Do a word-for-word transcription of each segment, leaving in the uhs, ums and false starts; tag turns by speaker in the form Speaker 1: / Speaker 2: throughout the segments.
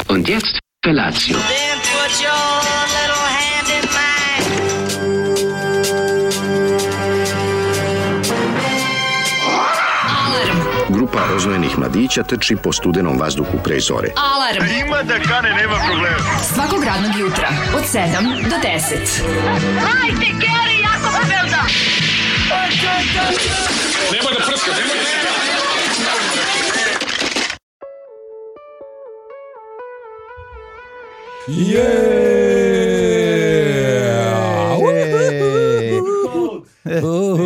Speaker 1: Und jetzt Felatio.
Speaker 2: Then put your little hand in mine.
Speaker 3: Grupa rozvojenih mladića trči po studenom vazduhu pre zore.
Speaker 4: Alarm!
Speaker 5: Ima da kane, nema problema.
Speaker 4: Svakog radnog jutra, od sedam do deset.
Speaker 2: Hajde, Geri, jako se velda!
Speaker 5: Nemoj da prska, nemoj da prska.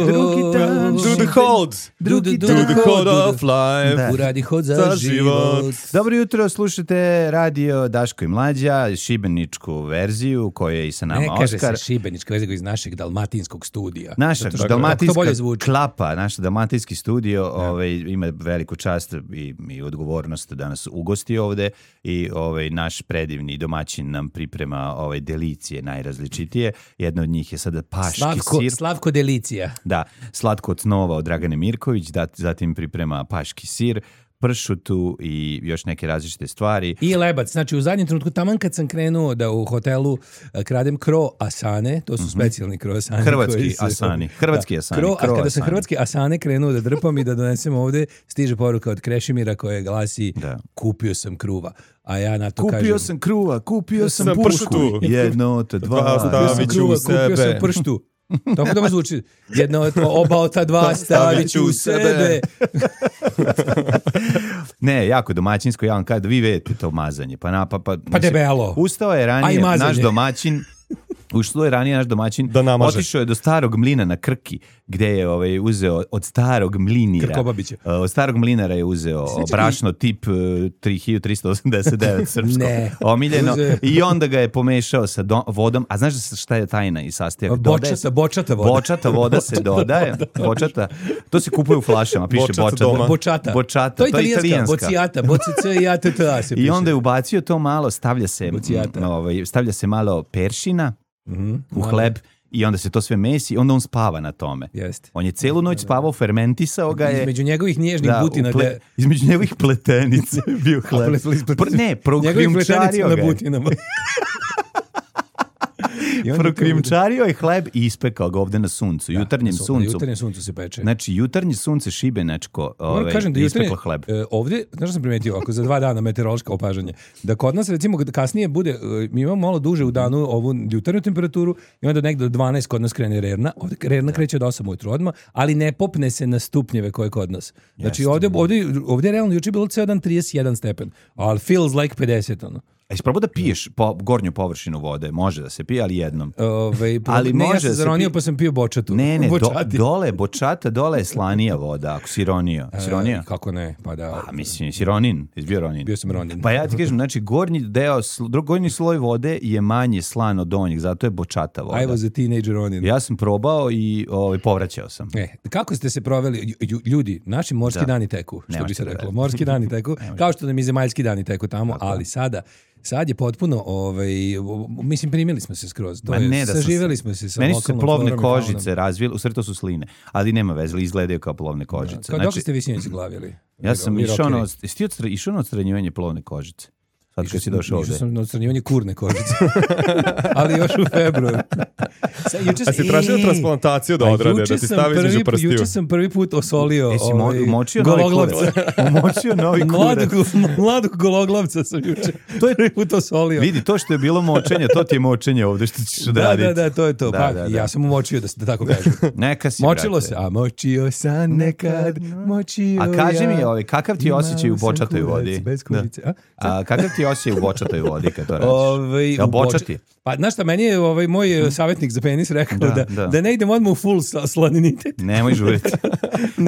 Speaker 6: Drugi dan
Speaker 7: Do the holds.
Speaker 6: Drugi
Speaker 7: Do
Speaker 6: dan
Speaker 7: the hold of life.
Speaker 6: Da. Uradi hod za,
Speaker 7: Za
Speaker 6: život.
Speaker 7: život.
Speaker 6: Dobro jutro, slušate radio Daško i Mlađa, šibeničku verziju koja je i sa nama
Speaker 8: Ne kaže
Speaker 6: Oskar.
Speaker 8: se šibenička verzija iz našeg dalmatinskog studija.
Speaker 6: Naša
Speaker 8: Zato što-
Speaker 6: dalmatinska
Speaker 8: to bolje zvuči.
Speaker 6: klapa, naš dalmatinski studio ovaj, ima veliku čast i, i odgovornost da nas ugosti ovde i ovaj, naš predivni domaćin nam priprema ovaj, delicije najrazličitije. Jedna od njih je sada paški
Speaker 8: Slavko,
Speaker 6: sir.
Speaker 8: Slavko Delicija.
Speaker 6: Da, slatko od snova od Dragane Mirković, dat- zatim priprema paški sir, pršutu i još neke različite stvari.
Speaker 8: I lebac. Znači, u zadnjem trenutku, taman kad sam krenuo da u hotelu eh, kradem kro asane, to su specijalni kro asane.
Speaker 6: Hrvatski
Speaker 8: koji su-
Speaker 6: asani, hrvatski
Speaker 8: Da,
Speaker 6: asani,
Speaker 8: Kro, a
Speaker 6: kro
Speaker 8: kada sam
Speaker 6: asani.
Speaker 8: hrvatski asane krenuo da drpam i da donesem ovde, stiže poruka od Krešimira koja glasi
Speaker 6: Da.
Speaker 8: kupio sam kruva. A ja na to
Speaker 6: Kupio
Speaker 8: kažem...
Speaker 6: sam kruva, kupio sam
Speaker 7: sam
Speaker 6: pušku.
Speaker 7: pršutu.
Speaker 6: Jedno, to dva.
Speaker 7: Dva
Speaker 8: Kupio sam
Speaker 7: stavit ću
Speaker 8: kruva,
Speaker 7: u
Speaker 8: kupio sam
Speaker 7: sebe.
Speaker 8: prštu. Tako da zvuči. Jedno od oba od ta dva stavit ću u sebe.
Speaker 6: Ne, jako domaćinsko, ja vam kažem da vi vedete to mazanje. Pa, na, pa, pa,
Speaker 8: Pa debelo.
Speaker 6: Ustao je
Speaker 8: A i
Speaker 6: ranije
Speaker 8: mazanje.
Speaker 6: naš domaćin, ušlo je ranije naš domaćin,
Speaker 7: Da namaže.
Speaker 6: otišao je do starog mlina na Krki, gde je ovaj, uzeo od starog mlinira.
Speaker 8: Krkobabića.
Speaker 6: uh, Od starog mlinara je uzeo brašno tip uh, tri hiljade trista osamdeset devet srpsko,
Speaker 8: Ne.
Speaker 6: omiljeno,
Speaker 8: Uzeo.
Speaker 6: i onda ga je pomešao sa do- vodom. A znaš da se- šta je tajna i sastojak? Dodaje se-
Speaker 8: Bočata, bočata voda.
Speaker 6: Bočata voda se dodaje. Bočata. To se kupuje u flašama, piše
Speaker 7: Bočata
Speaker 6: bočata.
Speaker 7: doma.
Speaker 8: Bočata.
Speaker 6: Bočata,
Speaker 8: To je italijanska. Bocijata. Bocica i ja te ta se
Speaker 6: I
Speaker 8: piše.
Speaker 6: onda je ubacio to malo, stavlja se,
Speaker 8: Bocijata.
Speaker 6: m, ovaj, stavlja se malo peršina
Speaker 8: Mhm,
Speaker 6: u
Speaker 8: malo.
Speaker 6: hleb i onda se to sve mesi i onda on spava na tome.
Speaker 8: Jeste.
Speaker 6: On je celu noć spavao, fermentisao ga je.
Speaker 8: Između njegovih nježnih
Speaker 6: Da,
Speaker 8: butina.
Speaker 6: u ple-
Speaker 8: gde-
Speaker 6: između njegovih pletenica je bio hleb.
Speaker 8: Ple- ple- ple-
Speaker 6: Pr- ne,
Speaker 8: Njegovih
Speaker 6: prokrijumčario
Speaker 8: pletenica
Speaker 6: ga
Speaker 8: na
Speaker 6: je.
Speaker 8: butinama. I onda to
Speaker 6: Prokrijumčario je hleb i ispekao ga ovde na suncu,
Speaker 8: bude-
Speaker 6: jutarnjem
Speaker 8: Na sun-
Speaker 6: suncu.
Speaker 8: Na jutarnjem suncu se peče.
Speaker 6: Znači, jutarnje sunce šibenačko
Speaker 8: Moram
Speaker 6: ovaj,
Speaker 8: kažem da
Speaker 6: ispeklo
Speaker 8: jutarnje,
Speaker 6: hleb.
Speaker 8: e, ovdje, znaš što sam primetio, ako za dva dana meteorološka opažanje, da kod nas recimo kad kasnije bude, e, mi imamo malo duže u danu ovu jutarnju temperaturu i onda negdje do dvanaest kod nas krene rerna, ovdje rerna kreće od osam ujutru odmah, ali ne popne se na stupnjeve koje je kod nas. Znači ovdje, ovdje, ovdje je realno juče bilo ceo dan trideset jedan stepen, ali feels like pedeset ono.
Speaker 6: A jesi probao da piješ po, gornju površinu vode? Može da se pije, ali jednom.
Speaker 8: Ove,
Speaker 6: Ali
Speaker 8: ne, ja
Speaker 6: može
Speaker 8: sam
Speaker 6: da se
Speaker 8: zaronio
Speaker 6: pi-
Speaker 8: pa sam pio bočatu.
Speaker 6: Ne, ne, do,
Speaker 8: Bočati.
Speaker 6: dole, bočata, dole je slanija voda, ako si ronio. Si ronio?
Speaker 8: E, kako ne, pa da.
Speaker 6: A mislim, si ronin, jesi bio ronin.
Speaker 8: Bio sam ronin.
Speaker 6: Pa ja ti kažem, znači, gornji deo, sl- drug- gornji sloj vode je manje slan od donjeg, zato je bočata voda.
Speaker 8: I was a teenager ronin.
Speaker 6: Ja sam probao i ovaj, povraćao sam.
Speaker 8: E, kako ste se proveli, lju- ljudi, naši morski
Speaker 6: Da.
Speaker 8: dani teku, što
Speaker 6: Ne
Speaker 8: bi se
Speaker 6: možete
Speaker 8: reklo,
Speaker 6: da-
Speaker 8: morski dani teku, kao što nam i zemaljski dani teku tamo, ali sada, sad je potpuno, ovaj, mislim, primili smo se skroz, to
Speaker 6: Ma
Speaker 8: je,
Speaker 6: ne da sam
Speaker 8: saživeli
Speaker 6: se-
Speaker 8: smo se sa
Speaker 6: Meni su se
Speaker 8: lokalnom
Speaker 6: plovne
Speaker 8: florom i faunom.
Speaker 6: kožice razvile, u stvari to su sline, ali nema veze, izgledaju kao plovne kožice.
Speaker 8: Kao dok ste vi sinoć glavili?
Speaker 6: ja sam
Speaker 8: Vi
Speaker 6: išao na,
Speaker 8: rockeri.
Speaker 6: jesi ti odstra- išao na odstranjivanje plovne kožice? Sad kad si došao ovde.
Speaker 8: Išao sam na odstranjivanje kurne kožice. Ali još u februaru. Sa, juče,
Speaker 7: A si tražio
Speaker 8: Ej,
Speaker 7: transplantaciju da
Speaker 8: pa
Speaker 7: odrade,
Speaker 8: juče
Speaker 7: da ti
Speaker 8: sam
Speaker 7: stavi
Speaker 8: prvi
Speaker 7: između
Speaker 8: pu-
Speaker 7: prstiju?
Speaker 8: Juče sam prvi put osolio
Speaker 6: Jesi mo-
Speaker 8: ovaj,
Speaker 6: umočio novi
Speaker 8: gologlavca.
Speaker 6: kurac? Umočio novi
Speaker 8: Mladog,
Speaker 6: kurac.
Speaker 8: mladog gologlavca sam juče. To je prvi put osolio.
Speaker 6: Vidi, to što je bilo močenje, to ti je močenje ovde što ćeš
Speaker 8: Da,
Speaker 6: odraditi.
Speaker 8: da, da, to je to.
Speaker 6: Da,
Speaker 8: pa,
Speaker 6: da, da.
Speaker 8: ja sam umočio, da, se- da tako kažem.
Speaker 6: Neka si,
Speaker 8: Močilo
Speaker 6: brate.
Speaker 8: se, a močio sam nekad, močio
Speaker 6: A kaži
Speaker 8: ja.
Speaker 6: mi, ovaj, kakav ti je osjećaj u
Speaker 8: Imao sam
Speaker 6: bočatoj
Speaker 8: kurac
Speaker 6: vodi?
Speaker 8: Bez
Speaker 6: Da.
Speaker 8: kurice, a?
Speaker 6: A kakav ti je osjećaj u bočatoj vodi kad to radiš?
Speaker 8: Ovaj,
Speaker 6: Jel
Speaker 8: u boč-
Speaker 6: bočati?
Speaker 8: Pa, znaš šta, meni je ovaj moj savjetnik za penis rekao
Speaker 6: Da,
Speaker 8: da,
Speaker 6: da.
Speaker 8: da. ne idem odmah u full sla- slaninitet.
Speaker 6: Nemoj žuriti.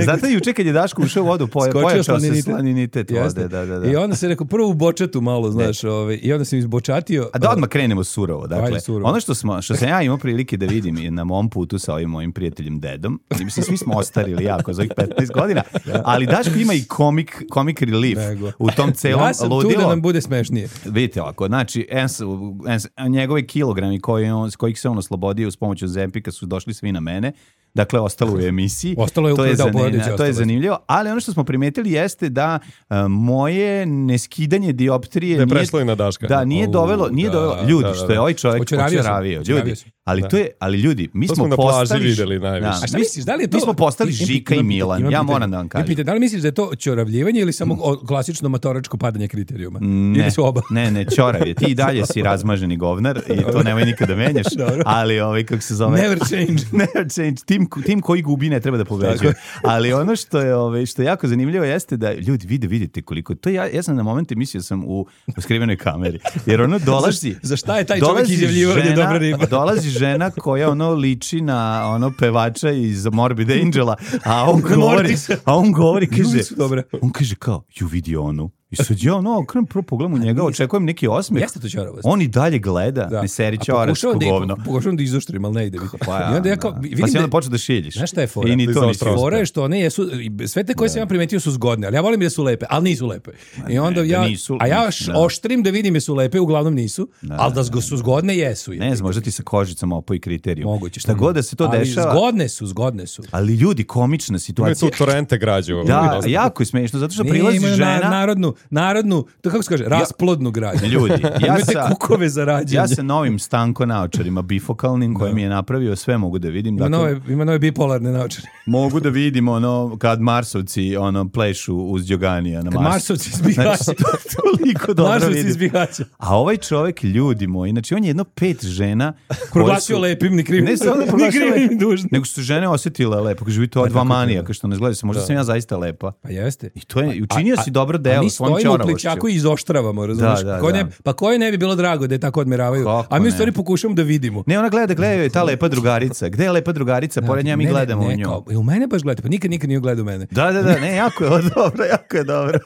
Speaker 6: Zato juče kad je Daško ušao u vodu, poja,
Speaker 8: Skočio
Speaker 6: pojačao se
Speaker 8: slaninitet.
Speaker 6: slaninitet
Speaker 8: Jeste.
Speaker 6: vode. Da, da, da.
Speaker 8: I onda se rekao, prvo u bočatu malo, znaš, ovaj, i onda sam izbočatio.
Speaker 6: A da odmah krenemo surovo. Dakle,
Speaker 8: Ajde, surovo.
Speaker 6: ono što, smo, što sam ja imao prilike da vidim i na mom putu sa ovim mojim prijateljem Dedom, i mislim, svi smo ostarili jako za ovih petnaest godina, ali Daško ima i komik, komik relief
Speaker 8: Nego.
Speaker 6: u tom celom
Speaker 8: Ja sam
Speaker 6: ludilu.
Speaker 8: tu da nam bude smešnije.
Speaker 6: Vidite ovako, znači, ens, ens, njegovi kilogrami koji on, kojih se on oslobodio uz pomoć Ozempika su došli svi na mene. dakle ostalo u emisiji.
Speaker 8: Ostalo je
Speaker 6: to
Speaker 8: upravo, da,
Speaker 6: zanimljivo,
Speaker 8: porodici
Speaker 6: to je
Speaker 8: ostalo.
Speaker 6: zanimljivo, ali ono što smo primetili jeste da uh, moje neskidanje dioptrije
Speaker 7: Da je
Speaker 6: nije,
Speaker 7: prešlo i na Daška.
Speaker 6: da, nije
Speaker 8: U,
Speaker 6: dovelo, nije
Speaker 8: da,
Speaker 6: dovelo,
Speaker 8: da,
Speaker 6: ljudi,
Speaker 7: da,
Speaker 6: što
Speaker 7: da.
Speaker 6: je ovaj čovjek
Speaker 8: Očaravio sam,
Speaker 6: očaravio,
Speaker 8: očaravio
Speaker 6: ljudi,
Speaker 8: sam.
Speaker 6: ali
Speaker 8: Da.
Speaker 6: to je, ali ljudi, mi
Speaker 7: To
Speaker 6: smo
Speaker 7: smo na plaži
Speaker 6: postali,
Speaker 7: videli najviše.
Speaker 8: A šta
Speaker 6: mi-
Speaker 8: misliš, da li je to...
Speaker 6: mi smo postali
Speaker 8: Imam
Speaker 6: Žika i
Speaker 8: pitanje,
Speaker 6: Milan,
Speaker 8: imam
Speaker 6: ja
Speaker 8: pitanje.
Speaker 6: moram da vam
Speaker 8: Imam
Speaker 6: kažem.
Speaker 8: pitanje, da li misliš da je to ćoravljivanje ili samo o- klasično matoračko padanje kriterijuma? Ili su oba?
Speaker 6: Ne, ne, ćorav je. Ti i dalje si razmaženi govnar i to nemoj nikada menjaš,
Speaker 8: Dobro.
Speaker 6: ali ovaj, kako se zove...
Speaker 8: Never change.
Speaker 6: Never change. Tim, tim koji gubi ne treba da pobeđuje. Ali ono što je, ovaj, što je jako zanimljivo jeste da ljudi vide, vidite koliko... To ja, ja sam na momente mislio sam u, u skrivenoj kameri. Jer ono dolazi...
Speaker 8: Za šta je taj čovjek
Speaker 6: dolazi
Speaker 8: izjavljivao da je
Speaker 6: žena-
Speaker 8: dobra riba?
Speaker 6: Dolazi žena koja ono liči na ono pevača iz Morbid Angela, a on govori,
Speaker 8: Mortisa.
Speaker 6: a on govori, kaže,
Speaker 8: Ljudi su dobre.
Speaker 6: on kaže kao, ju vidi onu. I sad ja ono, krem prvo pogledam u njega, očekujem neki osmeh.
Speaker 8: Jeste to ćoravost.
Speaker 6: On i dalje gleda,
Speaker 8: Da.
Speaker 6: ne seri
Speaker 8: A
Speaker 6: ćoračko
Speaker 8: pokušavam da i-
Speaker 6: govno.
Speaker 8: Pokušavam da izoštrim, ali ne ide. mi.
Speaker 6: Pa
Speaker 8: I onda ja kao,
Speaker 6: da.
Speaker 8: vidim
Speaker 6: Pa si
Speaker 8: da-
Speaker 6: onda počeo da šiljiš.
Speaker 8: Znaš šta je fora?
Speaker 6: I ni to nisi
Speaker 7: Izoštrao.
Speaker 6: uspeo.
Speaker 8: Fora je što one jesu, i sve te koje sam ja primetio su zgodne, ali ja volim da su lepe, ali nisu lepe. I onda
Speaker 6: ne, da
Speaker 8: ja,
Speaker 6: nisu,
Speaker 8: a ja š-
Speaker 6: da.
Speaker 8: oštrim da vidim jesu lepe, uglavnom nisu, ali da su zgodne jesu.
Speaker 6: Ne znam, možda ti sa kožicom opoji kriteriju.
Speaker 8: Moguće.
Speaker 6: Šta god da se to
Speaker 8: ali
Speaker 6: dešava.
Speaker 8: Zgodne su, zgodne su.
Speaker 6: Ali ljudi, komična
Speaker 7: Imaju
Speaker 6: situacija.
Speaker 7: tu torrente građu.
Speaker 6: Da, jako je smiješno, zato što
Speaker 8: Ne,
Speaker 6: prilazi
Speaker 8: imaju
Speaker 6: žena...
Speaker 8: na, narodnu, narodnu, to kako se kaže, rasplodnu građu.
Speaker 6: Ljudi, ja
Speaker 8: Imate
Speaker 6: sa,
Speaker 8: kukove za rađanje.
Speaker 6: ja sa novim stanko naočarima bifokalnim koje mi je napravio, sve mogu da vidim.
Speaker 8: Ima
Speaker 6: Dakle,
Speaker 8: nove, ima nove bipolarne naočare.
Speaker 6: mogu da vidim ono kad Marsovci ono plešu uz Đoganija na
Speaker 8: Kad
Speaker 6: Marsu.
Speaker 8: Marsovci iz Bihaća.
Speaker 6: Znači, to toliko dobro
Speaker 8: Marsovci iz
Speaker 6: vidim.
Speaker 8: Bihaća.
Speaker 6: A ovaj čovjek, ljudi moji, znači on je jedno pet žena koje
Speaker 8: Proglasio
Speaker 6: su-
Speaker 8: lepim, ni krivim.
Speaker 6: Ne samo da
Speaker 8: ni
Speaker 6: proglasio
Speaker 8: krivim,
Speaker 6: lepim,
Speaker 8: ni dužnim.
Speaker 6: nego su žene osjetile lepo. Kaže, vi to dva
Speaker 8: tako
Speaker 6: manijaka što ne izgleda se. Možda sam ja zaista lepa.
Speaker 8: Pa jeste.
Speaker 6: I to je, učinio
Speaker 8: A-
Speaker 6: si dobro
Speaker 8: a
Speaker 6: delo
Speaker 8: mi
Speaker 6: svojom
Speaker 8: stojimo u
Speaker 6: ćoravošću.
Speaker 8: plićaku i izoštravamo, razumiješ?
Speaker 6: Da, da,
Speaker 8: Ko
Speaker 6: da.
Speaker 8: ne, pa koje ne bi bilo drago da je tako odmeravaju?
Speaker 6: Kako
Speaker 8: A mi u
Speaker 6: ne?
Speaker 8: stvari pokušamo da vidimo.
Speaker 6: Ne, ona gleda, gleda joj ta lepa drugarica. Gde je lepa drugarica? Pored nje mi
Speaker 8: Ne, ne,
Speaker 6: gledamo
Speaker 8: ne,
Speaker 6: u nju.
Speaker 8: kao, e, u mene baš gledate, pa nikad, nikad nije gledao u mene.
Speaker 6: Da, da, da, ne, jako je dobro, jako je dobro.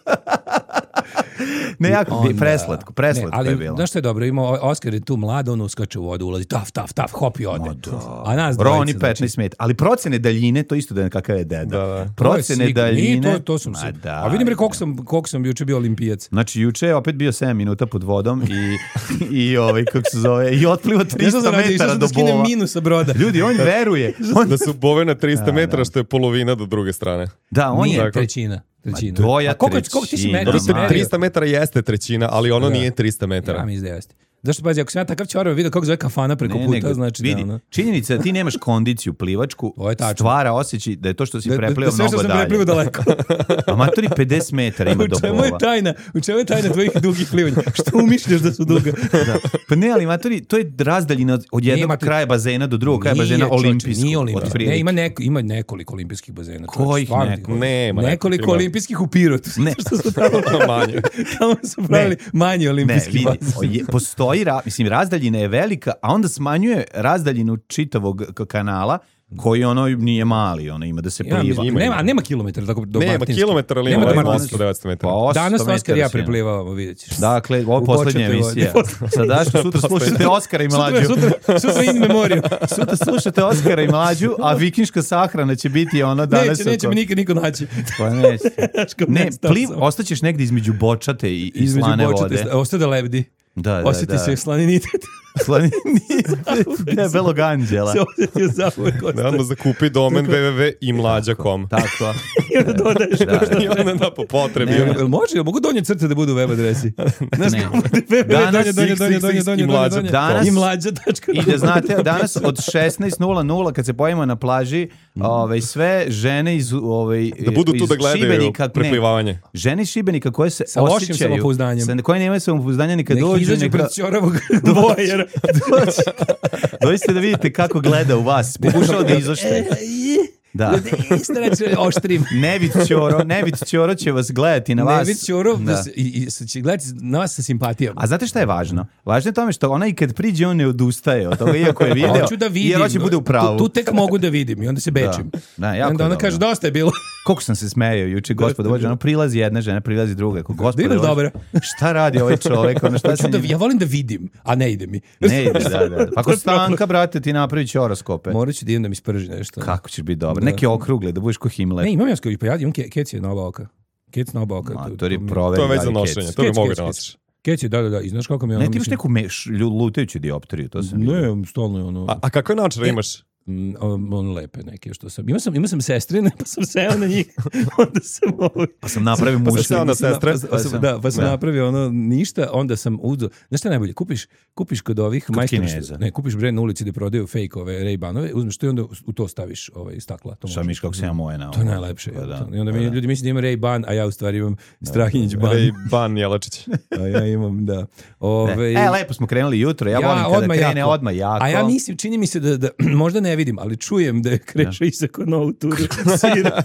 Speaker 6: Ne, jako,
Speaker 8: Onda-
Speaker 6: preslatko, preslatko
Speaker 8: ne,
Speaker 6: je
Speaker 8: ali,
Speaker 6: bilo.
Speaker 8: znaš što je dobro, ima Oskar je tu mlad, on uskače u vodu, ulazi, taf, taf, taf, hop i ode. A nas dvojica,
Speaker 6: Roni
Speaker 8: znači,
Speaker 6: petnaest metara. Ali procene daljine, to isto da je kakav je deda.
Speaker 7: Da, da.
Speaker 8: to je
Speaker 6: Procene
Speaker 8: sigurno.
Speaker 6: daljine.
Speaker 8: Nije, to, to sam
Speaker 6: Ma
Speaker 8: se.
Speaker 6: da,
Speaker 8: A vidim re koliko
Speaker 6: da.
Speaker 8: sam, koliko sam juče bio olimpijac.
Speaker 6: Znači, juče je opet bio sedam minuta pod vodom i, i ovaj, kako se zove, i otplivo trista metara do
Speaker 8: skinem
Speaker 6: bova.
Speaker 8: minus sa broda.
Speaker 6: Ljudi, on veruje. On,
Speaker 7: Da su bove na trista metara, što je polovina do druge strane.
Speaker 6: da, on
Speaker 8: Nije
Speaker 6: je...
Speaker 7: Tako.
Speaker 8: trećina. trećina.
Speaker 6: Ma doja
Speaker 8: A koliko, koliko ti si
Speaker 6: trećina,
Speaker 8: metara?
Speaker 6: ma.
Speaker 8: si merio?
Speaker 7: trista metara jeste trećina, ali ono nije trista
Speaker 8: Ja
Speaker 7: metara.
Speaker 8: mislim da jeste. Zašto, pazi, ako sam ja takav čorav vidio kako zove kafana preko
Speaker 6: Ne,
Speaker 8: puta,
Speaker 6: nego,
Speaker 8: znači
Speaker 6: vidi,
Speaker 8: da ono...
Speaker 6: činjenica da ti nemaš kondiciju plivačku
Speaker 8: To je tačno.
Speaker 6: stvara osjećaj da je to što si
Speaker 8: Da, da,
Speaker 6: preplio
Speaker 8: da sve što
Speaker 6: mnogo
Speaker 8: sam
Speaker 6: dalje.
Speaker 8: preplivao daleko.
Speaker 6: A matori pedeset metara ima do
Speaker 8: U čemu je
Speaker 6: bova.
Speaker 8: tajna? U čemu je tajna tvojih dugih plivanja? Što umišljaš da su duga?
Speaker 6: Da. Pa ne, ali matori, to je razdaljina od- od jednog
Speaker 8: matori-
Speaker 6: kraja bazena do drugog kraja bazena
Speaker 8: Nije, čoveče,
Speaker 6: olimpijskog.
Speaker 8: Nije olimpijski.
Speaker 6: otprilike.
Speaker 8: Ne, ima, neko, ima nekoliko olimpijskih bazena. čoveče,
Speaker 6: Kojih
Speaker 8: stvarno ti
Speaker 6: nekoliko?
Speaker 8: govorim.
Speaker 7: Nema
Speaker 8: Nekoliko
Speaker 7: ima.
Speaker 8: olimpijskih u Pirotu.
Speaker 6: Ne.
Speaker 8: Što su tamo,
Speaker 7: Manje.
Speaker 8: tamo su pravili manji
Speaker 6: Ne,
Speaker 8: olimpijski
Speaker 6: vidi,
Speaker 8: bazen.
Speaker 6: o, je- postoji, ra, mislim, razdaljina je velika, a onda smanjuje razdaljinu čitavog k- kanala, koji ono nije mali, ono ima da se
Speaker 8: Ja,
Speaker 6: pliva.
Speaker 8: mislim,
Speaker 7: Ima,
Speaker 8: nema,
Speaker 7: ima.
Speaker 8: nema kilometara tako do
Speaker 7: Nema
Speaker 8: Martinske.
Speaker 7: kilometar, ali
Speaker 8: Nema
Speaker 7: ima
Speaker 8: do
Speaker 7: osam
Speaker 8: Martinske.
Speaker 7: do devetsto metara.
Speaker 6: Pa osamsto
Speaker 8: Danas Oskar
Speaker 6: metara
Speaker 8: i ja
Speaker 6: si, ono.
Speaker 8: preplivavamo, vidjet ćeš.
Speaker 6: Dakle, ovo je
Speaker 8: U
Speaker 6: poslednja
Speaker 8: početnoj
Speaker 6: emisija.
Speaker 8: vodi.
Speaker 6: Sad daš, sutra slušate Oskara i Mlađu.
Speaker 8: Sutra, sutra, sutra in memoriam.
Speaker 6: Sutra slušate Oskara i Mlađu, a vikinška sahrana će biti ono danas.
Speaker 8: Neće, neće
Speaker 6: oko-
Speaker 8: me nikad niko naći.
Speaker 6: Pa neće.
Speaker 8: Daško,
Speaker 6: Ne,
Speaker 8: nestao
Speaker 6: pliv,
Speaker 8: sam.
Speaker 6: ostaćeš negdje između bočate i, i
Speaker 8: Između
Speaker 6: slane
Speaker 8: bočate,
Speaker 6: vode.
Speaker 8: ostaje da lebdi.
Speaker 6: Da, da,
Speaker 8: Osjeti
Speaker 6: da.
Speaker 8: se slaninitet.
Speaker 6: Slani, debelog anđela.
Speaker 8: Se osjetio zauvek
Speaker 7: Ne,
Speaker 8: ostaje.
Speaker 7: onda zakupi domen w w w i mlađa koma com.
Speaker 6: Tako.
Speaker 8: I onda dodaješ.
Speaker 7: I onda da po potrebi.
Speaker 6: Ne,
Speaker 7: ono.
Speaker 8: Jel može? Jel mogu donje crte da budu web adresi? Znaš
Speaker 6: Ne.
Speaker 8: kako bude web
Speaker 6: Danas
Speaker 8: donje, donje, donje, donje,
Speaker 7: X X X
Speaker 8: donje,
Speaker 7: i
Speaker 8: donje,
Speaker 7: mlađa.
Speaker 8: donje.
Speaker 6: Danas-
Speaker 8: I mlađa tačka.
Speaker 6: I da znate, danas od šesnaest nula nula kad se pojavimo na plaži, ovaj, sve žene iz, ovaj,
Speaker 7: Da budu tu
Speaker 6: iz
Speaker 7: da gledaju
Speaker 6: Šibenika, ne,
Speaker 7: preplivavanje.
Speaker 6: žene iz Šibenika koje se
Speaker 8: Sa lošim
Speaker 6: osjećaju,
Speaker 8: samopouzdanjem.
Speaker 6: sa, koje nemaju samopouzdanja nikad
Speaker 8: Nek
Speaker 6: dođu,
Speaker 8: izađu
Speaker 6: neka,
Speaker 8: pred ćoravog dvojera.
Speaker 6: dođite da vidite kako gleda u vas, pokušao da izošte. Da.
Speaker 8: Isto reći, oštrim.
Speaker 6: Nevid Ćoro, Nevid Ćoro će vas gledati na vas.
Speaker 8: Nevid Ćorov
Speaker 6: Da.
Speaker 8: da. i, i će gledati na vas sa simpatijom.
Speaker 6: A znate šta je važno? Važno je tome što ona i kad priđe on ne odustaje od toga, iako je video,
Speaker 8: Hoću da vidim.
Speaker 6: jer hoće bude u pravu.
Speaker 8: Tu, tu tek mogu da vidim i onda se bečim.
Speaker 6: Da,
Speaker 8: I
Speaker 6: jako
Speaker 8: onda
Speaker 6: je
Speaker 8: ona
Speaker 6: dobro.
Speaker 8: kaže, dosta je bilo.
Speaker 6: Koliko sam se smejao juče, gospodo Bože, ono prilazi jedna žena, prilazi druga. Kako, gospodo
Speaker 8: idem
Speaker 6: Bože,
Speaker 8: dobro.
Speaker 6: šta radi ovaj čovek? Ono šta
Speaker 8: Hoću
Speaker 6: se
Speaker 8: da,
Speaker 6: njim-
Speaker 8: ja volim da vidim, a ne ide mi.
Speaker 6: Ne ide, da, da. Pa ako Stanka, brate, ti napravi će horoskope.
Speaker 8: Morat ću da idem da mi sprži nešto.
Speaker 6: Kako ćeš biti dobar?
Speaker 8: Da.
Speaker 6: Neke okrugle, da budeš ko Himmler.
Speaker 8: Ne, imam ja skoro, pa ja imam ke, kec je na oba oka. Kec na oba oka. to-
Speaker 6: Matori,
Speaker 8: to mi-
Speaker 6: proveri
Speaker 7: To je već
Speaker 6: da
Speaker 7: za
Speaker 6: li
Speaker 7: nošenje.
Speaker 6: kec.
Speaker 7: To bi
Speaker 8: Kec,
Speaker 7: mogli
Speaker 8: kec,
Speaker 7: da
Speaker 8: kec.
Speaker 7: nosiš.
Speaker 8: Kec je, da, da, da. I znaš kako mi je ono...
Speaker 6: Ne, ti imaš
Speaker 8: mislim-
Speaker 6: neku meš, lju- lutajuću dioptriju, to sam vidio.
Speaker 8: Ne, stalno je ono...
Speaker 7: A, a kakve naočare imaš?
Speaker 8: Mm, on lepe neke što sam. Imao sam, imao sam sestrine, pa sam seo na njih. Onda sam ovaj...
Speaker 6: Pa sam napravio
Speaker 7: Pa sam
Speaker 6: muški.
Speaker 7: seo na sestre.
Speaker 8: Pa sam, da, pa sam
Speaker 6: Da.
Speaker 8: napravio ono ništa, onda sam uzeo. Znaš šta je najbolje? Kupiš, kupiš kod ovih majstora,
Speaker 6: Kineza.
Speaker 8: ne, kupiš bre na ulici gde prodaju fake ove Ray-Banove, uzmeš to i onda u to staviš ovaj stakla. To
Speaker 6: Šta
Speaker 8: može.
Speaker 6: miš kako se ja moje na
Speaker 8: To je
Speaker 6: ovo.
Speaker 8: najlepše.
Speaker 6: Pa
Speaker 8: Pa
Speaker 6: da,
Speaker 8: I onda
Speaker 6: pa
Speaker 8: mi
Speaker 6: da.
Speaker 8: ljudi misle da ima Ray-Ban, a ja u stvari imam Strahinjić ban.
Speaker 7: Rej Ban Jelačić.
Speaker 8: A ja imam, da. Ove,
Speaker 6: E, lepo smo krenuli jutro, ja, volim kada
Speaker 8: odmah
Speaker 6: krene
Speaker 8: jako.
Speaker 6: odmah jako.
Speaker 8: A ja mislim, čini mi se da, da možda ne vidim, ali čujem da je Kreša isako novu turu sira.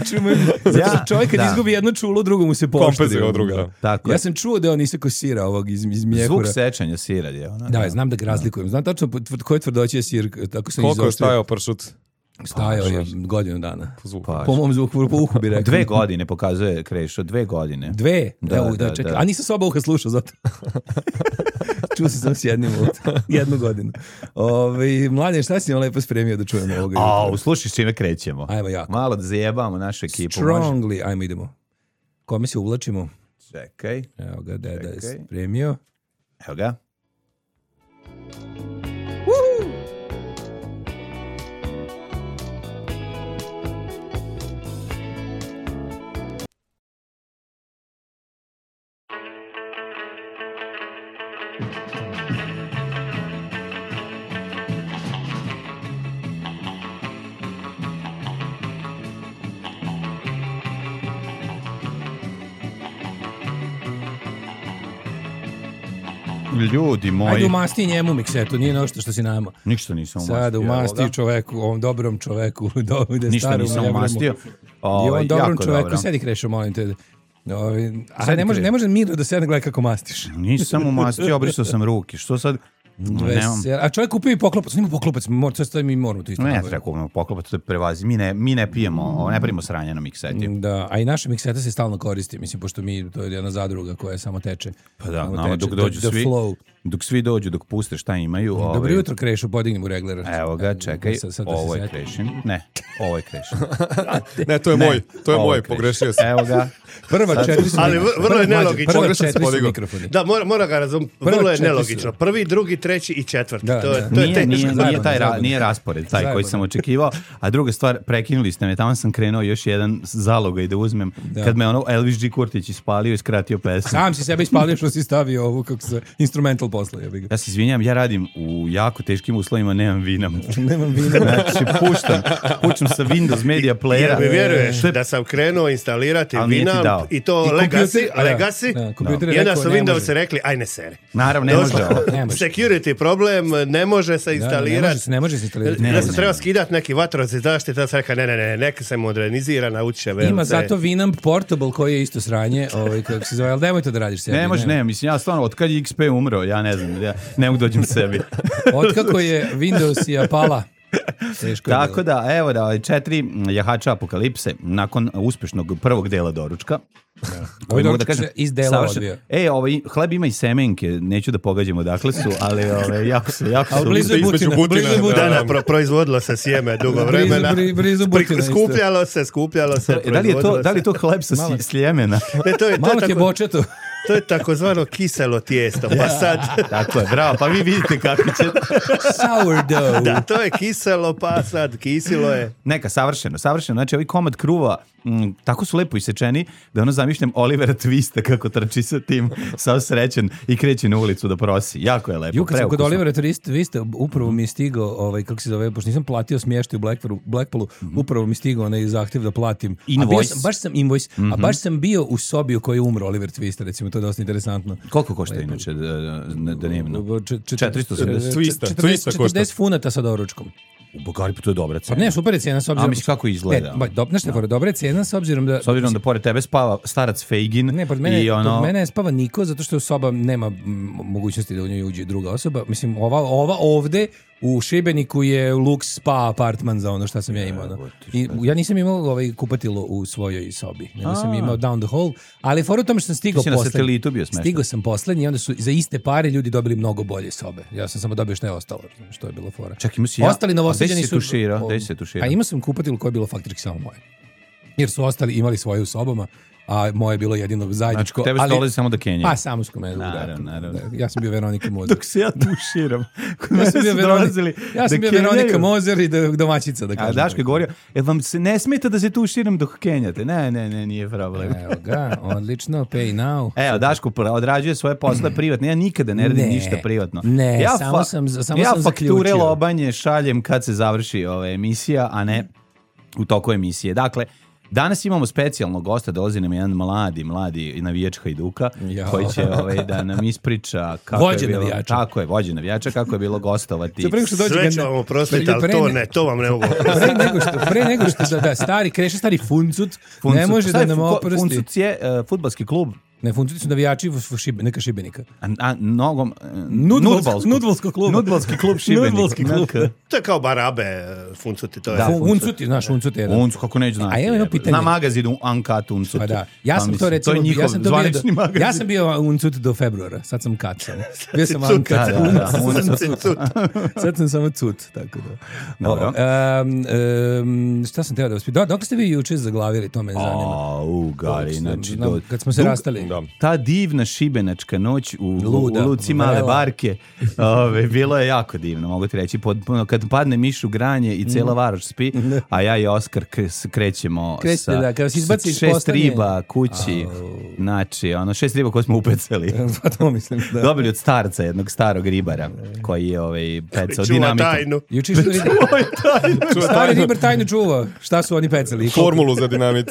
Speaker 8: Čujem, zato što
Speaker 6: Ja,
Speaker 8: čovjek kad
Speaker 6: da.
Speaker 8: izgubi jedno čulo, drugo mu se poštri.
Speaker 7: Kompenzuje od druga, da.
Speaker 6: Tako
Speaker 8: Ja
Speaker 6: je.
Speaker 8: sam čuo da je on isako sira ovog iz, iz mjehura.
Speaker 6: Zvuk sečanja sira je ona.
Speaker 8: Da, znam da ga razlikujem. Znam tačno po tv- koje tvrdoće je sir, tako sam
Speaker 7: Koliko je
Speaker 8: izoštrio.
Speaker 7: stajao pršut?
Speaker 8: Stajao je godinu dana.
Speaker 7: Po zvuku.
Speaker 6: Pa,
Speaker 8: Po mom zvuku, po uhu bi rekao.
Speaker 6: dve godine pokazuje Krešo, dve godine.
Speaker 8: Dve?
Speaker 6: Da,
Speaker 8: Evo,
Speaker 6: da,
Speaker 8: da, čekaj.
Speaker 6: da.
Speaker 8: A nisam s oba uha slušao zato. Čuo sam sam s jednim uha. Jednu godinu. Ove, mladen, šta si nam lepo spremio da čujemo ovoga
Speaker 6: A,
Speaker 8: jutra?
Speaker 6: usluši s čime krećemo.
Speaker 8: Ajmo jako.
Speaker 6: Malo da zajebamo našu ekipu. Može?
Speaker 8: Strongly. Ajmo idemo. Kome se uvlačimo?
Speaker 6: Čekaj,
Speaker 8: Evo ga, deda je
Speaker 6: Čekaj.
Speaker 8: spremio.
Speaker 6: evo ga. Ljudi moji,
Speaker 8: Ajde umasti njemu miksetu, nije nešto što si nama.
Speaker 6: ništa nisam umastio.
Speaker 8: Sad
Speaker 6: evo
Speaker 8: umasti
Speaker 6: ga.
Speaker 8: čoveku, ovom dobrom čoveku. Do, ide
Speaker 6: Ništa
Speaker 8: starom
Speaker 6: nisam
Speaker 8: jebromu.
Speaker 6: umastio.
Speaker 8: I
Speaker 6: Ovaj,
Speaker 8: on dobrom
Speaker 6: jako
Speaker 8: čoveku,
Speaker 6: dobro.
Speaker 8: sedi Krešo, molim te. Ovaj, a
Speaker 6: Sedi,
Speaker 8: ne može,
Speaker 6: Krešo.
Speaker 8: ne može mirno da sedne gleda kako mastiš.
Speaker 6: Nisam umastio, obrisao sam ruke. Što sad? Nemam.
Speaker 8: Veser. A čovjek kupio i poklopac, nima poklopac, mor, to je mi moramo to isto.
Speaker 6: Ne
Speaker 8: nabaviti.
Speaker 6: treba kupimo poklopac, to je prevazi. Mi ne, mi ne pijemo, ne pravimo sranje na mikseti.
Speaker 8: Da, a i naša mikseta se stalno koristi, mislim, pošto mi, to je jedna zadruga koja samo teče.
Speaker 6: Pa da,
Speaker 8: Samo
Speaker 6: nama
Speaker 8: teče.
Speaker 6: dok dođu
Speaker 8: The- the
Speaker 6: svi,
Speaker 8: flow.
Speaker 6: dok svi dođu, dok puste šta imaju.
Speaker 8: Dobro
Speaker 6: ovaj,
Speaker 8: jutro, Krešo, podigni mu regler.
Speaker 6: Evo ga, čekaj,
Speaker 8: Sad- sad da se
Speaker 6: ovo je
Speaker 8: setim.
Speaker 6: Krešin. Ne, ovo je Krešin.
Speaker 7: Ne, to je
Speaker 6: Ne,
Speaker 7: moj, to je
Speaker 6: ovo
Speaker 7: moj,
Speaker 6: Krešin.
Speaker 7: pogrešio sam.
Speaker 6: Evo ga.
Speaker 8: Prva četiri su
Speaker 1: Ali
Speaker 8: mikrofoni.
Speaker 1: vrlo je
Speaker 8: Prva-
Speaker 1: nelogično.
Speaker 8: Prva
Speaker 7: Pogrešno sam
Speaker 8: četiri su
Speaker 7: podigao.
Speaker 8: mikrofoni.
Speaker 1: Da, mora, mora ga razum,
Speaker 8: Prva
Speaker 1: vrlo je
Speaker 8: četiri
Speaker 1: nelogično.
Speaker 8: su.
Speaker 1: Prvi, drugi, treći i četvrti.
Speaker 8: Da,
Speaker 1: to je,
Speaker 8: da.
Speaker 1: to je
Speaker 6: Nije,
Speaker 1: teško.
Speaker 6: nije, nije,
Speaker 8: Zajebano,
Speaker 6: taj ra,
Speaker 8: zajebano.
Speaker 6: nije raspored taj koji
Speaker 8: Zajebano.
Speaker 6: sam očekivao. A druga stvar, prekinuli ste me, tamo sam krenuo još jedan zalogaj da uzmem.
Speaker 8: Da.
Speaker 6: Kad me ono Elvis G. Kurtić ispalio i skratio pesmu.
Speaker 8: Sam si sebe ispalio što si stavio ovu, kako se, instrumental posle, ja bih ga.
Speaker 6: Ja se izvinjam, ja radim u jako teškim uslovima, nemam vina.
Speaker 8: Nemam vina.
Speaker 6: Znači, puštam, puštam sa Windows Media
Speaker 1: Jer
Speaker 6: Playera.
Speaker 1: mi vjeruješ
Speaker 6: Što je-
Speaker 1: da sam krenuo instalirati
Speaker 6: Ali nije ti
Speaker 1: Winamp
Speaker 6: dao.
Speaker 1: i to
Speaker 8: I
Speaker 1: Legacy,
Speaker 8: kompjuter- da,
Speaker 1: Legacy,
Speaker 8: da, kompjuter je
Speaker 1: i onda
Speaker 8: rekao,
Speaker 1: su
Speaker 8: ne
Speaker 1: Windows
Speaker 8: može.
Speaker 1: rekli, aj ne seri.
Speaker 6: Naravno, ne može
Speaker 1: Došlo.
Speaker 6: ovo.
Speaker 8: Ne može.
Speaker 1: Security problem, ne može se
Speaker 8: Da, ne može
Speaker 1: instalirati.
Speaker 8: se, ne može se instalirati.
Speaker 6: Ne,
Speaker 1: da
Speaker 6: ne,
Speaker 1: sam
Speaker 6: ne.
Speaker 1: trebao skidati neki vatrogasni zaštite, da sam rekao, ne, ne, ne, neka se modernizira, nauči će
Speaker 8: Ima
Speaker 1: V L C.
Speaker 8: zato Winamp Portable koji je isto sranje, ovaj, kako se zove, ali nemoj to da radiš sebi.
Speaker 6: Ne može, ne, mislim, ja stvarno, od kad je X P umro, ja ne znam, ja ne mogu dođem sebi.
Speaker 8: Otkako je Windows i pala, teško je
Speaker 6: Tako
Speaker 8: bilo.
Speaker 6: da, evo da, ovaj, četiri jahača apokalipse, nakon uspešnog prvog dela doručka, koji mogu da
Speaker 8: doručak
Speaker 6: kažem,
Speaker 8: se iz dela
Speaker 6: savršen-
Speaker 8: odvija.
Speaker 6: E, ovaj, hleb ima i semenke, neću da pogađamo dakle su, ali ovaj, jako su, jako
Speaker 8: Ali
Speaker 6: su.
Speaker 8: blizu je
Speaker 7: između
Speaker 8: Butina,
Speaker 7: Butina,
Speaker 8: blizu je
Speaker 7: da,
Speaker 8: Butina.
Speaker 1: Da, da, pro, proizvodilo se sjeme dugo
Speaker 8: Blizu-
Speaker 1: vremena.
Speaker 8: bri- blizu
Speaker 1: Pri-
Speaker 8: Butina isto.
Speaker 1: skupljalo se, skupljalo se,
Speaker 6: E, da li je to,
Speaker 1: proizvodilo
Speaker 6: da li je to hleb sa
Speaker 8: Malo-
Speaker 6: si- sljemena?
Speaker 1: se. Ne, to je, to
Speaker 8: Malo
Speaker 1: je,
Speaker 8: ti je
Speaker 1: tako,
Speaker 8: bočeto.
Speaker 1: to je takozvano kiselo tijesto, pa sad,
Speaker 6: Tako je, bravo, pa vi vidite kako će...
Speaker 8: Sourdough.
Speaker 1: da, to je kiselo, pa sad kisilo je.
Speaker 6: Neka, savršeno, savršeno. Znači, ovaj komad kruva, m, tako su lepo isečeni, da ono zamišljam Olivera Twista kako trči sa tim, sav srećen i kreće na ulicu da prosi. Jako je lepo,
Speaker 8: Ju, kad sam kod
Speaker 6: preukusno.
Speaker 8: Olivera Twist, vi ste, upravo mi je stigao, ovaj, kako se zove, pošto nisam platio smještaj u Blackpoolu, Blackpoolu upravo mi je stigao onaj zahtjev da platim. A bio
Speaker 6: Invoice.
Speaker 8: sam, baš sam invoice, a baš sam bio u sobi u kojoj je umro Oliver Twist, recimo, to je dosta interesantno.
Speaker 6: Koliko košta inače da, da, da dnevno?
Speaker 8: Č- č-
Speaker 6: četiristo osamdeset.
Speaker 7: Twista,
Speaker 8: četrdeset-
Speaker 7: Twista košta.
Speaker 8: četrdeset funata sa doručkom.
Speaker 6: U Bogari, pa to je dobra
Speaker 8: Pa
Speaker 6: cena.
Speaker 8: ne, super je cijena s obzirom...
Speaker 6: A, misliš kako izgleda?
Speaker 8: Ne, ba, do, znaš šta je fora, dobra je cijena s obzirom da...
Speaker 6: S obzirom da pored tebe spava starac Fejgin
Speaker 8: Ne, pored mene,
Speaker 6: i ono...
Speaker 8: pored mene ne spava niko, zato što soba nema mm, mogućnosti da u njoj uđe druga osoba. Mislim, ova, ova ovde u Šibeniku je Lux Spa apartman za ono što sam ja imao. ono. I ja nisam imao ovaj kupatilo u svojoj sobi, nego sam imao down the hall, ali fora u tome što sam stigao
Speaker 6: Ti si na
Speaker 8: poslednji.
Speaker 6: satelitu bio smešten.
Speaker 8: Stigao sam poslednji i onda su za iste pare ljudi dobili mnogo bolje sobe. Ja sam samo dobio što je ostalo, što je bilo fora.
Speaker 6: Čak imao si ja.
Speaker 8: Ostali Novosađani
Speaker 6: A gde si se
Speaker 8: su...
Speaker 6: tuširao?
Speaker 8: o-
Speaker 6: Gde si se tuširao?
Speaker 8: A imao sam kupatilo koje je bilo faktički samo moje. Jer su ostali imali svoje u sobama a moje je bilo jedino zajedničko.
Speaker 6: Znači, tebe
Speaker 8: ali-
Speaker 6: dolazi samo do Kenije.
Speaker 8: Pa, samo s komenom.
Speaker 6: Naravno, naravno.
Speaker 8: Ja sam bio Veronika Mozer.
Speaker 6: Dok se ja tuširam.
Speaker 8: Ja sam bio, Veronika, ja sam
Speaker 6: da
Speaker 8: bio
Speaker 6: kenjaju.
Speaker 8: Veronika Mozer i do- domaćica, da
Speaker 6: A
Speaker 8: kažem.
Speaker 6: Daško je govorio, jel vam se ne smeta da se tuširam dok kenjate? Ne, ne, ne, nije problem.
Speaker 8: Evo ga, odlično, pay now.
Speaker 6: Evo, Daško pra- odrađuje svoje posle privatno. Ja nikada ne radim
Speaker 8: Ne,
Speaker 6: ništa privatno.
Speaker 8: ne,
Speaker 6: ja
Speaker 8: samo sam- samo
Speaker 6: ja
Speaker 8: sam
Speaker 6: fakture
Speaker 8: zaključio.
Speaker 6: lobanje šaljem kad se završi ova emisija, a ne u toku emisije. Dakle, danas imamo specijalnog gosta, dolazi nam jedan mladi, mladi navijač Hajduka,
Speaker 8: Ja.
Speaker 6: koji će ovaj, da nam ispriča kako
Speaker 8: Vođa
Speaker 6: je bilo,
Speaker 8: navijača.
Speaker 6: Tako je, vođa navijača, kako je bilo gostovati.
Speaker 8: Sve pre nego što dođe
Speaker 1: Sve
Speaker 8: gen-
Speaker 1: ću vam oprostiti,
Speaker 8: pre-
Speaker 1: ali
Speaker 8: pre
Speaker 1: to
Speaker 8: ne-
Speaker 1: ne, to vam ne mogu.
Speaker 8: Pre nego što, pre nego što da, da stari, kreše stari funcut,
Speaker 6: Funcuc-
Speaker 8: ne može
Speaker 6: šta
Speaker 8: da
Speaker 6: je
Speaker 8: nam
Speaker 6: fu-
Speaker 8: oprosti.
Speaker 6: Funcuc je uh, fudbalski klub.
Speaker 8: Ne, funcuti su navijači v- v- Šibe- neka Šibenika.
Speaker 6: A, a nogom... uh,
Speaker 8: Nudbalsko-
Speaker 6: nudbalsko-
Speaker 8: nudbalskog kluba.
Speaker 6: Nudbalski klub Šibenik.
Speaker 8: Nudbalski klub.
Speaker 6: Naka.
Speaker 1: To je kao barabe, funcuti, to je.
Speaker 6: Da.
Speaker 8: Fun- Uncuti, znaš, uncut je jedan.
Speaker 6: Uncu, kako neću znati.
Speaker 8: A evo jedno
Speaker 6: jebote.
Speaker 8: pitanje.
Speaker 6: Na magazinu Uncut Uncut.
Speaker 8: Pa da. Ja
Speaker 6: Pa
Speaker 8: sam to
Speaker 6: mislim,
Speaker 8: recimo,
Speaker 6: to je njihov
Speaker 8: ja sam to bio
Speaker 6: zvanični
Speaker 8: do,
Speaker 6: magazin.
Speaker 8: ja sam bio uncut do februara, sad sam cut sam. Bio sam
Speaker 1: cut.
Speaker 8: uncut,
Speaker 6: Da, da, da.
Speaker 8: sad sam
Speaker 1: Cut,
Speaker 8: cut.
Speaker 1: cut.
Speaker 8: Sad sam samo cut, tako da.
Speaker 6: Dobro.
Speaker 8: Um, um, šta sam teo da vas pitam? Da, dok ste vi juče zaglavili, to me zanima.
Speaker 6: A, u, Gari, znači...
Speaker 8: Znam,
Speaker 6: do-
Speaker 8: kad smo se
Speaker 6: dug-
Speaker 8: rastali.
Speaker 7: Da.
Speaker 6: Ta divna šibenačka noć u,
Speaker 8: Luda,
Speaker 6: u Luci Male
Speaker 8: vrela.
Speaker 6: Barke, ove, bilo je jako divno, mogu ti reći. Pod, kad padne miš u granje i cela Varoš spi, a ja i Oskar k- s- krećemo
Speaker 8: Krećete,
Speaker 6: sa,
Speaker 8: da, kada se izbaci iz
Speaker 6: šest
Speaker 8: postanje.
Speaker 6: riba kući, znači, ono, šest riba koje smo upecali.
Speaker 8: Pa to mislim, da.
Speaker 6: Dobili od starca, jednog starog ribara, koji je ovaj, pecao
Speaker 1: Čuva
Speaker 6: dinamitom.
Speaker 1: tajnu.
Speaker 8: Juče što vidim. Stari ribar tajnu čuva. Šta su oni pecali?
Speaker 7: Formulu za dinamit.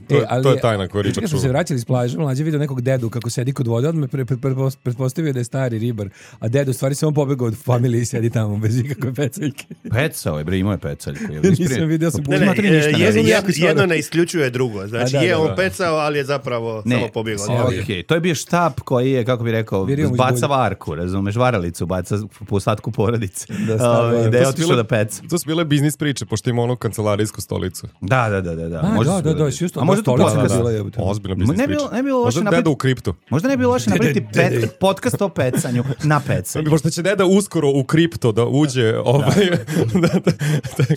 Speaker 7: To,
Speaker 8: E,
Speaker 7: je-
Speaker 8: ali
Speaker 7: to je tajna koju
Speaker 8: juče
Speaker 7: Ričak
Speaker 8: kad smo se
Speaker 7: čuva.
Speaker 8: vraćali iz plaže, mlađe vidio nekog dedu kako sedi kod vode, odmah pre, pre, pretpos- pretpostavio da je stari ribar, a dedu u stvari samo pobegao od familije i sedi tamo bez ikakve pecaljke.
Speaker 6: Pecao je, bre, imao je pecaljku. je
Speaker 8: Nisam
Speaker 6: ispred-
Speaker 8: vidio, sam
Speaker 1: Ne, ne,
Speaker 6: Smatri ništa ne
Speaker 1: je-
Speaker 6: znam.
Speaker 1: je-
Speaker 8: jako
Speaker 1: jedno
Speaker 8: stvarno.
Speaker 1: ne isključuje drugo. Znači,
Speaker 8: A, da,
Speaker 1: je
Speaker 8: da,
Speaker 1: on
Speaker 8: da.
Speaker 1: pecao, ali je zapravo
Speaker 6: Ne,
Speaker 1: samo pobjegao.
Speaker 8: Sorry.
Speaker 6: okej, to je bio štap koji je, kako bi rekao,
Speaker 8: Virio mu iz
Speaker 6: baca
Speaker 8: bulje.
Speaker 6: varku, razumeš, varalicu, baca po ostatku porodice.
Speaker 8: Da, stvarno,
Speaker 6: Ovaj,
Speaker 8: da.
Speaker 6: da je
Speaker 7: To su
Speaker 6: otišao
Speaker 7: bile-
Speaker 6: da peca.
Speaker 7: To su bile biznis priče, pošto ima onu kancelarijsku stolicu.
Speaker 6: Da, da, da, da. da.
Speaker 8: A,
Speaker 6: Može
Speaker 8: da,
Speaker 6: se
Speaker 8: da,
Speaker 6: bilo
Speaker 8: da,
Speaker 6: biti.
Speaker 8: si isto-
Speaker 6: A možda
Speaker 8: da,
Speaker 6: to
Speaker 8: stolica
Speaker 6: podcast.
Speaker 8: bila jebote.
Speaker 7: Ozbiljna biznis
Speaker 6: Ne bi bilo-
Speaker 7: priča.
Speaker 6: ne bi bilo loše
Speaker 7: Možda
Speaker 6: napraviti-
Speaker 7: deda u kriptu.
Speaker 6: Možda ne bi bilo loše napraviti
Speaker 8: Dede, dede.
Speaker 6: pet, podcast o pecanju na pecanju.
Speaker 7: Pošto će deda uskoro u kripto da uđe, ovaj... da, da, da,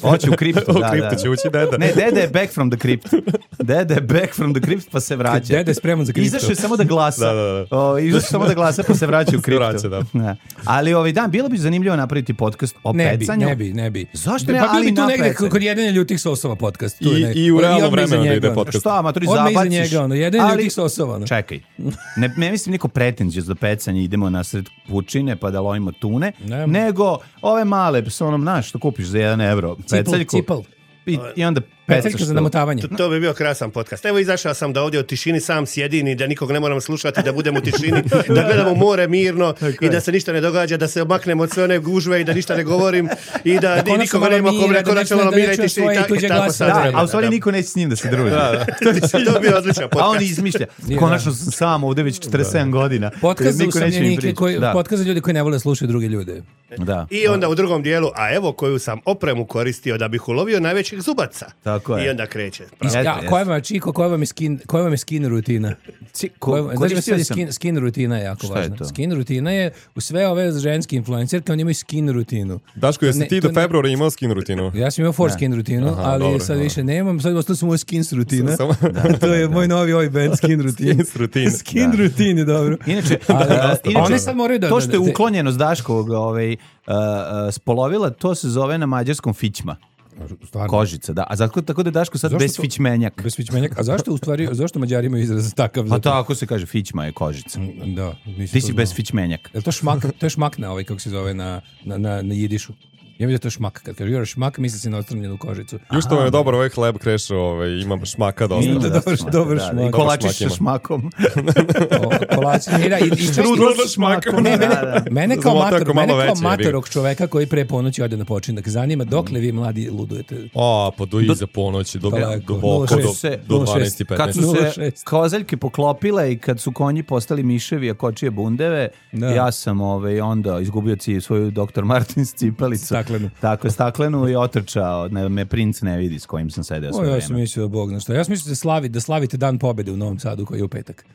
Speaker 6: Hoće u kriptu,
Speaker 7: u
Speaker 6: da,
Speaker 7: kripto
Speaker 6: da.
Speaker 7: će ući deda.
Speaker 6: Ne, dede je back from the crypt. Dede je back from the crypt pa se vraća.
Speaker 8: Dede je spreman za kripto.
Speaker 6: Izašao je samo da glasa.
Speaker 7: Da, da, da.
Speaker 6: O, izašao je samo da glasa pa se vraća u
Speaker 7: Se
Speaker 6: kriptu.
Speaker 7: vraća, da.
Speaker 6: Ali ovaj dan, bilo bi zanimljivo napraviti podcast o
Speaker 8: Ne bi,
Speaker 6: pecanju.
Speaker 8: ne bi, ne bi.
Speaker 6: Zašto ne,
Speaker 8: Pa bio
Speaker 6: ali
Speaker 8: bi tu
Speaker 6: na
Speaker 8: negde
Speaker 6: pecanju.
Speaker 8: kod jedine ljutih sosova podcast. Tu je
Speaker 7: I,
Speaker 8: negde.
Speaker 7: I u realno
Speaker 8: odmah iza
Speaker 7: vremenu da
Speaker 8: njega,
Speaker 7: ide
Speaker 8: ono.
Speaker 7: podcast.
Speaker 6: Šta, matori,
Speaker 8: Odmah iza
Speaker 6: zabaciš.
Speaker 8: njega, ono, jedan
Speaker 6: ali-
Speaker 8: ljutih sosova. ono.
Speaker 6: Čekaj, ne, ne mislim niko pretenđios do pecanja, idemo na sred pučine pa da lovimo tune,
Speaker 8: Ne.
Speaker 6: nego ove male, sa onom, znaš, što kupiš za jedan evro, peceljku.
Speaker 8: cipel.
Speaker 6: I, I onda
Speaker 8: Peceljka
Speaker 6: pecaš
Speaker 8: za
Speaker 6: to.
Speaker 8: namotavanje.
Speaker 1: To bi bio krasan podcast. Evo izašao sam da ovdje u tišini sam sjedim i da nikog ne moram slušati, da budem u tišini, da gledamo more mirno i da se ništa ne događa, da se maknem od sve one gužve i da ništa ne govorim i da,
Speaker 8: Da
Speaker 1: da
Speaker 8: konačno
Speaker 1: nikoga
Speaker 8: malo
Speaker 1: nema
Speaker 8: mira,
Speaker 1: kome
Speaker 8: da
Speaker 1: konačno
Speaker 8: ne
Speaker 1: malo
Speaker 8: čuje-
Speaker 1: mira i
Speaker 8: da ne čuje
Speaker 1: tišini.
Speaker 8: svoje
Speaker 1: i tako-
Speaker 8: tuđe
Speaker 1: i tako
Speaker 8: glasove.
Speaker 1: sad
Speaker 6: Da,
Speaker 1: treba,
Speaker 6: a u stvari
Speaker 1: da.
Speaker 6: niko neće s njim da se druži.
Speaker 1: To bi bio odličan
Speaker 6: A
Speaker 1: podcast.
Speaker 6: on izmišlja.
Speaker 8: Nije,
Speaker 6: Konačno sam sam ovdje već četrdeset sedam godina.
Speaker 8: Podcast za
Speaker 6: Niko neće mi
Speaker 8: usamljenike,
Speaker 6: pričati.
Speaker 8: koji,
Speaker 6: Da,
Speaker 8: podcast za ljudi koji ne vole da slušaju druge ljude.
Speaker 6: da.
Speaker 1: I onda u drugom dijelu, a evo koju sam opremu koristio da bih ulovio najvećih zubaca.
Speaker 6: Tako je.
Speaker 1: I onda kreće.
Speaker 6: Jeste,
Speaker 8: Ja,
Speaker 6: jeste.
Speaker 8: koja vam je čiko, koja vam je skin, koja vam je skin rutina?
Speaker 6: Ci-
Speaker 8: Koja,
Speaker 6: ko-
Speaker 8: znači,
Speaker 6: koristio
Speaker 8: sad je
Speaker 6: sam-
Speaker 8: skin, skin rutina je jako
Speaker 6: Šta je
Speaker 8: važna.
Speaker 6: to?
Speaker 8: Skin rutina je u sve ove ženske influencerke, oni imaju skin rutinu.
Speaker 7: Daško, jesi
Speaker 8: Ne,
Speaker 7: ti
Speaker 8: to
Speaker 7: do
Speaker 8: ne-
Speaker 7: februara imao skin rutinu?
Speaker 8: Ja sam imao foreskin rutinu,
Speaker 7: Aha,
Speaker 8: ali
Speaker 7: dobro,
Speaker 8: sad
Speaker 7: dobro.
Speaker 8: više nemam, sad ostalo sam moj skins rutina.
Speaker 7: Samo-
Speaker 8: To je moj novi ovaj band, skin rutin.
Speaker 7: Skins rutin.
Speaker 8: Skin rutin je dobro.
Speaker 6: Inače,
Speaker 8: Ali,
Speaker 6: da, inače,
Speaker 8: one sad moraju da...
Speaker 6: to
Speaker 8: da-
Speaker 6: što je
Speaker 8: da-
Speaker 6: uklonjeno s Daškovog ovaj, uh, uh, spolovila, to se zove na mađarskom fićma.
Speaker 8: Stvarno.
Speaker 6: Kožica, da. A zato, tako da je Daško sad
Speaker 8: Zašto
Speaker 6: bez
Speaker 8: to-
Speaker 6: fićmenjak.
Speaker 8: Bez fićmenjaka. A zašto u stvari, zašto Mađari imaju izraz takav?
Speaker 6: Pa
Speaker 8: Zato-
Speaker 6: tako se kaže, fićma je kožica.
Speaker 8: Da, nisam
Speaker 6: Ti
Speaker 8: to
Speaker 6: si bez
Speaker 8: znao.
Speaker 6: fićmenjak.
Speaker 8: Je to šmak, to je šmak na ovaj, kako se zove, na, na, na, na jidišu. Ja mislim da je to šmak. Kad kaže još šmak, misli se na ostrmljenu kožicu.
Speaker 7: Još što vam je dobar ovaj hleb krešo, ovaj, ima šmaka dosta.
Speaker 8: Ima, dobar, dobar
Speaker 6: Da, da,
Speaker 8: šmak.
Speaker 6: I kolačiš
Speaker 7: Dobar
Speaker 6: sa
Speaker 7: šmak ima.
Speaker 6: šmakom.
Speaker 8: O, kolači, ne, da, i, i čak-
Speaker 7: Strudel sa šmakom.
Speaker 8: Ne, mene,
Speaker 6: Da, da.
Speaker 8: mene kao,
Speaker 7: Zalota
Speaker 8: mator,
Speaker 7: ako malo
Speaker 8: mene kao
Speaker 7: veće,
Speaker 8: matorog čoveka koji pre ponoći ode na počinak zanima dokle vi mladi ludujete.
Speaker 7: A, pa do iza ponoći, do,
Speaker 8: Daleko.
Speaker 7: duboko,
Speaker 8: nula
Speaker 7: do,
Speaker 8: šest.
Speaker 7: do
Speaker 8: nula šest.
Speaker 7: dvanaest i
Speaker 6: Kad
Speaker 7: petnaest.
Speaker 6: su
Speaker 8: nula
Speaker 6: se
Speaker 8: šest.
Speaker 6: kozaljke poklopile i kad su konji postali miševi, a kočije bundeve,
Speaker 8: Da.
Speaker 6: ja sam ovaj, onda izgubio ci svoju doktor Martins cipelicu.
Speaker 8: Staklenu.
Speaker 6: Tako je, staklenu i otrčao. Ne, me princ ne vidi s kojim sam sedeo
Speaker 8: O,
Speaker 6: sve
Speaker 8: ja
Speaker 6: vreme.
Speaker 8: sam mislio, Bog na što. Ja sam mislio da, slavi, da slavite dan pobede u Novom Sadu koji je u petak.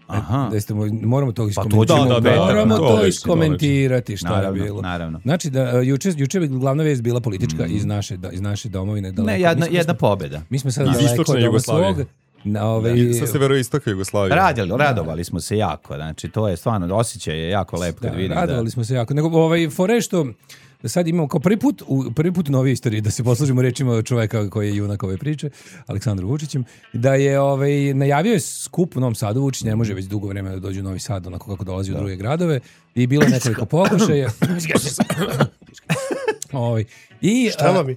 Speaker 6: Aha.
Speaker 8: Da jeste, mo- moramo to
Speaker 6: Pa to
Speaker 8: iskomentirati.
Speaker 6: ćemo
Speaker 7: Da, da, da,
Speaker 8: moramo
Speaker 7: to
Speaker 8: to
Speaker 7: već,
Speaker 8: iskomentirati šta
Speaker 6: Naravno,
Speaker 8: je bilo.
Speaker 6: naravno.
Speaker 8: Znači, da, uh, juče, juče bi glavna vijest bila politička iz, naše, da, iz naše domovine. Daleko.
Speaker 6: Ne, jedna,
Speaker 8: Mi smo-
Speaker 6: jedna pobjeda.
Speaker 8: Mi smo sad
Speaker 7: Iz
Speaker 8: daleko
Speaker 7: istočne
Speaker 8: od ovog
Speaker 7: Jugoslavije.
Speaker 8: svog. Na ove,
Speaker 7: I sa severoistoka Jugoslavije.
Speaker 6: Radili, radovali smo se jako, znači to je stvarno, osjećaj je jako lep kad
Speaker 8: da,
Speaker 6: vidim.
Speaker 8: radovali
Speaker 6: da...
Speaker 8: smo se jako. Nego, ovaj, fore što sad imamo kao prvi put, u, prvi put u novoj istoriji, da se poslužimo rečima čoveka koji je junak ove priče, Aleksandrom Vučićem, da je ovaj, najavio je skup u Novom Sadu. Vučić ne može već dugo vremena da dođe u Novi Sad, onako kako dolazi u druge gradove, i bilo je nekoliko pokušaja. Ovaj. I,
Speaker 1: Šta vam mi?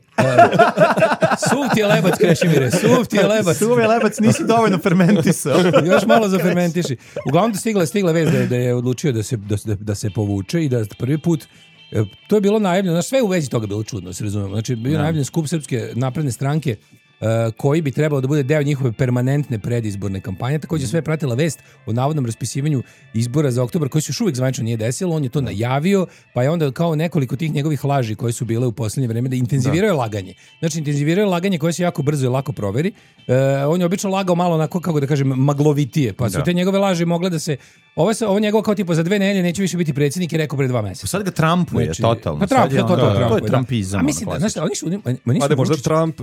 Speaker 8: Suv ti je lebac, Krešimire, suv ti je lebac.
Speaker 6: Suv je lebac, nisi dovoljno fermentisao.
Speaker 8: Još malo zafermentiši. Uglavnom stigla, stigla vez da je, da je odlučio da se, da, da se povuče i da prvi put, to je bilo najavljeno, znači sve u vezi toga bilo čudno, se razumemo. Znači bio najavljen skup Srpske napredne stranke Uh, koji bi trebalo da bude deo njihove permanentne predizborne kampanje. Također sve je pratila vest o navodnom raspisivanju izbora za oktobar koji se još uvijek zvanično nije desilo. On je to najavio, pa je onda kao nekoliko tih njegovih laži koje su bile u posljednje vreme da intenziviraju da. laganje. Znači intenziviraju laganje koje se jako brzo i lako proveri. Uh, on je obično lagao malo onako, kako da kažem, maglovitije, pa su da. te njegove laži mogle da se... Ovo se ovo njegovo kao tipa za dve nedelje neće više biti predsjednik i rekao pre dva mjeseca.
Speaker 6: Sad ga Trumpuje znači, totalno.
Speaker 8: Pa Trump,
Speaker 6: je
Speaker 8: to, to,
Speaker 6: da,
Speaker 8: Trump,
Speaker 6: to je Trumpizam.
Speaker 8: A mislim da, znaš, oni su... Oni su
Speaker 7: pa da možda
Speaker 8: Vučić,
Speaker 7: Trump,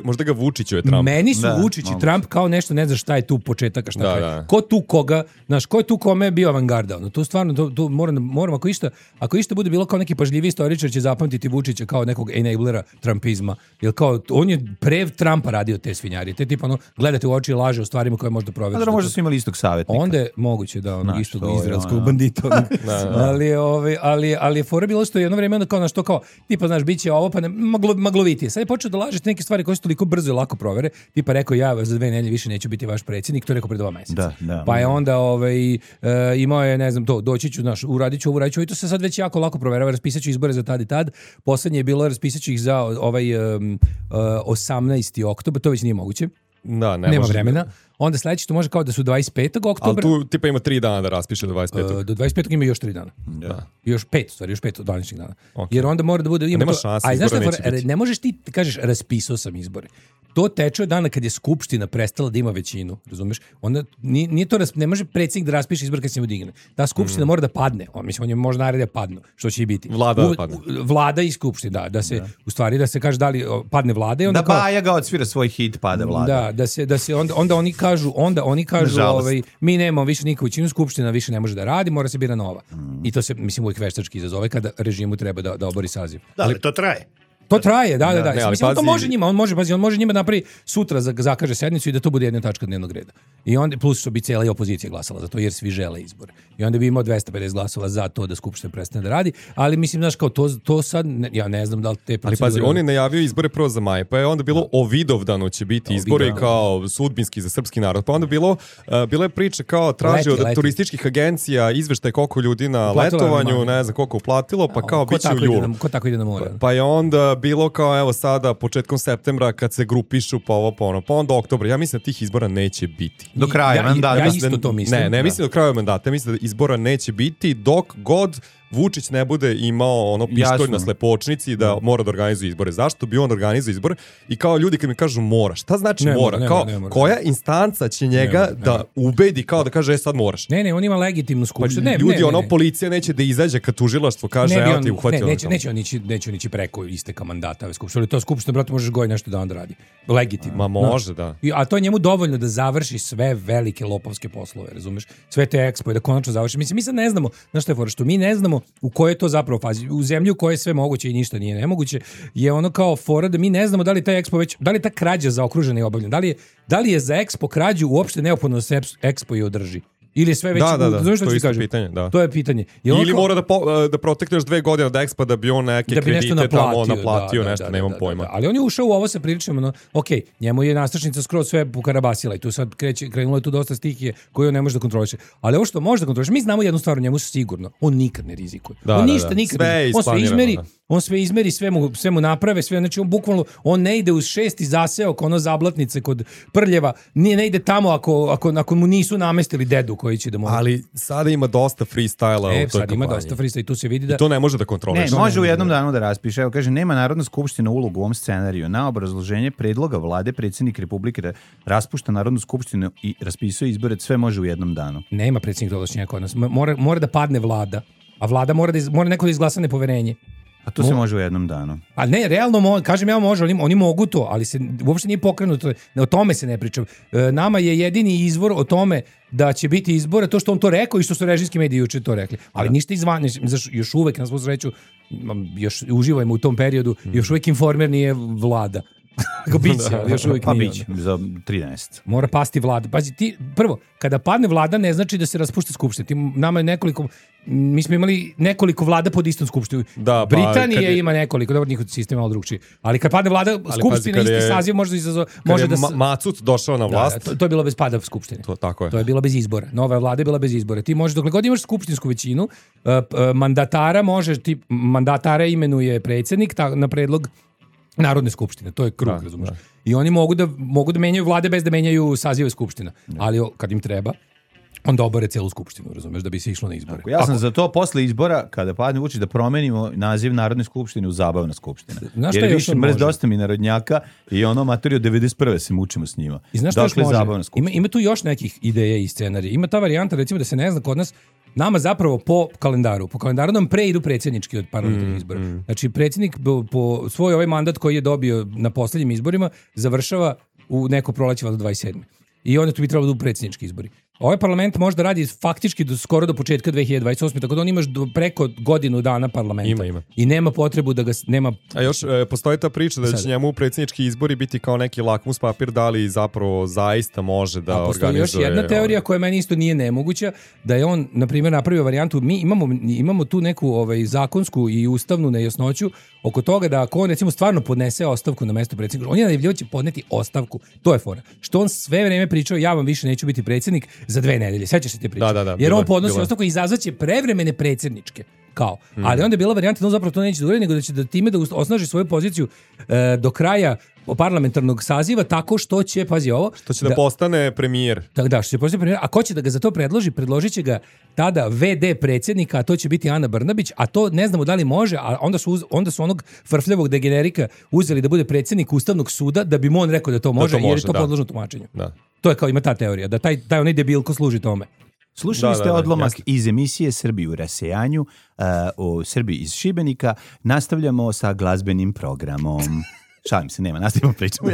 Speaker 7: možda ga Vučiću je Trump.
Speaker 8: Meni su
Speaker 6: da,
Speaker 8: Vučić i Trump kao nešto, ne znaš šta je tu početak, a šta
Speaker 7: da,
Speaker 8: je.
Speaker 7: Da.
Speaker 8: Ko tu koga, znaš, ko je tu kome bio avangarda? Ono, tu stvarno, to, tu moram, moram ako išta, ako išta bude bilo kao neki pažljivi istoričar će zapamtiti Vučića kao nekog enablera Trumpizma. Jer kao, on je pre Trumpa radio te svinjari. Te tipa, ono, gledate u oči i laže o stvarima koje možda provede.
Speaker 6: A da možda su imali istog savjetnika.
Speaker 8: Onda je moguće da ono, istog izraelskog
Speaker 6: ono.
Speaker 8: bandita. Ono.
Speaker 6: da, da.
Speaker 8: Ali, ovaj, ali, ali je fora bilo što jedno vreme onda kao na što kao, tipa, znaš, bit će ovo, pa ne, maglo, maglovitije. Sad je počeo da lažete neke stvari koje su toliko brzo i lako provere. Tipa rekao, ja za dve nedelje više neću biti vaš predsjednik, to je rekao pre dva mjeseca.
Speaker 6: Da, da,
Speaker 8: pa je
Speaker 6: da.
Speaker 8: onda ovaj, uh, imao je, ne znam, to, doći ću, znaš, uradit ću ovo, uradit ću, i to se sad već jako lako proverava, raspisat ću izbore za tad i tad. Poslednje je bilo, raspisat ću ih za ovaj um, uh, osamnaesti oktobar, to već nije moguće.
Speaker 7: Da, ne
Speaker 8: nema
Speaker 7: može.
Speaker 8: vremena. Onda sledeće to može kao da su dvadeset petog oktobra.
Speaker 7: Ali tu tipa ima tri dana da raspiše do dvadeset petog.
Speaker 8: Uh, do dvadeset petog ima još tri dana.
Speaker 7: Da.
Speaker 8: Još pet, stvari, još pet današnjih dana.
Speaker 7: Okay.
Speaker 8: Jer onda mora da bude... Ima
Speaker 7: nema
Speaker 8: to,
Speaker 7: šanse,
Speaker 8: a znaš
Speaker 7: izbora
Speaker 8: šta,
Speaker 7: neće biti.
Speaker 8: Ne možeš ti kažeš raspisao sam izbore. To teče od dana kad je skupština prestala da ima većinu, razumeš? Onda nije, nije to ne može predsjednik da raspiše izbor kad se mu digne. Ta skupština mm. mora da padne. On mislim on je možda naredno da padnu, što će i biti.
Speaker 7: Vlada
Speaker 8: u,
Speaker 7: da padne.
Speaker 8: U, vlada i skupština, da, da se da. u stvari da se kaže da li padne vlada i onda
Speaker 6: da
Speaker 8: kao,
Speaker 6: Baja ga odsvira svoj hit pada vlada.
Speaker 8: Da, da se da se onda onda oni kažu, onda oni kažu ovaj mi nemamo više nikakvu većinu, skupština više ne može da radi, mora se bira nova. Mm. I to se mislim uvijek veštački izazove kada režimu treba da da obori saziv.
Speaker 1: Da, ali to traje.
Speaker 8: To traje, da, da, da.
Speaker 7: Ne, ali
Speaker 8: mislim,
Speaker 7: pazi,
Speaker 8: to može njima, on može, pazi, on može njima napravi sutra zakaže sednicu i da to bude jedna tačka dnevnog reda. I onda plus što bi cijela i opozicija glasala za to jer svi žele izbore. I onda bi imao dvesta pedeset glasova za to da skupština prestane da radi, ali mislim znaš kao to to sad ne, ja ne znam da li te
Speaker 7: procedure... Ali pazi, on je najavio izbore prvo za maj, pa je onda bilo o Vidovdanu će biti izbori kao sudbinski za srpski narod. Pa onda bilo uh, bilo je priča kao traži od leti. turističkih agencija izveštaj koliko ljudi na uplatilo letovanju, ne znam koliko uplatilo, pa kao biće u julu.
Speaker 8: Ko tako ide na more?
Speaker 7: Pa, pa je onda bilo kao evo sada početkom septembra kad se grupišu pa ovo pa ono, pa onda oktobra. Ja mislim da tih izbora neće biti.
Speaker 6: Do kraja
Speaker 8: ja,
Speaker 6: mandata.
Speaker 8: Ja isto to mislim.
Speaker 7: Ne, ne mislim do kraja mandata, mislim da izbora neće biti dok god Vučić ne bude imao ono pištolj na slepočnici da mora da organizuje izbore. Zašto bi on organizuje izbore? I kao ljudi kad mi kažu mora, šta znači
Speaker 8: ne
Speaker 7: mora?
Speaker 8: Ne,
Speaker 7: kao,
Speaker 8: ne, ne,
Speaker 7: koja instanca će njega ne, ne, ne. da ubedi kao da kaže e, sad moraš?
Speaker 8: Ne, ne, on ima legitimnu skupštinu.
Speaker 7: Pa,
Speaker 8: ne,
Speaker 7: ljudi,
Speaker 8: ne,
Speaker 7: ono,
Speaker 8: ne.
Speaker 7: policija neće da izađe kad tužilaštvo kaže evo ti uhvatilo.
Speaker 8: Ne, neće, neće on ići, neće on ići preko isteka mandata ove skupštine. To skupština, brate, možeš goji nešto dan da radi. Legitimno.
Speaker 7: Ma može, da.
Speaker 8: I, a to je njemu dovoljno da završi sve velike lopovske poslove, razumeš? Sve te ekspo i da konačno završi. Mislim, mi sad ne znamo, znaš što je fora, što mi ne znamo u kojoj to zapravo fazi. U zemlji u kojoj je sve moguće i ništa nije nemoguće, je ono kao fora da mi ne znamo da li taj ekspo već, da li ta krađa zaokružena i obavljena, da li je, da li je za ekspo krađu uopšte neophodno da se ekspo i održi. Ili je sve već...
Speaker 7: Da, da, da,
Speaker 8: znaš što
Speaker 7: to je
Speaker 8: ti
Speaker 7: isto
Speaker 8: kažem?
Speaker 7: pitanje, da.
Speaker 8: To je pitanje. Je
Speaker 7: Ili
Speaker 8: kao,
Speaker 7: mora da, po, da protekneš dve godine od Expa da bi on neke
Speaker 8: da bi
Speaker 7: kredite
Speaker 8: naplatio,
Speaker 7: tamo naplatio,
Speaker 8: da,
Speaker 7: nešto,
Speaker 8: da,
Speaker 7: nemam
Speaker 8: da,
Speaker 7: pojma.
Speaker 8: Da, da. Ali on je ušao u ovo sa priličnom, no, ok, njemu je nastrašnica skroz sve pokarabasila i tu sad kreće, krenulo je tu dosta stihije koje on ne može da kontroliše. Ali ovo što može da kontroliše, mi znamo jednu stvar o njemu sigurno, on nikad ne rizikuje.
Speaker 7: Da,
Speaker 8: on
Speaker 7: da,
Speaker 8: ništa
Speaker 7: da.
Speaker 8: nikad
Speaker 7: Sve
Speaker 8: ne
Speaker 7: je
Speaker 8: on sve izmeri,
Speaker 7: da.
Speaker 8: on sve izmeri, sve mu, sve mu naprave, sve, znači on bukvalno, on ne ide uz šesti zaseok, ono zablatnice kod Prljeva, nije, ne ide tamo ako, ako, ako mu nisu namestili dedu koji će da mu...
Speaker 7: Ali sada ima dosta freestyla
Speaker 8: e,
Speaker 7: u toj
Speaker 8: sad ima
Speaker 7: kampanji.
Speaker 8: dosta freestyla i tu se vidi da...
Speaker 7: I to ne može da kontroliš.
Speaker 6: Ne, može u jednom danu da raspiše. Evo kaže, nema Narodna skupština ulogu u ovom scenariju. Na obrazloženje predloga vlade predsjednik Republike raspušta Narodnu skupštinu i raspisuje izbore, sve može u jednom danu.
Speaker 8: Nema predsjednik ovlašćenja kod nas. Mora, mora da padne vlada, a vlada mora, da iz, mora neko da izglasa nepoverenje.
Speaker 6: A to se može u jednom danu.
Speaker 8: A ne, realno, mo, kažem ja može, oni, oni mogu to, ali se uopšte nije pokrenuto, o tome se ne priča. E, nama je jedini izvor o tome da će biti izbora, to što on to rekao i što su režimski mediji juče to rekli. Ali ništa izvan, još uvek, na svu sreću, još uživajmo u tom periodu, još uvek informer nije vlada. Kako biće, još uvijek
Speaker 6: pa
Speaker 8: nije.
Speaker 6: biće, za trinaest.
Speaker 8: Mora pasti vlada. Pazi, ti, prvo, kada padne vlada ne znači da se raspušta skupština. Ti, nama je nekoliko, mi smo imali nekoliko vlada pod istom skupštinu.
Speaker 7: Da, pa,
Speaker 8: Britanije
Speaker 7: je,
Speaker 8: ima nekoliko, dobro, njihov sistem je malo drugčiji. Ali kad padne vlada, skupština isti
Speaker 7: je,
Speaker 8: saziv može da izazove... Može da
Speaker 7: ma, Macut došao na vlast...
Speaker 8: Da, to, to je bilo bez pada skupštine.
Speaker 7: To, tako je.
Speaker 8: To je bilo bez izbora. Nova vlada je bila bez izbora. Ti možeš, dokle god imaš skupštinsku većinu, uh, uh, mandatara možeš, ti mandatara imenuje predsjednik ta, na predlog Narodne skupštine, to je krug, da, razumiješ. Da. I oni mogu da, mogu da menjaju vlade bez da menjaju sazive skupština. Da. Ali kad im treba, onda obore celu skupštinu, razumiješ, da bi se išlo na izbore.
Speaker 6: Tako, ja sam Ako... za to posle izbora, kada padne Vučić, da promenimo naziv Narodne skupštine u Zabavna skupština.
Speaker 8: Znaš
Speaker 6: jer više mrz dosta mi narodnjaka i ono materiju devedeset prve se mučimo s njima.
Speaker 8: I znaš
Speaker 6: dakle,
Speaker 8: Zabavna skupština. Ima, ima tu još nekih ideja i scenarija. Ima ta varijanta, recimo, da se ne zna kod nas, nama zapravo po kalendaru, po kalendaru nam pre idu predsjednički od parlamentarnih izbora. Mm, mm. Znači, predsjednik po, po svoj ovaj mandat koji je dobio na posljednjim izborima završava u neko proleće do dvadeset sedme. I onda tu bi trebalo da u predsjednički izbori. Ovaj parlament može da radi faktički do, skoro do početka dve hiljade dvadeset osme, tako da on imaš do, preko godinu dana parlamenta.
Speaker 7: Ima, ima.
Speaker 8: I nema potrebu da ga nema...
Speaker 7: A još e, postoji ta priča da će Sad. njemu predsjednički izbori biti kao neki lakmus papir, da li zapravo zaista može da organizuje... A postoji
Speaker 8: još jedna teorija koja meni isto nije nemoguća, da je on, na primjer, napravio varijantu, mi imamo, imamo tu neku ovaj, zakonsku i ustavnu nejasnoću oko toga da ako on recimo stvarno podnese ostavku na mesto predsjednika, on je najavljivao će podneti ostavku. To je fora. Što on sve vreme pričao, ja vam više neću biti predsjednik za dve nedelje. Sećaš se te priče?
Speaker 7: Da, da, da,
Speaker 8: jer
Speaker 7: bilo,
Speaker 8: on podnosi
Speaker 7: bilo.
Speaker 8: ostavku i izazvaće prevremene predsjedničke. Kao. Mm. Ali onda je bila varijanta da on zapravo to neće da uradi, nego da će da time da osnaži svoju poziciju e, do kraja parlamentarnog saziva tako što će, pazi ovo...
Speaker 7: Što će da, da postane premijer.
Speaker 8: Da, da, što će postane premijer. A ko će da ga za to predloži? Predložit će ga tada ve de predsjednika, a to će biti Ana Brnabić, a to ne znamo da li može, a onda su, uz, onda su onog frfljavog degenerika uzeli da bude predsjednik Ustavnog suda, da bi mu on rekao da to može, da to može jer je to
Speaker 7: da.
Speaker 8: podložno tumačenju.
Speaker 7: Da.
Speaker 8: To je kao, ima ta teorija, da taj, taj onaj debilko služi tome.
Speaker 6: Slušali
Speaker 7: da,
Speaker 6: ste
Speaker 7: da, da,
Speaker 6: odlomak
Speaker 7: jasno.
Speaker 6: iz emisije Srbiji u rasejanju uh, o Srbiji iz Šibenika. Nastavljamo sa glazbenim programom. Šalim se, nema, nastavimo pričamo.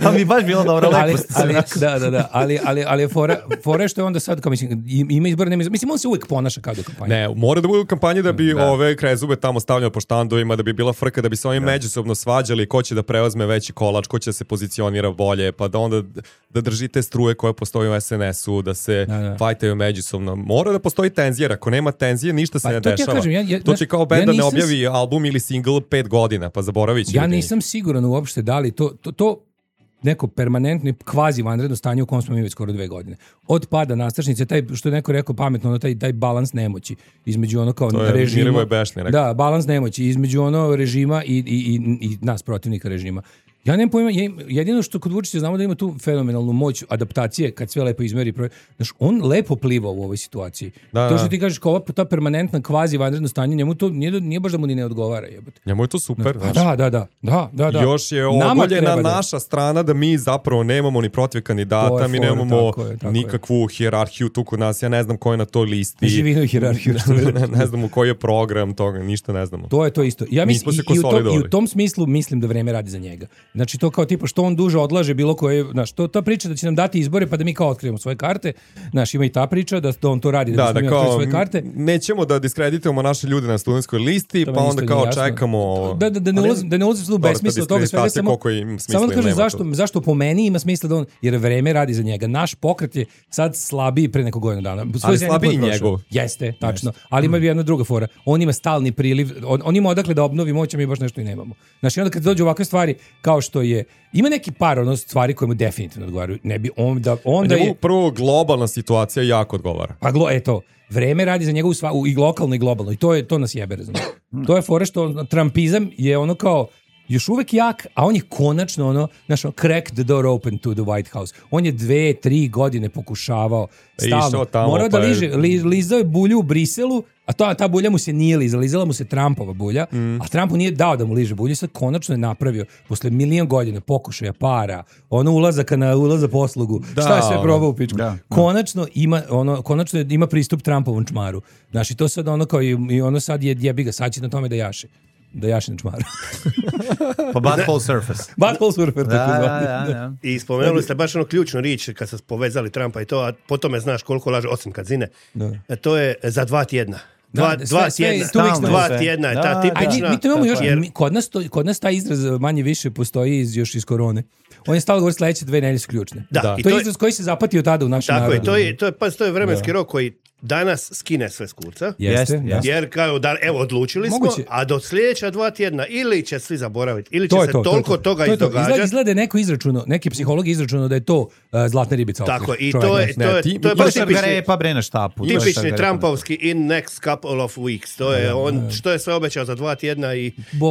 Speaker 6: A mi baš bilo dobro, lepo
Speaker 8: ali,
Speaker 6: ste
Speaker 8: ali, da, da, da, ali, ali, ali fore, fore što je onda sad, kao mislim, ima izbora, nema izbora. Mislim, on se uvijek ponaša kao da kampanja.
Speaker 7: Ne, mora da bude u kampanji da bi
Speaker 6: da.
Speaker 7: ove krezube tamo stavljao po štandovima, da bi bila frka, da bi se oni da. međusobno svađali ko će da preuzme veći kolač, ko će da se pozicionira bolje, pa da onda da držite struje koje postoji u es en esu, da se da, da. fajtaju međusobno. Mora da postoji tenzija, ako nema tenzije, ništa se
Speaker 8: pa,
Speaker 7: ne
Speaker 8: to
Speaker 7: dešava.
Speaker 8: Ja kažem, ja, ja,
Speaker 7: to će kao benda
Speaker 8: ja
Speaker 7: ne objavi album ili singl pet godina, pa zaboravi će.
Speaker 8: Ja nisam siguran uopšte da li to, to, to neko permanentno kvazi vanredno stanje u kom smo mi već skoro dve godine. Od pada nastrešnice, taj, što je neko rekao pametno, ono, taj, taj balans nemoći između ono kao
Speaker 7: to je
Speaker 8: režima.
Speaker 7: Bešni,
Speaker 8: da, balans nemoći između ono režima i, i, i, i nas protivnika režima. Ja nemam pojma, jedino što kod Vučića znamo da ima tu fenomenalnu moć adaptacije kad sve lepo izmeri. Znaš, on lepo pliva u ovoj situaciji.
Speaker 7: Da,
Speaker 8: to što ti kažeš kao ta permanentna kvazi vanredno stanje, njemu to nije, nije baš da mu ni ne odgovara. Jebate.
Speaker 7: Njemu je to super.
Speaker 8: Da, da, da, da, da, da, da.
Speaker 7: Još je ogoljena naša strana da mi zapravo nemamo ni protiv kandidata, mi nemamo tako je, tako nikakvu je. hijerarhiju tu kod nas, ja ne znam ko je na toj listi.
Speaker 8: Živinu hijerarhiju.
Speaker 7: ne, ne znamo koji je program toga, ništa ne znamo.
Speaker 8: To je to isto. Ja mislim, i, i, u tom, i u tom smislu mislim da vreme radi za njega. Znači to kao tipa što on duže odlaže bilo koje, znaš, to ta priča da će nam dati izbore pa da mi kao otkrijemo svoje karte, znaš, ima i ta priča da, da on to radi da,
Speaker 7: da, da
Speaker 8: mi
Speaker 7: kao,
Speaker 8: svoje karte.
Speaker 7: Nećemo da diskreditujemo naše ljude na studentskoj listi, to pa onda kao čekamo.
Speaker 8: Da, da, da ne ulazim, da ne ulazim u besmisao toga svega, samo, samo da kažem zašto, zašto po meni ima smisla da on, jer vreme radi za njega. Naš pokret je sad slabiji pre nekog godina dana.
Speaker 7: Ali slabiji njegov.
Speaker 8: Jeste, tačno. Ali ima jedna druga fora. On ima stalni priliv, on, on ima odakle da obnovi moć, a mi baš nešto i nemamo. Znači, onda kad dođu ovakve stvari, kao što je, ima neki par ono stvari koje mu definitivno odgovaraju. Ne bi on da onda je
Speaker 7: prvo globalna situacija jako odgovara.
Speaker 8: Pa glo, eto, vreme radi za njega u sva, u, i lokalno i globalno i to je to nas jebe, razumiješ. To je fora što trumpizam je ono kao još uvek jak, a on je konačno ono, znaš, ono, crack the door open to the White House. On je dve, tri godine pokušavao stalno. Morao da liže, li, lizao je bulju u Briselu, a to, ta bulja mu se nije lizala, lizala mu se Trumpova bulja, mm. a Trumpu nije dao da mu liže bulju, sad konačno je napravio, posle milion godina pokušaja, para, ono ulazaka na ulaz za poslugu, da, šta je sve probao u pičku. Da, konačno ima, ono, konačno je, ima pristup Trumpovom čmaru. Znaš, i to sad ono kao, i, i ono sad je jebi ga, sad će na tome da jaše. Da jaše na čmaru.
Speaker 6: Pa butthole surface.
Speaker 8: Butthole surface,
Speaker 6: da,
Speaker 8: tako zvani.
Speaker 6: Da, da, da.
Speaker 1: I spomenuli ste baš ono ključnu riječ kad ste povezali Trumpa i to, a po tome znaš koliko laže, osim kad zine. Da. To je za dva tjedna. Dva,
Speaker 8: da,
Speaker 1: dva
Speaker 8: sve,
Speaker 1: tjedna,
Speaker 8: sve,
Speaker 1: dva tjedna je ta tipična.
Speaker 8: Mi, mi to imamo još, jer... kod, nas to, kod nas taj izraz manje više postoji iz, još iz korone. On je stalo govori sledeće dve nedelje su ključne.
Speaker 1: Da,
Speaker 8: da.
Speaker 1: I
Speaker 8: to je
Speaker 1: to
Speaker 8: izraz koji se zapatio tada u našem
Speaker 1: tako
Speaker 8: narodu.
Speaker 1: Tako je, to je, to je, to je vremenski da. rok koji danas skine sve s kurca.
Speaker 8: Jeste, jeste.
Speaker 1: Jer kao da, evo, odlučili
Speaker 8: Moguće.
Speaker 1: smo, a do sljedeća dva tjedna ili će svi zaboraviti, ili će
Speaker 8: to
Speaker 1: se
Speaker 8: to,
Speaker 1: toliko
Speaker 8: to, to,
Speaker 1: toga
Speaker 8: to,
Speaker 1: izdogađati.
Speaker 8: Izgleda, izgleda neko izračuno, neki psiholog izračuno da je to uh, zlatna ribica.
Speaker 1: Tako, i to je, to je, to je baš tipični,
Speaker 6: pa bre na štapu.
Speaker 1: tipični Trumpovski in next couple of weeks. To je on, što je sve obećao za dva tjedna i,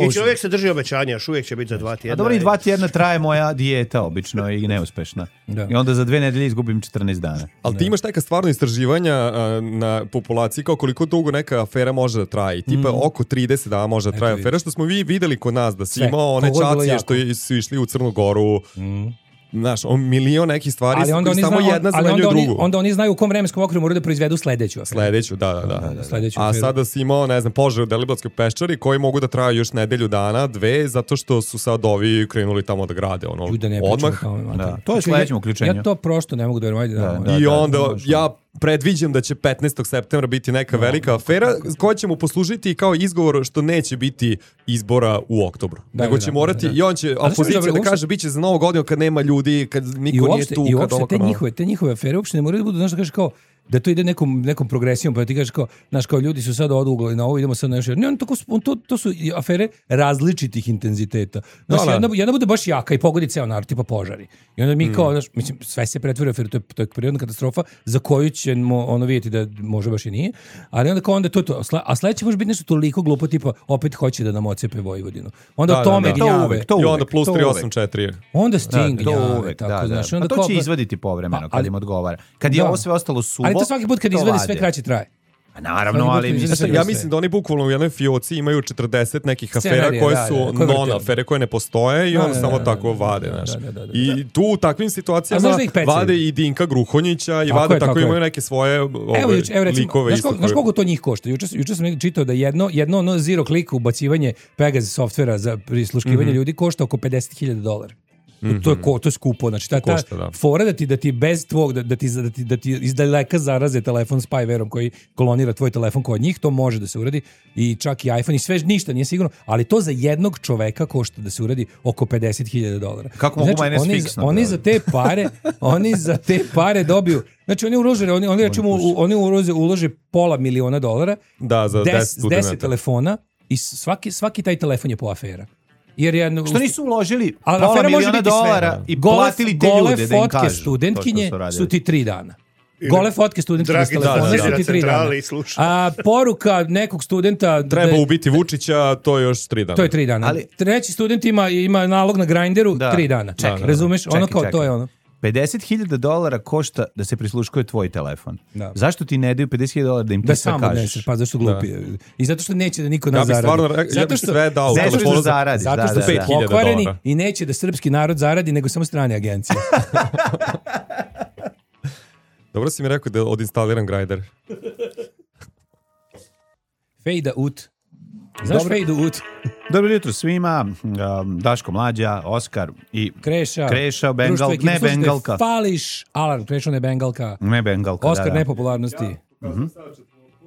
Speaker 1: i čovjek se drži obećanja, još uvijek će biti za dva tjedna.
Speaker 6: A dobro, i dva tjedna traje moja dijeta obično i neuspešna. Da. I onda za dve nedelje izgubim četrnaest dana.
Speaker 7: Ali ti imaš neka stvarno istraživanja a, na populaciji kao koliko dugo neka afera može da traje. Tipa mm. oko trideset dana može da traje afera, što smo vi videli kod nas, da si imao one čacije što su išli u Crnu Goru. Mm. Znaš, on milion nekih stvari ali onda oni samo znaju, jedna zamenjuje drugu.
Speaker 8: Oni, onda oni znaju u kom vremenskom okviru moraju da proizvedu sledeću aferu.
Speaker 7: Sledeću, da, da, da. da, da.
Speaker 8: Sledeću
Speaker 7: A
Speaker 8: aferu.
Speaker 7: sada si imao, ne znam, požar u Deliblatskoj peščari koji mogu da traju još nedelju dana, dve, zato što su sad ovi krenuli tamo da grade. Ono,
Speaker 8: da ne
Speaker 7: odmah.
Speaker 8: Tamo,
Speaker 6: da. To je sledećem uključenju.
Speaker 8: Ja to prosto ne mogu da verujem. Da,
Speaker 7: da, I onda da, ja predviđam da će petnaestog septembra biti neka no. velika afera koja će mu poslužiti kao izgovor što neće biti izbora u oktobru. Da, Nego će da, morati, da, da. i on će, opozicija da, da kaže bit će za novu godinu kad nema ljudi, kad niko
Speaker 8: uopšte,
Speaker 7: nije tu.
Speaker 8: I uopšte te njihove, te njihove afere uopšte ne moraju da budu, znaš da kažeš kao, da to ide nekom, nekom progresijom, pa ti kažeš kao, znaš, kao ljudi su sad odugli na ovo, idemo sad na još. Ne, on, to, to, to su afere različitih intenziteta. Znaš, no, jedna, jedna bude baš jaka i pogodi ceo narod, tipa požari. I onda mi mm. kao, znaš, mislim, sve se pretvori u aferu, to je, to je prirodna katastrofa za koju ćemo ono vidjeti da može baš i nije, ali onda kao onda to, to a sledeće može biti nešto toliko glupo, tipa, opet hoće da nam ocepe Vojvodinu. Onda da, o tome
Speaker 6: da, da. To uvek, to uvek,
Speaker 7: i onda plus tri osam četiri.
Speaker 8: Onda sting
Speaker 6: da, to uvek, tako, da, znaš, onda a to
Speaker 8: kao,
Speaker 6: će izvaditi povremeno kad im odgovara. Kad je ovo sve ostalo suvo,
Speaker 8: ali to svaki put kad izvadi sve kraće traje.
Speaker 6: A naravno, ali
Speaker 7: mislim, ja mislim da oni bukvalno u jednoj fioci imaju četrdeset nekih afera koje su da, da, non afere koje ne postoje i da, on da, samo da, tako da, vade, znaš. Da, da, da, da, I tu u takvim situacijama vade i Dinka Gruhonjića i tako vade je, tako, tako imaju neke svoje ove, evo, evo, recimo, likove.
Speaker 8: Znaš, znaš koliko to njih košta? Juče, juče sam čitao da jedno, jedno ono zero click ubacivanje Pegasus softvera za prisluškivanje mm-hmm. ljudi košta oko pedeset hiljada dolara. Mm-hmm. To je ko, to je skupo, znači ta, ta Košta, da. fora da ti da ti bez tvog da, da ti da ti da ti izdaleka zaraze telefon spywareom koji kolonira tvoj telefon kod njih, to može da se uradi i čak i iPhone i sve ništa nije sigurno, ali to za jednog čoveka košta da se uradi oko pedeset hiljada dolara.
Speaker 6: Kako mogu znači,
Speaker 8: oni,
Speaker 6: fiksno,
Speaker 8: oni za te pare, oni za te pare dobiju. Znači oni ulože, oni oni rečemo oni ulože, ulože pola miliona dolara
Speaker 7: da za
Speaker 8: deset telefona i svaki svaki taj telefon je po afera. Jer je,
Speaker 6: što nisu uložili pola miliona dolara i gole, platili te ljude da im kažu.
Speaker 8: Gole fotke studentkinje su ti tri dana. Gole fotke studentkinje s telefona su ti tri dana. A poruka nekog studenta...
Speaker 7: Treba da, ubiti Vučića, to je još tri dana.
Speaker 8: To je tri dana. Ali, treći student ima, ima nalog na Grindru, da. tri dana. Čekaj, razumeš? Čekaj, ono kao, čekaj. To je ono.
Speaker 6: pedeset hiljada dolara košta da se prisluškuje tvoj telefon. Da. Zašto ti ne daju pedeset hiljada dolara da im ti
Speaker 8: da
Speaker 6: sve kažeš? Da samo
Speaker 8: odneseš, pa zašto glupi. Da. I zato što neće da niko nas zaradi.
Speaker 7: Stvarno, zato
Speaker 6: ja bih sve dao.
Speaker 8: Zato što,
Speaker 6: da zaradi.
Speaker 8: Zato što da, su da, pokvareni da. I neće da srpski narod zaradi, nego samo strane agencije.
Speaker 7: Dobro si mi rekao da odinstaliram Grindr.
Speaker 8: Fade out. Znaš fade out?
Speaker 6: Dobro jutro svima, um, Daško Mlađa, Oskar i
Speaker 8: Kreša,
Speaker 6: Kreša Bengal, ne Bengalka.
Speaker 8: Fališ, Alarm, Kreša ne Bengalka.
Speaker 6: Ne Bengalka,
Speaker 8: Oskar
Speaker 6: da, da.
Speaker 8: nepopularnosti. Ja. Uh-huh.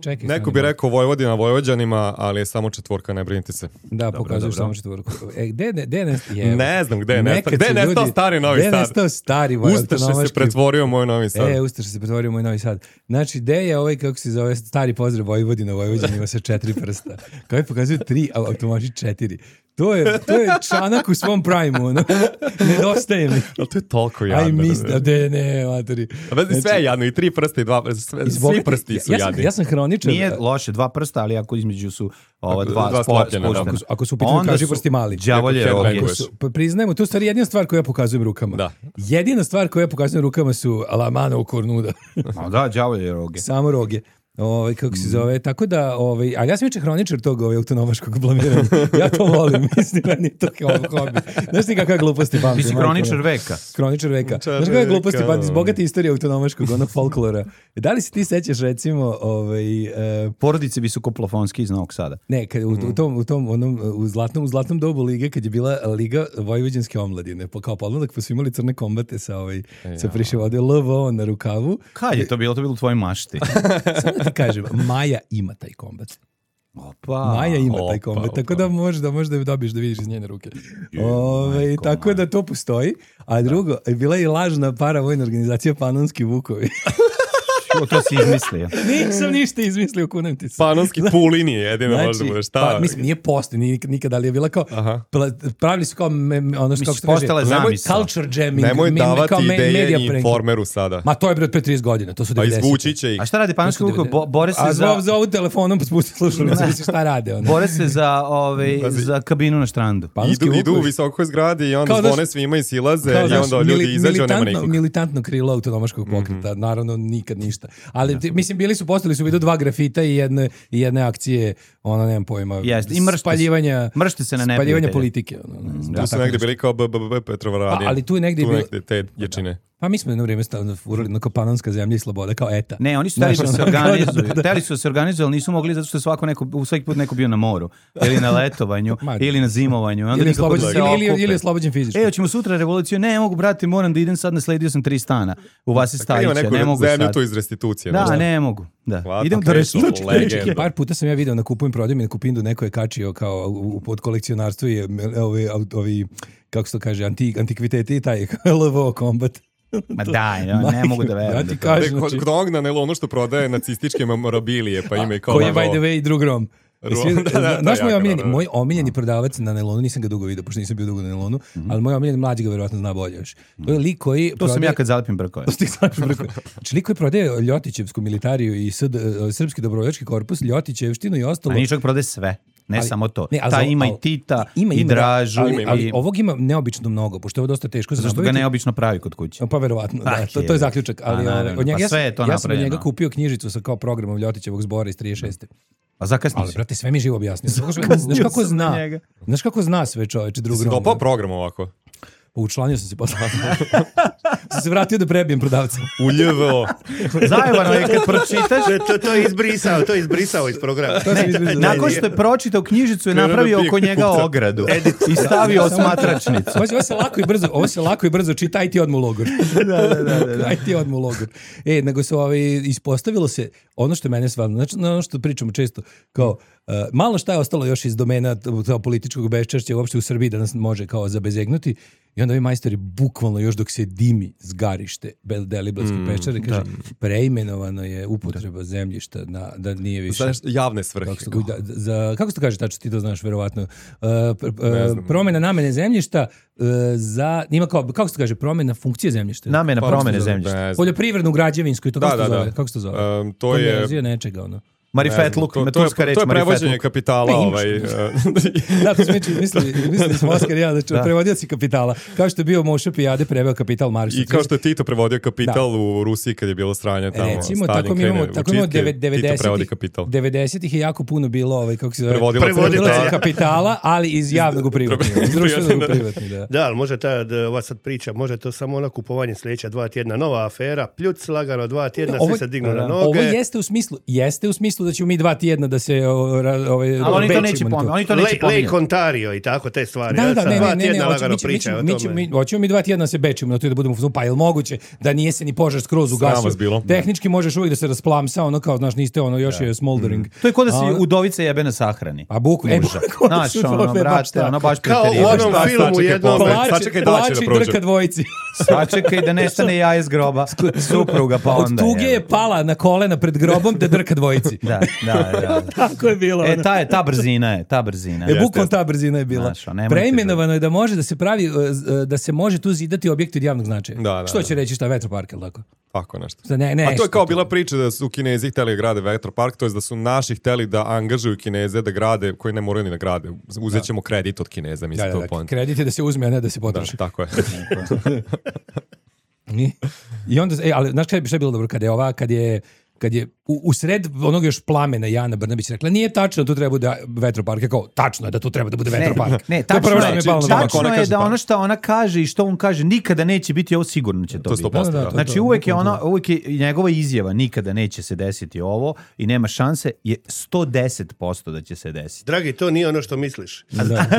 Speaker 8: Čekaj,
Speaker 7: neko bi rekao Vojvodina Vojvođanima, ali je samo četvorka, ne brinite se.
Speaker 8: Da, pokazuješ samo četvorku. E, gde, gde, gde ne, je,
Speaker 7: ne znam gde je nestao. Gde je nestao stari Novi Sad?
Speaker 8: Gde je nestao stari Vojvođanski?
Speaker 7: Ustaše se pretvorio moj Novi Sad.
Speaker 8: E, Ustaše se pretvorio moj Novi Sad. Znači, gde je ovaj, kako se zove, stari pozdrav Vojvodina Vojvođanima sa četiri prsta? Kao je pokazuju tri, a automaši četiri. To je, to je Čanak u svom prime-u, ono. Nedostaje mi.
Speaker 7: Ali to je toliko jadno.
Speaker 8: Aj misli, de ne, materi.
Speaker 7: Znači, sve je jadno, i tri prsta i dva prsta, sve, svi prsti su
Speaker 8: ja sam,
Speaker 7: jadni.
Speaker 8: ja sam hroničar.
Speaker 6: Nije loše, dva prsta, ali ako između su ova dva,
Speaker 7: Dva
Speaker 6: dva
Speaker 7: sklopljena, da.
Speaker 8: Ako, su- ako su u pitanju kaži prsti mali.
Speaker 6: đavolje
Speaker 7: Ako
Speaker 6: roge.
Speaker 7: headbanguješ.
Speaker 8: Pa priznajemo, to je u stvari jedina stvar koju ja pokazujem rukama.
Speaker 7: Da.
Speaker 8: Jedina stvar koju ja pokazujem rukama su la mano u kornuda.
Speaker 6: Ma da, đavolje roge.
Speaker 8: Samo roge. Ovaj kako se zove, tako da ovaj, ali ja sam inače hroničar tog ovaj autonomaškog blamiranja. Ja to volim, mislim, meni je to kao hobi. Znaš ti kakve gluposti pamtim?
Speaker 6: Ti si hroničar veka.
Speaker 8: Kroničar veka. Znaš kakve gluposti pamtim iz bogate istorije autonomaškog, onog folklora. Da li se ti sećaš recimo ovaj e,
Speaker 6: Porodice visokoplofonski iz Novog Sada.
Speaker 8: ne, kad, u, u tom u tom onom u zlatnom u zlatnom dobu lige kad je bila liga vojvođanske omladine, pa kao podmladak pa su imali crne kombate sa ovaj sa prišivode L V O na rukavu.
Speaker 6: Kad je to bilo? To je bilo u tvojoj mašti.
Speaker 8: Samo da ti kažem, Maja ima taj kombat.
Speaker 6: Opa.
Speaker 8: Maja ima taj
Speaker 7: opa,
Speaker 8: kombat,
Speaker 7: opa.
Speaker 8: tako da možda možda da dobiješ da vidiš iz njene ruke. Ove, tako da to postoji. A drugo, bila je i lažna paravojna organizacija Panonski Vukovi.
Speaker 6: To, to si izmislio.
Speaker 8: Nisam ništa izmislio, kunem ti se.
Speaker 7: Panonski Pulini je jedino
Speaker 8: Znači,
Speaker 7: možda bude šta.
Speaker 8: pa, mislim, nije postoji nik- nikada, ali je bila kao,
Speaker 7: Aha.
Speaker 8: pla- pravili su kao, me, me- ono što, kako se to
Speaker 6: postala
Speaker 8: kaže,
Speaker 6: je zamisao.
Speaker 8: culture jamming.
Speaker 7: Nemoj
Speaker 8: me-
Speaker 7: davati
Speaker 8: kao me-
Speaker 7: ideje
Speaker 8: media
Speaker 7: i
Speaker 8: prank.
Speaker 7: Informeru sada.
Speaker 8: Ma to je bre od pre trideset godina, to su
Speaker 7: Pa
Speaker 8: devedesete.
Speaker 7: izvući će ih.
Speaker 6: A šta radi Panonski Vukovi? Bo, bore se
Speaker 8: A
Speaker 6: za...
Speaker 8: za, za ovu telefonom pa spusti slušalicu, misliš šta rade. Ono.
Speaker 6: Bore se za, ovaj, za kabinu na štrandu.
Speaker 8: Panonski
Speaker 7: Idu, idu u
Speaker 8: Vukovi.
Speaker 7: visokoj zgradi i onda
Speaker 8: Kao da
Speaker 7: zvone
Speaker 8: su-
Speaker 7: svima i silaze
Speaker 8: Kao,
Speaker 7: i
Speaker 8: znaš,
Speaker 7: onda ljudi
Speaker 8: mili-
Speaker 7: izađu, a nema
Speaker 8: militantno,
Speaker 7: nikog.
Speaker 8: militantno krilo autonomaškog pokreta, naravno nikad ništa. Ali ti- mislim bili su postali su vidu dva grafita i jedne i jedne akcije, ono nemam pojma.
Speaker 6: Jeste, i mršte se-
Speaker 8: spaljivanja.
Speaker 6: mršte se na
Speaker 8: spaljivanja
Speaker 6: neprijatelje.
Speaker 8: politike, ono, ne znam,
Speaker 7: Tu su
Speaker 8: tako
Speaker 7: negde
Speaker 8: nešto.
Speaker 7: bili kao B B B Petrovaradin.
Speaker 8: A, ali tu je negde
Speaker 7: tu
Speaker 8: bilo-
Speaker 7: negde te ječine.
Speaker 8: Pa mi smo jedno vrijeme stavno furali na Panonska zemlja i sloboda kao eta.
Speaker 6: Ne, oni su hteli
Speaker 8: Znaš,
Speaker 6: da se
Speaker 8: ono,
Speaker 6: organizuju.
Speaker 8: da, da.
Speaker 6: Hteli su da se organizuju, ali nisu mogli zato što je svako neko, u svaki put neko bio na moru. Ili na letovanju,
Speaker 8: Ma,
Speaker 6: ili na zimovanju. I onda
Speaker 8: Ili je
Speaker 6: nikako da
Speaker 8: oslobođen,
Speaker 6: se
Speaker 8: ili, ili,
Speaker 6: okupe.
Speaker 8: ili je oslobođen fizički.
Speaker 6: E, hoćemo sutra revoluciju? Ne, mogu, brate, moram da idem sad, nasledio sam tri stana. U Vasi
Speaker 7: Ima
Speaker 6: Stajića,
Speaker 7: neku
Speaker 6: ne mogu
Speaker 7: zemlju
Speaker 6: sad.
Speaker 7: tu iz restitucije.
Speaker 6: Da,
Speaker 7: možda.
Speaker 6: ne mogu. Da.
Speaker 7: Hvala,
Speaker 6: Idem
Speaker 7: to
Speaker 6: do
Speaker 7: je
Speaker 6: restitucije.
Speaker 7: legenda.
Speaker 8: Par puta sam ja video na Kupujem prodajem i na Kupindu neko je kačio kao u, u pod kolekcionarstvu i ovi, ovi, kako se to kaže, anti, antikviteti i taj L V O kombat.
Speaker 6: Ma daj, ja ne mogu da verujem.
Speaker 8: Ja ti
Speaker 6: da to-
Speaker 8: kažem,
Speaker 7: Kod,
Speaker 8: znači,
Speaker 7: kod onog na nelonu što prodaje nacističke memorabilije, pa ima i kao...
Speaker 8: koji je
Speaker 7: logo.
Speaker 8: by the way drug Rom.
Speaker 7: Rom, da, da, to
Speaker 8: Znaš
Speaker 7: je
Speaker 8: moj
Speaker 7: jako
Speaker 8: omiljeni,
Speaker 7: dobro.
Speaker 8: moj omiljeni prodavac na nelonu, nisam ga dugo vidio, pošto nisam bio dugo na nelonu, ali moj omiljeni mlađi ga verovatno zna bolje još. To je lik koji...
Speaker 6: To sam
Speaker 8: prodaje-
Speaker 6: ja kad zalepim brkove.
Speaker 8: To ste znači brko. Znači lik koji prodaje Ljotićevsku militariju i S D, Srpski dobrovoljački korpus, Ljotićevštinu i ostalo.
Speaker 6: A nije čovjek prode sve. Ne
Speaker 8: Ali-
Speaker 6: samo to.
Speaker 8: ne, ali
Speaker 6: Ta
Speaker 8: za-
Speaker 6: ima i
Speaker 8: ali-
Speaker 6: Tita,
Speaker 8: ima,
Speaker 6: i
Speaker 8: ima, da,
Speaker 6: Dražu,
Speaker 8: ali, ali
Speaker 6: i...
Speaker 8: ovog ima neobično mnogo, pošto je ovo dosta teško za
Speaker 6: Zašto ga
Speaker 8: nabaviti.
Speaker 6: neobično pravi kod kuće?
Speaker 8: Pa verovatno, da,
Speaker 6: Ah,
Speaker 8: to, to je
Speaker 6: je.
Speaker 8: zaključak.
Speaker 6: A,
Speaker 8: Ali
Speaker 6: naravno,
Speaker 8: ovaj, od njega,
Speaker 6: pa
Speaker 8: ja,
Speaker 6: sve
Speaker 8: sam-
Speaker 6: je to
Speaker 8: ja sam od
Speaker 6: napravljeno.
Speaker 8: njega kupio knjižicu sa kao programom Ljotićevog zbora iz trideset šeste.
Speaker 6: A zakasni
Speaker 8: Ali,
Speaker 6: si.
Speaker 8: brate, sve mi živo objasnio. Znaš kako, znaš kako
Speaker 6: sam na
Speaker 8: zna?
Speaker 6: njega.
Speaker 8: Znaš kako zna sve čoveče drug
Speaker 7: Si
Speaker 8: Rom,
Speaker 7: dopao
Speaker 8: da?
Speaker 7: program ovako?
Speaker 8: Učlanio sam se posle. sam se vratio da prebijem prodavca.
Speaker 7: U L V O.
Speaker 6: Zajebano je kad pročitaš,
Speaker 1: To, to, to je izbrisao, to je izbrisao iz programa.
Speaker 8: To sam izbrisao.
Speaker 6: nakon što je pročitao knjižicu je
Speaker 7: Krenuo
Speaker 6: napravio
Speaker 7: da pije
Speaker 6: oko njega
Speaker 7: kupca.
Speaker 6: ogradu i stavio osmatračnicu.
Speaker 8: Ovo se, ovo se lako i brzo, ovo se lako i brzo čita, aj ti odmah u logor. da, da, da, da. Aj ti odmah u logor. E, nego se ovaj, ispostavilo se, ono što je mene stvarno, znači ono što pričamo često, kao, uh, malo šta je ostalo još iz domena tog političkog beščašća uopšte u Srbiji da nas može kao zabezegnuti. I onda ovi majstori bukvalno još dok se dimi zgarište Deliblatske
Speaker 7: Mm,
Speaker 8: pečare, kaže, preimenovano je upotreba zemljišta na, da nije više...
Speaker 7: Znaš, javne svrhe.
Speaker 8: Kako se, da, za, kako se to kaže, tačno ti to znaš verovatno, uh, pr-
Speaker 7: Ne
Speaker 8: uh,
Speaker 7: znam.
Speaker 8: promjena namene zemljišta uh, za, ima kao, kako se to kaže, promjena funkcije zemljišta.
Speaker 6: Namena
Speaker 7: Pa,
Speaker 6: promene
Speaker 7: ne znam,
Speaker 6: zemljišta.
Speaker 7: ne znam.
Speaker 8: Poljoprivrednu, građevinsku i to,
Speaker 7: Da,
Speaker 8: kako se to
Speaker 7: da,
Speaker 8: zove?
Speaker 7: da.
Speaker 8: Kako se to zove?
Speaker 7: Um, to je-
Speaker 8: Konverzija nečega, ono.
Speaker 6: Marifetluk,
Speaker 7: Ne znam, to, to,
Speaker 6: turska
Speaker 7: je,
Speaker 6: reč
Speaker 7: to je prevođenje
Speaker 6: marifetluk.
Speaker 7: kapitala.
Speaker 8: Ne, imaš.
Speaker 7: ovaj,
Speaker 8: Da, to smo mislili, mislili, mislili smo Oskar i ja, znači, prevodioci kapitala. Kao što je bio Moša Pijade preveo kapital Marksa.
Speaker 7: I kao što je Tito prevodio kapital u Rusiji kad je bilo sranje tamo.
Speaker 8: Recimo,
Speaker 7: Stalin
Speaker 8: tako mi imamo,
Speaker 7: krene u
Speaker 8: tako imamo
Speaker 7: čitke, Tito prevodi
Speaker 8: devedesetih
Speaker 7: kapital.
Speaker 8: devedesetih je jako puno bilo, ovaj, kako se zove,
Speaker 7: Prevodilaca
Speaker 8: prevodilaca
Speaker 1: kapitala.
Speaker 8: kapitala, ali iz javnog u privatni. Iz društvenog u privatni, da.
Speaker 1: Da, ali može ta, da, ova sad priča, može to samo ona kupovanje sljedeća dva tjedna, nova afera, pljuc, lagano dva tjedna,
Speaker 8: Ovo-
Speaker 1: svi se dignu na noge.
Speaker 8: Ovo jeste u smislu, jeste u smislu da ćemo mi dva tjedna da se o, ra, ovaj,
Speaker 6: Ali oni to
Speaker 8: bečimo
Speaker 6: neće
Speaker 8: na
Speaker 6: pominjati. Oni to neće
Speaker 1: Lake
Speaker 6: pominjati.
Speaker 1: Ontario i tako te stvari.
Speaker 8: Da, da,
Speaker 1: Sad
Speaker 8: ne,
Speaker 1: dva
Speaker 8: ne, ne,
Speaker 1: tjedna
Speaker 8: ne, hoćemo,
Speaker 1: lagano
Speaker 8: mi, ćemo- mi,
Speaker 1: pričaju
Speaker 8: ćemo-
Speaker 1: o
Speaker 8: mi, ćemo-
Speaker 1: tome.
Speaker 8: mi, hoćemo mi dva tjedna da se bečimo na to i da budemo u fazonu, pa je li moguće da nije se ni požar skroz ugasio?
Speaker 7: vas bilo.
Speaker 8: Tehnički možeš uvijek da se rasplamsa, ono kao, znaš, niste ono, još je smoldering.
Speaker 6: To je ko da si
Speaker 8: A ono-
Speaker 6: udovice jebe na sahrani.
Speaker 8: A buku, e,
Speaker 6: Muža.
Speaker 8: bukvalno
Speaker 6: Znaš,
Speaker 8: su to,
Speaker 6: ono,
Speaker 8: baš
Speaker 6: brate,
Speaker 8: tako.
Speaker 6: ono baš
Speaker 1: Kao u
Speaker 6: preterivano.
Speaker 1: onom
Speaker 7: Šta,
Speaker 1: filmu
Speaker 7: sačekaj,
Speaker 1: jednom.
Speaker 7: pola.
Speaker 8: Plače,
Speaker 7: Sačekaj daće da
Speaker 8: plače
Speaker 7: prođe.
Speaker 8: drka dvojici.
Speaker 6: Sačekaj da nestane jaje s groba supruga, pa
Speaker 8: Od
Speaker 6: onda
Speaker 8: tuge
Speaker 6: je.
Speaker 8: je pala na kolena pred grobom da drka dvojici.
Speaker 6: Da, Da, da, da.
Speaker 8: Tako je bilo.
Speaker 6: E,
Speaker 8: ono.
Speaker 6: ta, je, ta brzina je, ta brzina.
Speaker 8: E, bukvalno ta brzina je bila.
Speaker 6: Znaš, nemojte
Speaker 8: Preimenovano je da može da se pravi, uh, da se može tu zidati objekti od javnog značaja.
Speaker 7: Da, da,
Speaker 8: Što
Speaker 7: da.
Speaker 8: će reći šta, vetropark, ili tako?
Speaker 7: Tako nešto.
Speaker 8: Šta, ne, ne,
Speaker 7: A to je kao
Speaker 8: što
Speaker 7: bila priča da su Kinezi hteli da grade vetropark, to je da su naši hteli da angažuju Kineze da grade, koji ne moraju ni da grade. Uzet ćemo kredit od Kineza, mislim,
Speaker 8: Da,
Speaker 7: to
Speaker 8: da,
Speaker 7: je
Speaker 8: da,
Speaker 7: point.
Speaker 8: kredit je da se uzme, a ne da se
Speaker 7: Da,
Speaker 8: potroši.
Speaker 7: tako je.
Speaker 8: I, I onda, e, ali znaš kada je bilo dobro, kad je ova, kad je kad je u, u sred onog još plamena Jana Brnabić rekla, nije tačno da tu treba bude vetropark. Je kao, tačno je da tu treba da bude vetropark.
Speaker 6: Ne,
Speaker 8: to je
Speaker 6: tačno
Speaker 8: prvo što
Speaker 6: je,
Speaker 8: mi je palo na pamet.
Speaker 6: tačno
Speaker 7: Ona
Speaker 6: je
Speaker 7: kaže
Speaker 6: da
Speaker 7: pa.
Speaker 6: ono što ona kaže i što on kaže nikada neće biti, ovo sigurno će to,
Speaker 7: To sto
Speaker 6: biti.
Speaker 7: posto,
Speaker 8: Da, da,
Speaker 7: da.
Speaker 8: to-
Speaker 6: Znači uvek je ona, uvek je njegova izjava nikada neće se desiti ovo i nema šanse, je sto deset posto da će se desiti.
Speaker 1: Dragi, to nije ono što misliš.
Speaker 8: Da. Da, da,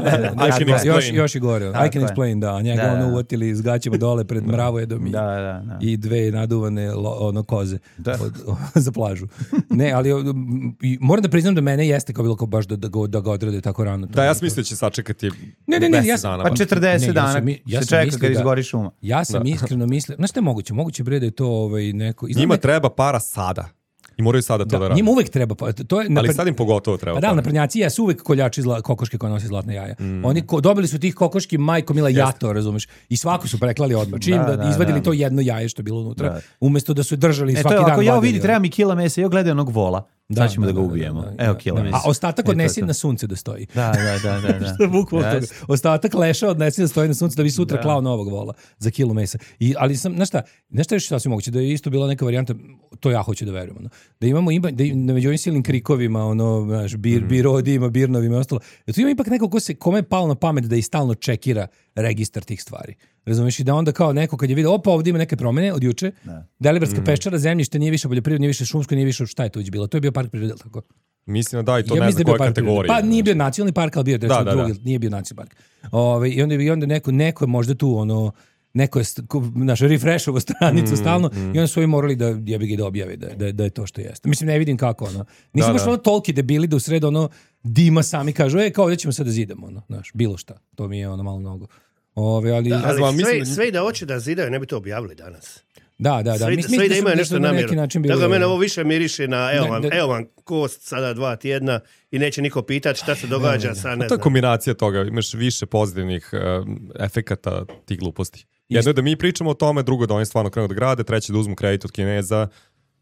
Speaker 8: da, da.
Speaker 7: I can
Speaker 8: Još,
Speaker 7: explain.
Speaker 8: još i gore. I
Speaker 6: Tako
Speaker 8: can
Speaker 6: je.
Speaker 8: explain, da. Njega
Speaker 6: Da, da.
Speaker 8: ono uvatili s gaćima dole pred mravojedom i,
Speaker 6: Da, da, da.
Speaker 8: i dve naduvane lo, ono koze
Speaker 6: Da.
Speaker 8: od, za plažu. Ne, ali um, i moram da priznam da mene jeste kao bilo kao baš da, da, ga, da ga odrade tako rano.
Speaker 7: Da, ja sam mislio da će sačekati
Speaker 8: Ne, ne, ne,
Speaker 7: mesec
Speaker 8: ja sam-
Speaker 7: dana.
Speaker 6: Pa četrdeset
Speaker 8: Ne, ja
Speaker 6: dana
Speaker 8: sam mi- ja
Speaker 6: se
Speaker 8: sam
Speaker 6: čeka
Speaker 8: mislio
Speaker 6: kad
Speaker 8: da-
Speaker 6: izgori šuma.
Speaker 8: Ja sam iskreno mislio, znaš šta je moguće? Moguće bre da je to ovaj, neko... izgleda
Speaker 7: Njima
Speaker 8: me-
Speaker 7: treba para sada. I moraju sada to da,
Speaker 8: da,
Speaker 7: rade.
Speaker 8: njima uvek treba, pa to je...
Speaker 7: Ali
Speaker 8: napred-
Speaker 7: sad im pogotovo treba
Speaker 8: Pa da,
Speaker 7: para.
Speaker 8: naprednjaci jesu uvek koljači zla, kokoške koje nosi zlatne jaja. Oni ko, dobili su tih kokoški majko mila jato, razumeš? I svako su preklali odmah. Čim da,
Speaker 6: Da, da,
Speaker 8: izvadili
Speaker 6: da.
Speaker 8: to jedno jaje što je bilo unutra,
Speaker 6: Da.
Speaker 8: umesto da su je držali
Speaker 6: E, to
Speaker 8: svaki
Speaker 6: je,
Speaker 8: dan.
Speaker 6: ako ja
Speaker 8: vadili,
Speaker 6: vidi,
Speaker 8: ono.
Speaker 6: treba mi kila mesa, ja gledam onog vola, sad ćemo da, ga ubijemo.
Speaker 8: da, da,
Speaker 6: Evo
Speaker 8: da,
Speaker 6: kila
Speaker 8: da.
Speaker 6: mesa.
Speaker 8: A ostatak
Speaker 6: E, to je
Speaker 8: odnesi
Speaker 6: to.
Speaker 8: na sunce da stoji.
Speaker 6: Da, da, da, da. da.
Speaker 8: Što je bukvalno
Speaker 6: Jeste.
Speaker 8: toga. Ostatak leša odnesi da stoji na suncu da bi sutra klao novog vola za kilu mesa. I, ali sam, znaš šta, znaš šta je još sasvim moguće, da je isto bila neka varijanta, to ja hoću da verujem, ono, da imamo, ima, da im- među ovim silnim krikovima, ono, znaš, bir, birodijima, birnovima i ostalo, da tu ima ipak neko ko se, kome je palo na pamet da i stalno čekira registar tih stvari. Razumiješ, i da onda kao neko kad je vidio, opa, ovdje ima neke promene od juče, Delibarska peščara, zemljište nije više poljoprivredno, nije više šumsko, nije više, šta je to već bilo? To je bio park prirode, jel tako?
Speaker 7: Mislim da da, i to
Speaker 8: Ja
Speaker 7: ne
Speaker 8: mislim
Speaker 7: znam
Speaker 8: da je bio
Speaker 7: koje
Speaker 8: park prirode.
Speaker 7: kategorije.
Speaker 8: Pa nije bio nacionalni park, ali bio je
Speaker 7: Da,
Speaker 8: recimo
Speaker 7: da, da.
Speaker 8: drugi, nije bio nacionalni park. Ove, I onda, i onda neko, neko je možda tu, ono, neko je st- ko- naš refreshovo stranicu
Speaker 7: Mm,
Speaker 8: stalno i onda su ovi morali da jebi ga da objave da, da, da je to što jeste. Mislim, ne vidim kako, ono. Nisu
Speaker 7: Da,
Speaker 8: baš
Speaker 7: da.
Speaker 8: ono toliki debili da u sred ono dima sami kažu, e, kao ovdje ćemo sad da zidamo, ono, znaš, bilo šta. To mi je ono malo mnogo. Ove, ali,
Speaker 1: Da,
Speaker 8: da,
Speaker 1: ali
Speaker 7: znam,
Speaker 1: sve,
Speaker 7: mislim da-
Speaker 1: sve i da hoće da zidaju, ne bi to objavili danas.
Speaker 8: da, da.
Speaker 1: Sve,
Speaker 8: Mis-
Speaker 1: sve i
Speaker 8: mislim
Speaker 1: da
Speaker 8: su-
Speaker 1: imaju
Speaker 8: su
Speaker 1: nešto
Speaker 8: na neki
Speaker 1: namjeru.
Speaker 8: način bili-
Speaker 1: Tako da mene ovo više miriše na evo
Speaker 8: Ne,
Speaker 1: vam,
Speaker 8: da-
Speaker 1: evo vam kost sada dva tjedna i neće niko pitati šta se događa sa ne
Speaker 7: To je
Speaker 1: znam.
Speaker 7: kombinacija toga, imaš više pozitivnih um, efekata tih gluposti. Jedno je da mi pričamo o tome, drugo da oni stvarno krenu da grade, treće da uzmu kredit od Kineza,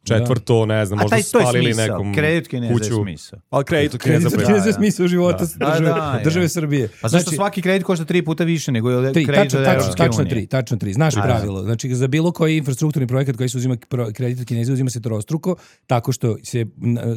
Speaker 7: četvrto, ne znam,
Speaker 6: A
Speaker 7: možda
Speaker 6: taj,
Speaker 7: su
Speaker 6: to je
Speaker 7: spalili
Speaker 6: smisao.
Speaker 7: nekom
Speaker 6: Kredit Kineza je
Speaker 7: kuću.
Speaker 6: smisao.
Speaker 7: Ali kredit od Kineza
Speaker 8: Kredit
Speaker 7: bre.
Speaker 8: je za smisao života
Speaker 6: Da,
Speaker 8: države,
Speaker 6: da,
Speaker 8: države
Speaker 6: ja.
Speaker 8: Srbije.
Speaker 6: Pa zašto
Speaker 8: Znači-
Speaker 6: svaki kredit košta tri puta više nego je
Speaker 8: Tri,
Speaker 6: kredit
Speaker 8: tačno,
Speaker 6: od
Speaker 8: tačno,
Speaker 6: Evropske
Speaker 8: tačno
Speaker 6: unije?
Speaker 8: tri, tačno tri. Znaš
Speaker 6: A,
Speaker 8: pravilo. Znači, za bilo koji infrastrukturni projekat koji se uzima pro- kredit od Kineza, uzima se trostruko, tako što se... n-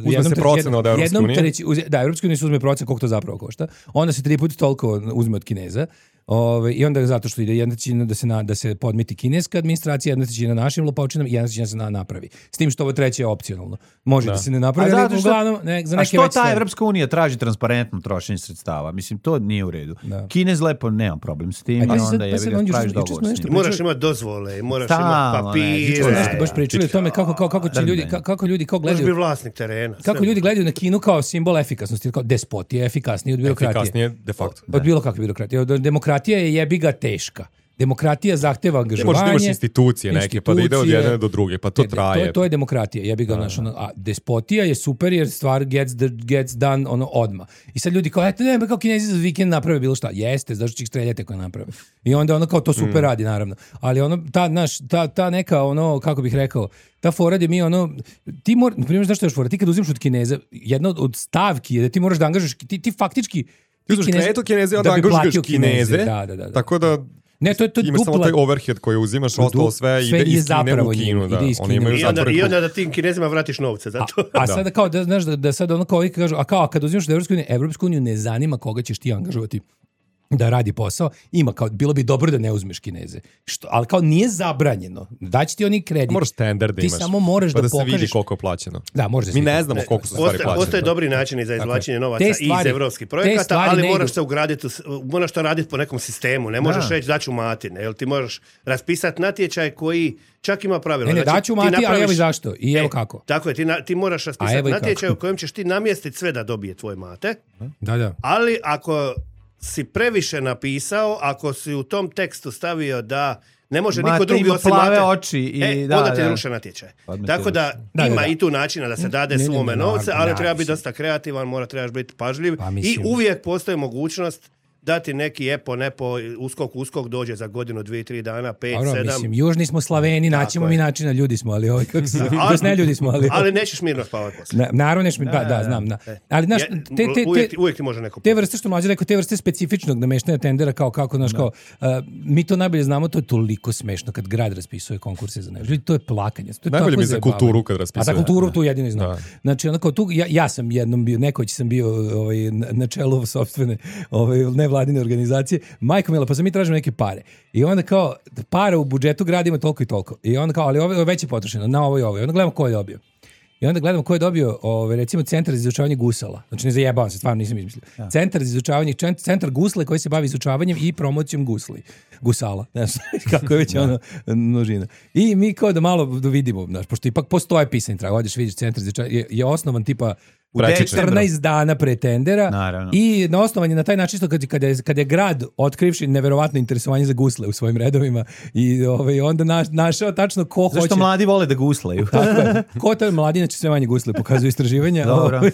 Speaker 8: jednom
Speaker 7: se
Speaker 8: tre-
Speaker 7: procena od Evropske
Speaker 8: jednom
Speaker 7: unije?
Speaker 8: treći- uze- Da, Evropska unija se uzme procen koliko to zapravo košta. Onda se tri puta toliko uzme od Kineza. Ove, I onda zato što ide jedna trećina da se, na, da se podmiti kineska administracija, jedna trećina našim lopovčinama i jedna trećina se na, napravi. S tim što ovo treće je opcionalno. Može da, se ne napravi,
Speaker 6: A
Speaker 8: ali
Speaker 6: zato što-
Speaker 8: uglavnom ne, za
Speaker 6: A
Speaker 8: neke
Speaker 6: što
Speaker 8: veće
Speaker 6: ta
Speaker 8: stvari.
Speaker 6: Evropska unija traži transparentno trošenje sredstava? Mislim, to nije u redu.
Speaker 8: Da.
Speaker 6: Kinez lepo, nema problem s tim
Speaker 8: E,
Speaker 6: i
Speaker 8: pazi, sad-
Speaker 6: onda
Speaker 8: pazi,
Speaker 6: jebi ga,
Speaker 8: on juče-
Speaker 6: praviš
Speaker 8: juče smo
Speaker 6: dogovor s
Speaker 8: nešto
Speaker 6: njim.
Speaker 1: Moraš imati dozvole, moraš
Speaker 6: Stalno,
Speaker 1: imati
Speaker 6: ne,
Speaker 1: papire.
Speaker 6: juče
Speaker 8: Nešto baš pričali o tome kako, kako, kako će ljudi, kako, kako ljudi kao
Speaker 1: Moraš
Speaker 8: gledaju...
Speaker 1: biti vlasnik terena.
Speaker 8: Kako
Speaker 1: sve.
Speaker 8: ljudi gledaju na Kinu kao simbol efikasnosti, kao despot je efikasniji od birokratije.
Speaker 7: Efikasnije, de facto.
Speaker 8: Od bilo kakve birokratije. Od- Demokratija je jebi ga teška. Demokratija zahteva
Speaker 7: Ne
Speaker 8: angažovanje.
Speaker 7: možeš da imaš institucije neke, pa da ide od
Speaker 8: institucije.
Speaker 7: jedne do druge, pa to
Speaker 8: Ne,
Speaker 7: traje.
Speaker 8: To je, to je demokratija, jebi ga, znaš, ono, a despotija je super jer stvar gets, the, gets done ono odma. I sad ljudi kao, eto, ne, kao Kinezi za vikend naprave bilo šta. Jeste, zašto će ih streljati ako naprave. I onda ono kao to super
Speaker 7: Mm.
Speaker 8: radi, naravno. Ali ono, ta, naš, ta, ta neka, ono, kako bih rekao, ta fora gdje mi ono, ti mora, na primjer, znaš što je još fora, ti kad uzimaš od Kineza, jedna od, od stavki je da ti moraš da angažuješ, ti, ti faktički,
Speaker 7: Ti uzmeš kredit od Kineze, onda
Speaker 8: da bi
Speaker 7: angažuješ
Speaker 8: platio
Speaker 7: Kineze,
Speaker 8: Da, da, da. da.
Speaker 7: tako da
Speaker 8: Ne, to je, to je
Speaker 7: imaš samo
Speaker 8: dupla-
Speaker 7: taj overhead koji uzimaš,
Speaker 8: Du-
Speaker 7: ostalo sve,
Speaker 8: sve
Speaker 7: ide
Speaker 8: ide
Speaker 7: iz Kine
Speaker 8: zapravo
Speaker 7: u Kinu.
Speaker 8: njima,
Speaker 7: Da.
Speaker 8: ide iz
Speaker 7: Oni
Speaker 8: Kine.
Speaker 7: imaju
Speaker 1: I onda,
Speaker 7: zatvoren
Speaker 1: I
Speaker 7: krug.
Speaker 1: onda da tim Kinezima vratiš novce za to.
Speaker 8: A sada kao da znaš da, da sad ono kao ovi kažu, a kao a kad uzimaš da Evropsku uniju, Evropsku uniju ne zanima koga ćeš ti angažovati da radi posao, ima kao, bilo bi dobro da ne uzmeš Kineze. Što, ali kao nije zabranjeno. Daći ti oni kredit.
Speaker 7: Moraš standard da
Speaker 8: Ti
Speaker 7: imaš.
Speaker 8: samo moraš
Speaker 7: pa
Speaker 8: da
Speaker 7: da se vidi
Speaker 8: pokažeš-
Speaker 7: koliko je plaćeno.
Speaker 8: Da, može da se
Speaker 7: Mi
Speaker 8: vidi.
Speaker 7: ne znamo koliko su stvari
Speaker 1: Postoje,
Speaker 7: plaćene.
Speaker 1: postoje dobri načini za izvlačenje
Speaker 8: je.
Speaker 1: novaca
Speaker 8: Te stvari-
Speaker 1: iz evropskih
Speaker 8: te
Speaker 1: projekata,
Speaker 8: stvari
Speaker 1: ali
Speaker 8: ne
Speaker 1: moraš
Speaker 8: idu.
Speaker 1: se ugraditi, u s- moraš to raditi po nekom sistemu. Ne možeš
Speaker 6: Da.
Speaker 1: reći daću Matine, jel ti možeš raspisati natječaj koji čak ima pravila.
Speaker 8: Ne, ne,
Speaker 1: Znači,
Speaker 8: daću
Speaker 1: ti
Speaker 8: Mati, ali
Speaker 1: napraviš-
Speaker 8: evo i zašto. I evo
Speaker 1: E,
Speaker 8: kako.
Speaker 1: Tako je, ti, na- ti moraš
Speaker 8: A
Speaker 1: raspisati
Speaker 8: evo i
Speaker 1: natječaj
Speaker 8: kako.
Speaker 1: u kojem ćeš ti namjestiti sve da dobije tvoj Mate,
Speaker 8: Da, da.
Speaker 1: ali ako si previše napisao, ako si u tom tekstu stavio da ne može
Speaker 6: Mate
Speaker 1: niko drugi
Speaker 6: ima
Speaker 1: osim
Speaker 6: plave
Speaker 1: Mate.
Speaker 6: oči i
Speaker 1: e,
Speaker 6: da,
Speaker 1: onda ti
Speaker 6: da.
Speaker 1: ruše natječaj.
Speaker 6: Odmah ti
Speaker 1: Tako da,
Speaker 8: Da,
Speaker 1: ima
Speaker 8: da, da.
Speaker 1: i tu načina da se dade
Speaker 8: Ne, ne,
Speaker 1: svome
Speaker 8: ne,
Speaker 1: novce,
Speaker 8: naravno,
Speaker 1: ali treba biti
Speaker 8: mislim.
Speaker 1: dosta kreativan, mora trebaš biti pažljiv
Speaker 8: Pa,
Speaker 1: i
Speaker 8: mislim.
Speaker 1: uvijek postoji mogućnost dati neki epo, nepo, uskok, uskok dođe za godinu, dvije, tri dana, pet,
Speaker 8: Dobro,
Speaker 1: sedam.
Speaker 8: mislim, južni smo Slaveni, naćemo
Speaker 1: je.
Speaker 8: mi načina, ljudi smo, ali ovaj, kako se,
Speaker 1: Ali-
Speaker 8: to ne ljudi smo, ali...
Speaker 1: Ali nećeš mirno spavati poslije.
Speaker 8: Na, naravno neš mi, pa, da, znam, da. Ali, znaš,
Speaker 1: Je-
Speaker 8: te, te,
Speaker 1: uvijek,
Speaker 8: te,
Speaker 1: ti- uvijek ti može neko
Speaker 8: te vrste što mlađe rekao, te vrste specifičnog nameštanja tendera kao kako, znaš, kao, uh, mi to najbolje znamo, to je toliko smešno kad grad raspisuje konkurse za nešto. Ljudi, to je plakanje. To je
Speaker 7: Najbolje
Speaker 8: tako
Speaker 7: mi za
Speaker 8: zajebavanje.
Speaker 7: kulturu kad raspisuje.
Speaker 8: A za kulturu tu jedino i znam.
Speaker 7: Da.
Speaker 8: Znači, onako, tu, ja, ja sam jednom bio, nekoć sam bio ovaj, na, na čelu sopstvene ovaj, nevladine organizacije. Majko mila, pa sam mi tražimo neke pare. I onda kao, pare u budžetu grada ima toliko i toliko. I onda kao, ali ovo je već je potrošeno, na ovo i ovo. I onda gledamo ko je dobio. I onda gledamo ko je dobio, ovaj, recimo, centar za izučavanje gusala. Znači, ne zajebavam se, stvarno nisam izmislio. Centar za izučavanje, čen- centar gusle koji se bavi izučavanjem i promocijom gusli. Gusala. Znaš, kako je već ono množina. I mi kao da malo da vidimo, znaš, pošto ipak postoje pisani trag. Odeš, vidiš centar za izučavanje, je, je osnovan tipa
Speaker 6: U
Speaker 7: Prečice.
Speaker 6: decembru.
Speaker 8: četrnaest dana pre tendera.
Speaker 6: Naravno.
Speaker 8: I na osnovan je na taj način što kad, kad, je, kad je grad otkrivši neverovatno interesovanje za gusle u svojim redovima i ovaj, onda naš, našao tačno ko hoće...
Speaker 6: Zašto mladi vole da guslaju?
Speaker 8: Tako je. Ko to je mladi, znači sve manje gusle pokazuju istraživanja.
Speaker 6: Dobro.
Speaker 8: Ovaj,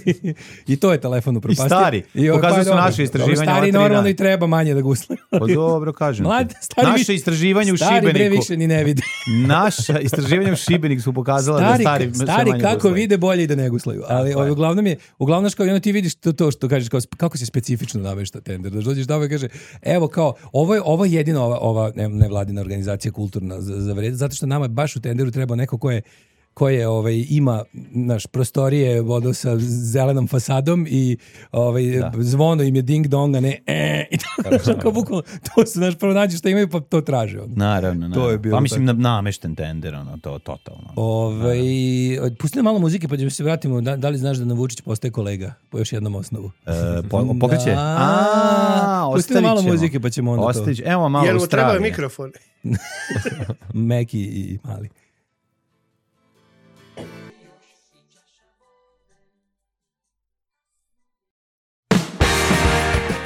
Speaker 8: I to je telefon upropastio.
Speaker 6: I stari.
Speaker 8: ovaj,
Speaker 6: Pokazuju su
Speaker 8: dobro.
Speaker 6: naše istraživanja
Speaker 8: Stari
Speaker 6: ova tri
Speaker 8: normalno
Speaker 6: dana.
Speaker 8: i treba manje da gusle.
Speaker 6: Pa dobro, kažem. ti.
Speaker 8: Mladi, stari
Speaker 6: Naše
Speaker 8: više-
Speaker 6: istraživanje u
Speaker 8: Stari bre
Speaker 6: Šibeniku.
Speaker 8: više ni ne vidi.
Speaker 6: Naša istraživanja u Šibeniku su pokazala
Speaker 8: Stari,
Speaker 6: da stari, sve
Speaker 8: stari
Speaker 6: manje
Speaker 8: kako
Speaker 6: guslaju.
Speaker 8: vide bolje i da ne guslaju. Ali
Speaker 6: je.
Speaker 8: ovaj, uglavnom je, uglavnom što ono ti vidiš to, to što kažeš kao, kako se specifično namešta tender. Da dođeš tamo i kaže, evo kao, ovo je, ovo je jedino ova, ova ne- nevladina organizacija kulturna za, za vred, zato što nama baš u tenderu treba neko ko je koje ovaj ima naš prostorije vodo sa zelenom fasadom i ovaj zvono im je ding dong, a ne e, i tako što kao bukvalno to se naš prvo nađe što imaju pa to traže on.
Speaker 6: Naravno, naravno.
Speaker 8: To je bilo
Speaker 6: pa mislim na, namešten tender, ono, to totalno.
Speaker 8: Ovaj pusti nam malo muzike pa ćemo se vratimo da, da li znaš da nam Vučić postaje kolega po još jednom osnovu.
Speaker 6: E, po, pokreće?
Speaker 8: Da.
Speaker 6: A,
Speaker 8: Pusti nam
Speaker 6: ostavit
Speaker 8: malo
Speaker 6: ćemo.
Speaker 8: muzike pa ćemo onda
Speaker 6: Ostavit ćemo. Evo malo
Speaker 1: Jel mu treba
Speaker 6: Australije.
Speaker 1: mikrofon?
Speaker 8: to. Meki i mali.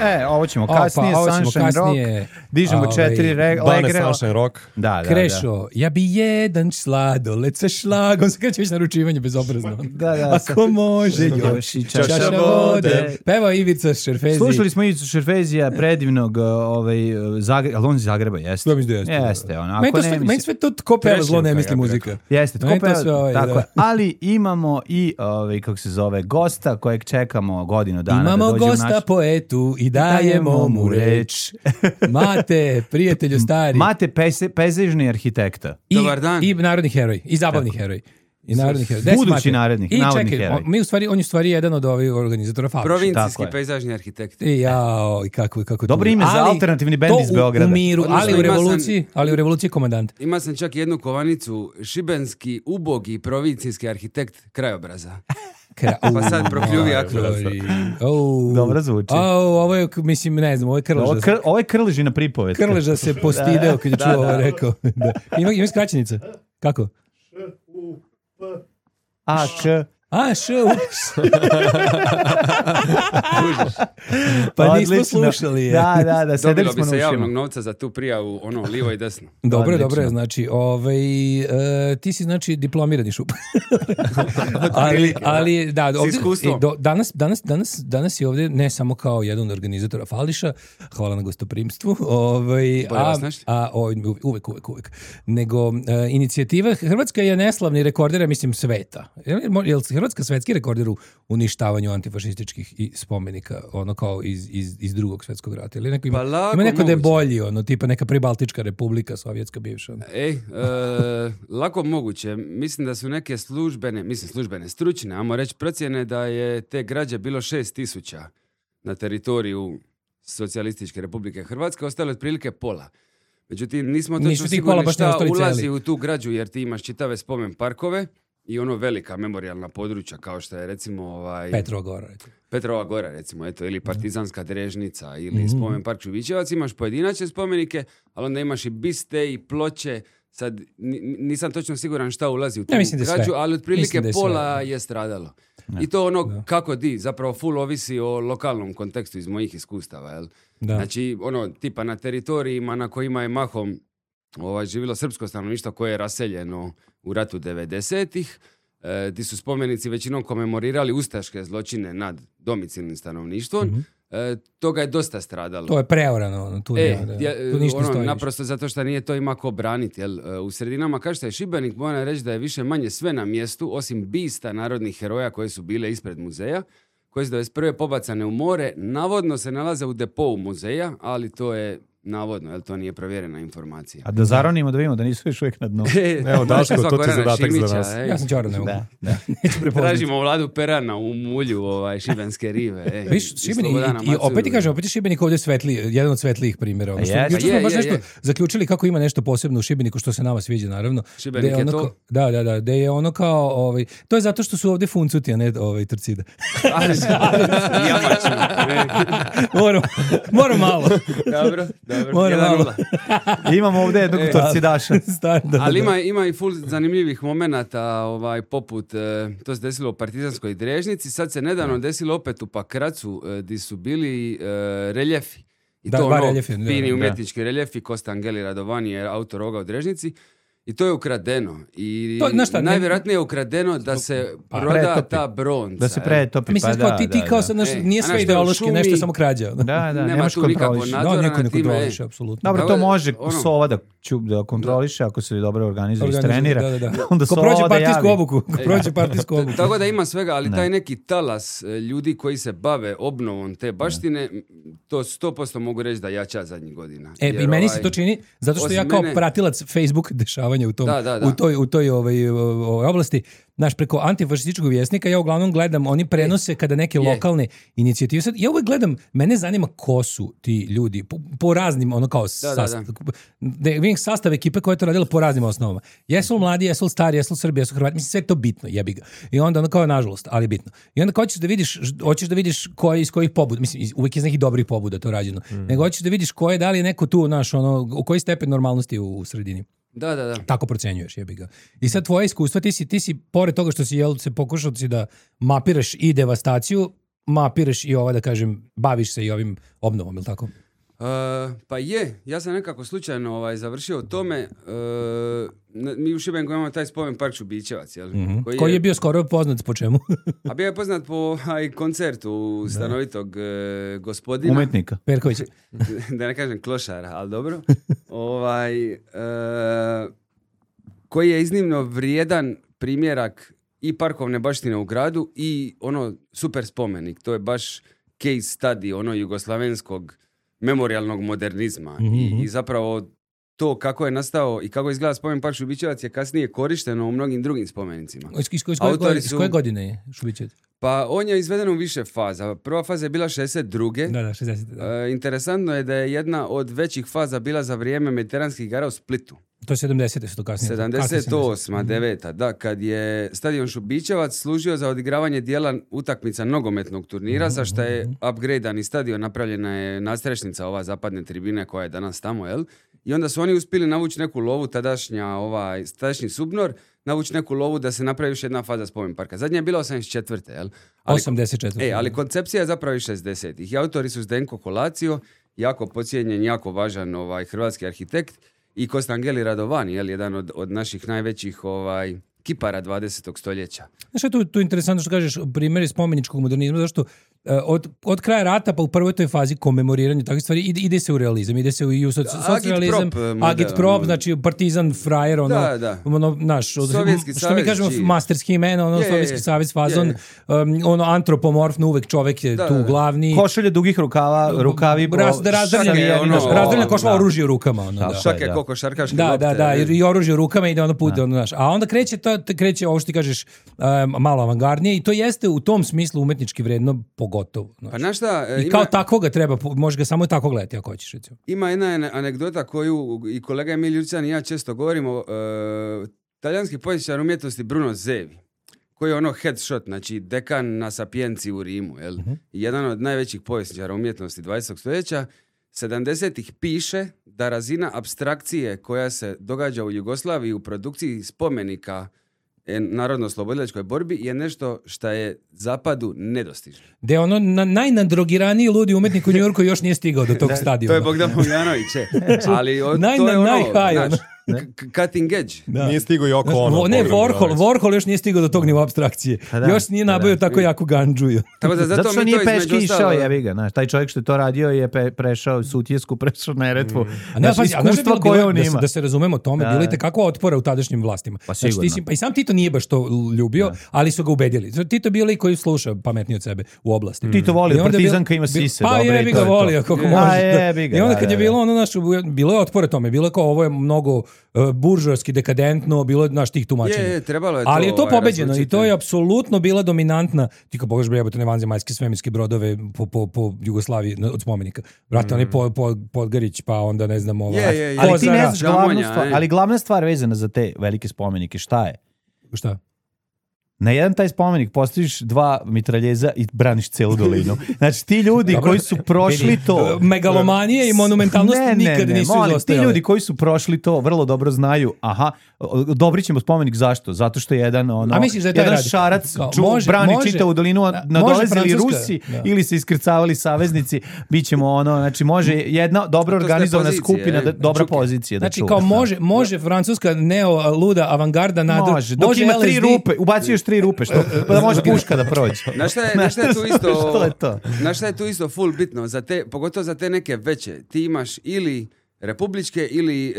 Speaker 6: E, ovo ćemo
Speaker 8: O, pa,
Speaker 6: kasnije,
Speaker 8: ovo ćemo
Speaker 6: Sunshine
Speaker 8: kasnije.
Speaker 6: Rock. Dižemo
Speaker 8: Ovaj,
Speaker 6: četiri re,
Speaker 7: Bane
Speaker 6: legre.
Speaker 7: Sunshine Rock.
Speaker 6: Da, da, da.
Speaker 8: Krešo, ja bi jedan sladoled sa šlagom, se kreće već naručivanje bezobrazno.
Speaker 6: Da, da,
Speaker 8: Ako može, još i čaša vode. Peva Ivica Šerfezi.
Speaker 6: Slušali smo Ivicu Šerfezija, predivnog, uh, ovaj, uh, Zagreba, ali on iz Zagreba jeste?
Speaker 8: Ja mislim da jeste.
Speaker 6: Jeste, ono, ako
Speaker 8: Meni, to
Speaker 6: ne
Speaker 8: sve,
Speaker 6: misli-
Speaker 8: meni sve to ko peva zlo ne
Speaker 7: Trešnjevka,
Speaker 8: misli
Speaker 7: ja bih
Speaker 8: muzika.
Speaker 6: Jeste,
Speaker 8: Meni
Speaker 6: tko
Speaker 8: to
Speaker 6: peva-
Speaker 8: sve ovaj,
Speaker 6: tako
Speaker 8: da.
Speaker 6: je. Ali imamo i, ovaj, kako se zove, gosta kojeg čekamo godinu dana
Speaker 8: Imamo
Speaker 6: da dođe
Speaker 8: gosta
Speaker 6: u naš...
Speaker 8: poetu i dajemo mu reč. Mate, prijatelju stari.
Speaker 6: Mate pese, pejzažni arhitekta.
Speaker 8: I,
Speaker 9: Dobar dan.
Speaker 8: I narodni heroj. I zabavni heroj. I narodni heroj. Gde si,
Speaker 6: Budući
Speaker 8: Mate?
Speaker 6: narodni-
Speaker 8: I
Speaker 6: navodni
Speaker 8: čekaj,
Speaker 6: heroj.
Speaker 8: on, mi u stvari, on je u stvari jedan od ovih organizatora Fabriša.
Speaker 6: Tako
Speaker 9: Provincijski
Speaker 6: je.
Speaker 9: pejzažni arhitekt.
Speaker 8: I jao, i kako, kako
Speaker 6: Dobro
Speaker 8: tužno.
Speaker 6: ime za
Speaker 8: Ali
Speaker 6: alternativni bend
Speaker 8: to
Speaker 6: iz
Speaker 8: u-
Speaker 6: Beograda.
Speaker 8: U miru,
Speaker 9: Odnosno,
Speaker 8: ali u
Speaker 9: ima sam-
Speaker 8: revoluciji, ali u revoluciji komandant.
Speaker 9: Ima sam čak jednu kovanicu, šibenski ubogi provincijski arhitekt krajobraza.
Speaker 8: Kra-
Speaker 9: Pa sad prokljuvi ako.
Speaker 8: Matori. Au.
Speaker 6: Dobro zvuči.
Speaker 8: Au, ovo je, mislim, ne znam, ovo je
Speaker 6: Ovo,
Speaker 8: Krleža.
Speaker 6: kr, ovo je Krležina pripovetka.
Speaker 8: Krleža se postideo kad je čuo ovo rekao. Da. Ima, ima skraćenica. Kako?
Speaker 6: A, k.
Speaker 8: A, š, ups. Pa nismo
Speaker 6: Odlično.
Speaker 8: slušali je.
Speaker 6: Da, da, da, sedeli
Speaker 9: Dobilo
Speaker 6: smo
Speaker 9: bi se
Speaker 6: na
Speaker 9: javnog
Speaker 6: ušima.
Speaker 9: novca za tu prijavu, ono, livo i desno.
Speaker 8: Dobro,
Speaker 6: Odlično.
Speaker 8: dobro je, znači, ovaj, e, ti si znači diplomirani šup. ali, ali, da, ovdje,
Speaker 9: iskustvom.
Speaker 8: e, do, danas, danas, danas, danas je ovdje ne samo kao jedan od organizatora Fališa, hvala na gostoprimstvu, ovaj,
Speaker 9: Bolje
Speaker 8: a,
Speaker 9: vas našli.
Speaker 8: a ovaj, uvek, uvek, uvek, nego e, inicijativa, Hrvatska je neslavni rekorder, ja mislim, sveta. Je li, je li Hrvatska svetski rekorder u uništavanju antifašističkih i spomenika, ono kao iz, iz, iz drugog svetskog rata? Ili neko ima,
Speaker 9: Pa lako
Speaker 8: ima neko da je
Speaker 9: moguće.
Speaker 8: bolji, ono, tipa neka pribaltička republika, sovjetska bivša. ono.
Speaker 9: Ej, e, lako moguće. Mislim da su neke službene, mislim službene, stručne, ajmo reći procjene da je te građe bilo šest tisuća na teritoriju Socijalističke Republike Hrvatske, ostalo je otprilike pola. Međutim, nismo
Speaker 8: Nisu
Speaker 9: točno
Speaker 8: ti pola
Speaker 9: sigurni
Speaker 8: baš ne
Speaker 9: šta
Speaker 8: ostali
Speaker 9: ulazi
Speaker 8: cijeli.
Speaker 9: u tu građu, jer ti imaš čitave spomen parkove i ono velika memorijalna područja, kao što je recimo ovaj,
Speaker 8: Petrova Gora, recimo.
Speaker 9: Petrova Gora, recimo, eto, ili Partizanska Drežnica, ili
Speaker 8: Mhm.
Speaker 9: spomen park Čuvićevac, imaš pojedinačne spomenike, ali onda imaš i biste i ploče. Sad, ni- nisam točno siguran šta ulazi u tu
Speaker 8: Ja mislim da je sve.
Speaker 9: građu, ali otprilike
Speaker 8: Mislim da je sve,
Speaker 9: pola
Speaker 8: da.
Speaker 9: je stradalo. I to ono kako di, zapravo full ovisi o lokalnom kontekstu iz mojih iskustava, jel?
Speaker 8: Da.
Speaker 9: Znači, ono, tipa na teritorijima na kojima je mahom ovaj, živjelo srpsko stanovništvo koje je raseljeno u ratu devedesetih, e, di su spomenici većinom komemorirali ustaške zločine nad domicilnim stanovništvom. Mm-hmm. E, toga je dosta stradalo.
Speaker 8: To je preorano. Tu,
Speaker 9: e,
Speaker 8: ne,
Speaker 9: ja,
Speaker 8: tu ništa
Speaker 9: ono,
Speaker 8: stoji.
Speaker 9: naprosto zato što nije to ima ko braniti. Jel? U sredinama, kao što je Šibenik, moram reći da je više manje sve na mjestu, osim bista narodnih heroja koje su bile ispred muzeja, koje su devedeset prve pobacane u more, navodno se nalaze u depou muzeja, ali to je navodno, jer to nije provjerena informacija.
Speaker 6: A da zaronimo da vidimo da nisu još uvijek na dnu.
Speaker 7: Evo, Daško, to ti je zadatak za nas.
Speaker 8: Ja sam čaran, ne mogu.
Speaker 6: Da, da.
Speaker 8: Neću prepoznati.
Speaker 9: Tražimo Vladu Perana u mulju ovaj, šibenske rive. E,
Speaker 8: Viš, Šibenik, i, i opet ti kažem, opet je Šibenik ovdje svetli, jedan od svetlijih primjera. Ono,
Speaker 6: je,
Speaker 8: jučer smo
Speaker 9: je,
Speaker 8: baš
Speaker 9: je,
Speaker 8: nešto
Speaker 9: je.
Speaker 8: zaključili kako ima nešto posebno u Šibeniku, što se nama sviđa, naravno.
Speaker 9: Šibenik
Speaker 8: je
Speaker 9: je
Speaker 8: ono
Speaker 9: to?
Speaker 8: Kao, da, da, da, da je ono kao, ovaj, to je zato što su ovdje funcuti, a ne ovaj, Torcida. moram, moram malo.
Speaker 9: Dobro, dobro.
Speaker 8: Moram
Speaker 9: Jedan
Speaker 8: malo.
Speaker 9: nula.
Speaker 6: Imamo ovdje jednog
Speaker 9: E,
Speaker 6: torcidaša.
Speaker 8: Star, da,
Speaker 9: Ali
Speaker 8: da.
Speaker 9: ima, ima i full zanimljivih momenata, ovaj, poput, e, to se desilo u Partizanskoj Drežnici, sad se nedavno desilo opet u Pakracu, e, di su bili e, reljefi. I
Speaker 8: Da,
Speaker 9: to
Speaker 8: ba,
Speaker 9: ono,
Speaker 8: reljefi, da,
Speaker 9: fini
Speaker 8: da.
Speaker 9: umjetnički reljefi, Kosta Angeli Radovani je autor ovoga u Drežnici. I to je ukradeno. I
Speaker 8: To, znaš šta, ne-
Speaker 9: najvjerojatnije je ukradeno da se
Speaker 6: Pa,
Speaker 9: proda
Speaker 6: pretopi.
Speaker 9: ta bronca.
Speaker 6: Da se
Speaker 9: e.
Speaker 6: pretopi,
Speaker 8: Mislim,
Speaker 6: pa
Speaker 8: kao
Speaker 6: da,
Speaker 8: ti, ti
Speaker 6: da,
Speaker 8: kao
Speaker 6: da.
Speaker 8: sad, znaš,
Speaker 9: E,
Speaker 8: nije
Speaker 9: a
Speaker 8: sve
Speaker 9: znaš šta, u
Speaker 8: ideološki,
Speaker 9: šumi-
Speaker 8: nešto je samo krađa.
Speaker 6: Da, da,
Speaker 9: Nema
Speaker 6: nemaš
Speaker 9: tu nikakvog
Speaker 6: kontroliš.
Speaker 9: nadzora.
Speaker 8: Da, niko ne
Speaker 9: nad time,
Speaker 8: kontroliše, apsolutno.
Speaker 6: Dobro,
Speaker 9: Tako
Speaker 6: to
Speaker 9: da,
Speaker 6: može
Speaker 9: ono-
Speaker 6: Sova da, ću, da kontroliše ako se dobro organizuje i
Speaker 8: Organizuje,
Speaker 6: trenira.
Speaker 8: da, da, da.
Speaker 6: Onda
Speaker 8: Ko
Speaker 6: Sova
Speaker 8: prođe
Speaker 6: da
Speaker 8: partijsku
Speaker 6: javi.
Speaker 8: obuku, ko prođe partijsku obuku.
Speaker 9: Tako da ima svega, ali
Speaker 6: Ne.
Speaker 9: taj neki talas e, ljudi koji se bave obnovom te baštine, m, to sto posto mogu reći da jača zadnjih godina.
Speaker 8: E,
Speaker 9: Jer,
Speaker 8: i meni se
Speaker 9: ovaj,
Speaker 8: to čini, zato što
Speaker 9: osim
Speaker 8: ja kao
Speaker 9: mene-
Speaker 8: pratilac Facebook dešavanja u tom,
Speaker 9: Da, da, da.
Speaker 8: u toj, u toj ovaj, ovaj oblasti, znaš, preko antifašističkog vjesnika, ja uglavnom gledam, oni prenose kada neke
Speaker 9: je.
Speaker 8: lokalne inicijative, sad, ja uvek gledam, mene zanima ko su ti ljudi, po, po raznim, ono kao,
Speaker 9: Da, da,
Speaker 8: sastav, da vidim sastav ekipe koja je to radila po raznim osnovama. Jesu li mladi, jesu li stari, jesu li Srbi, jesu li Hrvati, mislim, sve je to bitno, jebi ga. I onda, ono kao, nažalost, ali bitno. I onda kao hoćeš da vidiš, hoćeš da vidiš ko je iz kojih pobuda, mislim, iz- uvek iz nekih dobrih pobuda to rađeno, nego hoćeš da vidiš ko je, da li je neko tu, naš, ono, u koji stepen normalnosti u, u sredini.
Speaker 9: Da, da, da.
Speaker 8: Tako procenjuješ, jebi ga. I sad tvoje iskustva, ti si, ti si pored toga što si jel, se pokušao si da mapiraš i devastaciju, mapiraš i ova, da kažem, baviš se i ovim obnovom, ili tako?
Speaker 9: Uh, pa je, ja sam nekako slučajno ovaj, završio o tome. Uh, na- mi u Šibeniku imamo taj spomen park Šubićevac, jel?
Speaker 8: Mm-hmm. Koji, koji je bio skoro poznat po čemu?
Speaker 9: A bio je poznat po aj, koncertu stanovitog e, gospodina.
Speaker 6: Umetnika.
Speaker 8: Perković.
Speaker 9: Da ne kažem klošara, ali dobro. ovaj, e, koji je iznimno vrijedan primjerak i parkovne baštine u gradu i ono super spomenik. To je baš case study ono jugoslavenskog memorijalnog modernizma.
Speaker 8: Mhm.
Speaker 9: I, I zapravo to kako je nastao i kako izgleda spomen park Šubićevac je kasnije korišteno u mnogim drugim spomenicima.
Speaker 8: Iz, iz, iz, koje,
Speaker 9: Autori
Speaker 8: godine, iz
Speaker 9: su-
Speaker 8: koje godine je Šubićevac?
Speaker 9: Pa on je izveden u više faza. Prva faza je bila šezdeset druge.
Speaker 8: Da, da, šezdeset. Da.
Speaker 9: E, interesantno je da je jedna od većih faza bila za vrijeme mediteranskih igara u Splitu.
Speaker 8: To je sedamdesete su to kasnije.
Speaker 9: sedamdeset osma deveta da, kad je stadion Šubićevac služio za odigravanje dijela utakmica nogometnog turnira, za što je upgradeani stadion, napravljena je nadstrešnica ova zapadne tribine koja je danas tamo, jel? I onda su oni uspjeli navući neku lovu, tadašnja, ovaj, tadašnji Subnor, navući neku lovu da se napravi još jedna faza spomen parka. Zadnja je bila osamdeset četvrte jel? Ali,
Speaker 8: osamdeset četvrte
Speaker 9: e, ali koncepcija je zapravo iz šezdesetih. I autori su Zdenko Kolacio, jako pocijenjen, jako važan ovaj, hrvatski arhitekt, i Kostangeli Radovani, jel, jedan od, od naših najvećih ovaj, kipara dvadesetog stoljeća.
Speaker 8: Znaš što je tu, tu interesantno što kažeš, primjer spomeničkog modernizma, zašto e, od, od kraja rata pa u prvoj toj fazi komemoriranja takvih stvari ide, ide se u realizam, ide se u, i u soci, socijalizam,
Speaker 9: Agitprop model,
Speaker 8: agitprop,
Speaker 9: ono.
Speaker 8: znači partizan, frajer, ono,
Speaker 9: Da, da.
Speaker 8: ono naš, od-
Speaker 9: Sovjetski
Speaker 8: što mi
Speaker 9: savez,
Speaker 8: kažemo,
Speaker 9: čiji-
Speaker 8: masterski imena, ono,
Speaker 9: Je, je,
Speaker 8: Sovjetski
Speaker 9: je.
Speaker 8: savez fazon,
Speaker 9: Je,
Speaker 8: um, ono, antropomorfno, uvek čovek je
Speaker 9: Da,
Speaker 8: tu
Speaker 9: da, da.
Speaker 8: glavni.
Speaker 6: Košulje dugih rukava, rukavi... po-
Speaker 8: Raz, da razdrljeni,
Speaker 9: šake, ono,
Speaker 8: znaš, razdrljena košva
Speaker 6: da.
Speaker 8: oružje u rukama, ono,
Speaker 6: Da,
Speaker 8: da.
Speaker 6: šta
Speaker 9: Šake
Speaker 6: da.
Speaker 9: koko šarkaške
Speaker 8: Da,
Speaker 9: lopte.
Speaker 8: da, da,
Speaker 9: e.
Speaker 8: i, i oružje u rukama ide ono put, ono, znaš. A onda kreće, to, kreće ovo što ti kažeš um, malo avangardnije i to jeste u tom smislu umetnički vredno pogotovo. Znaš.
Speaker 9: Pa znaš šta, e,
Speaker 8: I
Speaker 9: ima,
Speaker 8: kao tako ga treba, možeš ga samo tako gledati ako hoćeš, recimo.
Speaker 9: ima jedna ane- anegdota koju i kolega Emil Ljucijan i ja često govorimo. E, talijanski povjesničar umjetnosti Bruno Zevi, koji je ono headshot, znači dekan na Sapienci u Rimu, jel?
Speaker 8: Mhm.
Speaker 9: I jedan od najvećih povjesničara umjetnosti dvadesetog stoljeća, sedamdesetih piše da razina apstrakcije koja se događa u Jugoslaviji u produkciji spomenika narodno-oslobodilačkoj borbi je nešto što je zapadu nedostižno.
Speaker 8: Gde ono na, najnadrogiraniji ludi umetnik u Njujorku još nije stigao do tog stadiona.
Speaker 9: To je Bogdan Bogdanović, e. ali od,
Speaker 8: Naj,
Speaker 9: to je ono,
Speaker 8: najhaj,
Speaker 9: znaš, cutting edge.
Speaker 7: Da. Nije stigao i oko
Speaker 8: znači,
Speaker 7: ono.
Speaker 8: Ne, Warhol, Warhol još nije stigao do tog nivoa apstrakcije.
Speaker 6: Da,
Speaker 8: još nije nabavio
Speaker 6: da.
Speaker 8: tako jako gandžuju.
Speaker 9: Tako da, zato,
Speaker 6: zato što
Speaker 9: mi
Speaker 6: nije
Speaker 9: to
Speaker 6: peški
Speaker 9: između
Speaker 6: išao,
Speaker 9: ostalo-
Speaker 6: jebi ga, znaš, taj čovjek što je to radio je pe, prešao Sutjesku, prešao Neretvu.
Speaker 8: A ne,
Speaker 6: Znaš,
Speaker 8: pazi, a znaš šta je
Speaker 6: iskustvo
Speaker 8: bilo-
Speaker 6: koje
Speaker 8: bilo-
Speaker 6: on
Speaker 8: da, se,
Speaker 6: ima.
Speaker 8: da se razumemo tome,
Speaker 6: Da.
Speaker 8: bilo je tekako otpora u tadašnjim vlastima.
Speaker 6: Pa
Speaker 8: Znači, ti
Speaker 6: sigurno.
Speaker 8: si, pa i sam Tito nije baš to ljubio, ali su ga ubedili. Tito je bio lik koji sluša pametniji od sebe u oblasti.
Speaker 6: Tito voli,
Speaker 8: I onda
Speaker 6: partizanka
Speaker 8: bilo-
Speaker 6: ima sise,
Speaker 8: Pa
Speaker 6: dobre,
Speaker 8: jebi
Speaker 6: i to
Speaker 8: ga
Speaker 6: je to.
Speaker 8: volio kako
Speaker 6: A,
Speaker 8: može.
Speaker 6: jebi ga,
Speaker 8: I onda
Speaker 6: da,
Speaker 8: kad je
Speaker 6: da,
Speaker 8: bilo ono naš, bilo je otpora tome, bilo je kao ovo je mnogo uh, buržoarski, dekadentno, bilo je naš tih tumačenja.
Speaker 9: Je, je, trebalo je
Speaker 8: Ali je to
Speaker 9: ovaj,
Speaker 8: pobeđeno i
Speaker 9: razlučiti.
Speaker 8: to je apsolutno bila dominantna, ti kao pogledaš jebote ne vanzemaljske svemirske brodove po, po, po Jugoslaviji na- od spomenika. Brate, oni po, po, Podgarić, pa onda ne znam ovaj.
Speaker 9: Je, je, je.
Speaker 6: Ali ti ne
Speaker 8: Kozara.
Speaker 6: znaš glavnu
Speaker 9: Žamonja,
Speaker 6: stvar,
Speaker 9: e.
Speaker 6: ali glavna stvar vezana za te velike spomenike, šta je?
Speaker 8: Šta?
Speaker 6: Na jedan taj spomenik postaviš dva mitraljeza i braniš celu dolinu. Znači ti ljudi
Speaker 8: Dobro,
Speaker 6: koji su prošli
Speaker 8: vidi,
Speaker 6: to...
Speaker 8: megalomanije i monumentalnost nikad nisu
Speaker 6: molim, ti
Speaker 8: izostajale.
Speaker 6: ljudi koji su prošli to vrlo dobro znaju, aha, dobrit ćemo spomenik zašto? Zato što je jedan, ono,
Speaker 8: A misliš da je taj
Speaker 6: jedan
Speaker 8: radi?
Speaker 6: šarac
Speaker 8: Kao,
Speaker 6: ču,
Speaker 8: može-
Speaker 6: brani
Speaker 8: može-
Speaker 6: čitavu dolinu, a
Speaker 8: da,
Speaker 6: nadolazili
Speaker 8: može Francuska,
Speaker 6: Rusi
Speaker 8: da.
Speaker 6: ili se iskrcavali saveznici, bit ćemo ono, znači može jedna dobro
Speaker 9: To ste
Speaker 6: organizovana
Speaker 9: pozicije,
Speaker 6: skupina,
Speaker 9: e,
Speaker 6: da, dobra
Speaker 9: čuke.
Speaker 6: pozicija da
Speaker 8: Znači
Speaker 6: čuva.
Speaker 8: kao može, može francuska neo luda avangarda nadu,
Speaker 6: Može, dok ima tri
Speaker 8: L S D.
Speaker 6: rupe, ubaci još tri rupe, što, pa da može puška da prođe.
Speaker 9: Znaš šta je, znaš šta je tu isto,
Speaker 6: Što je to?
Speaker 9: znaš šta je tu isto full bitno, za te, pogotovo za te neke veće, ti imaš ili republičke ili e,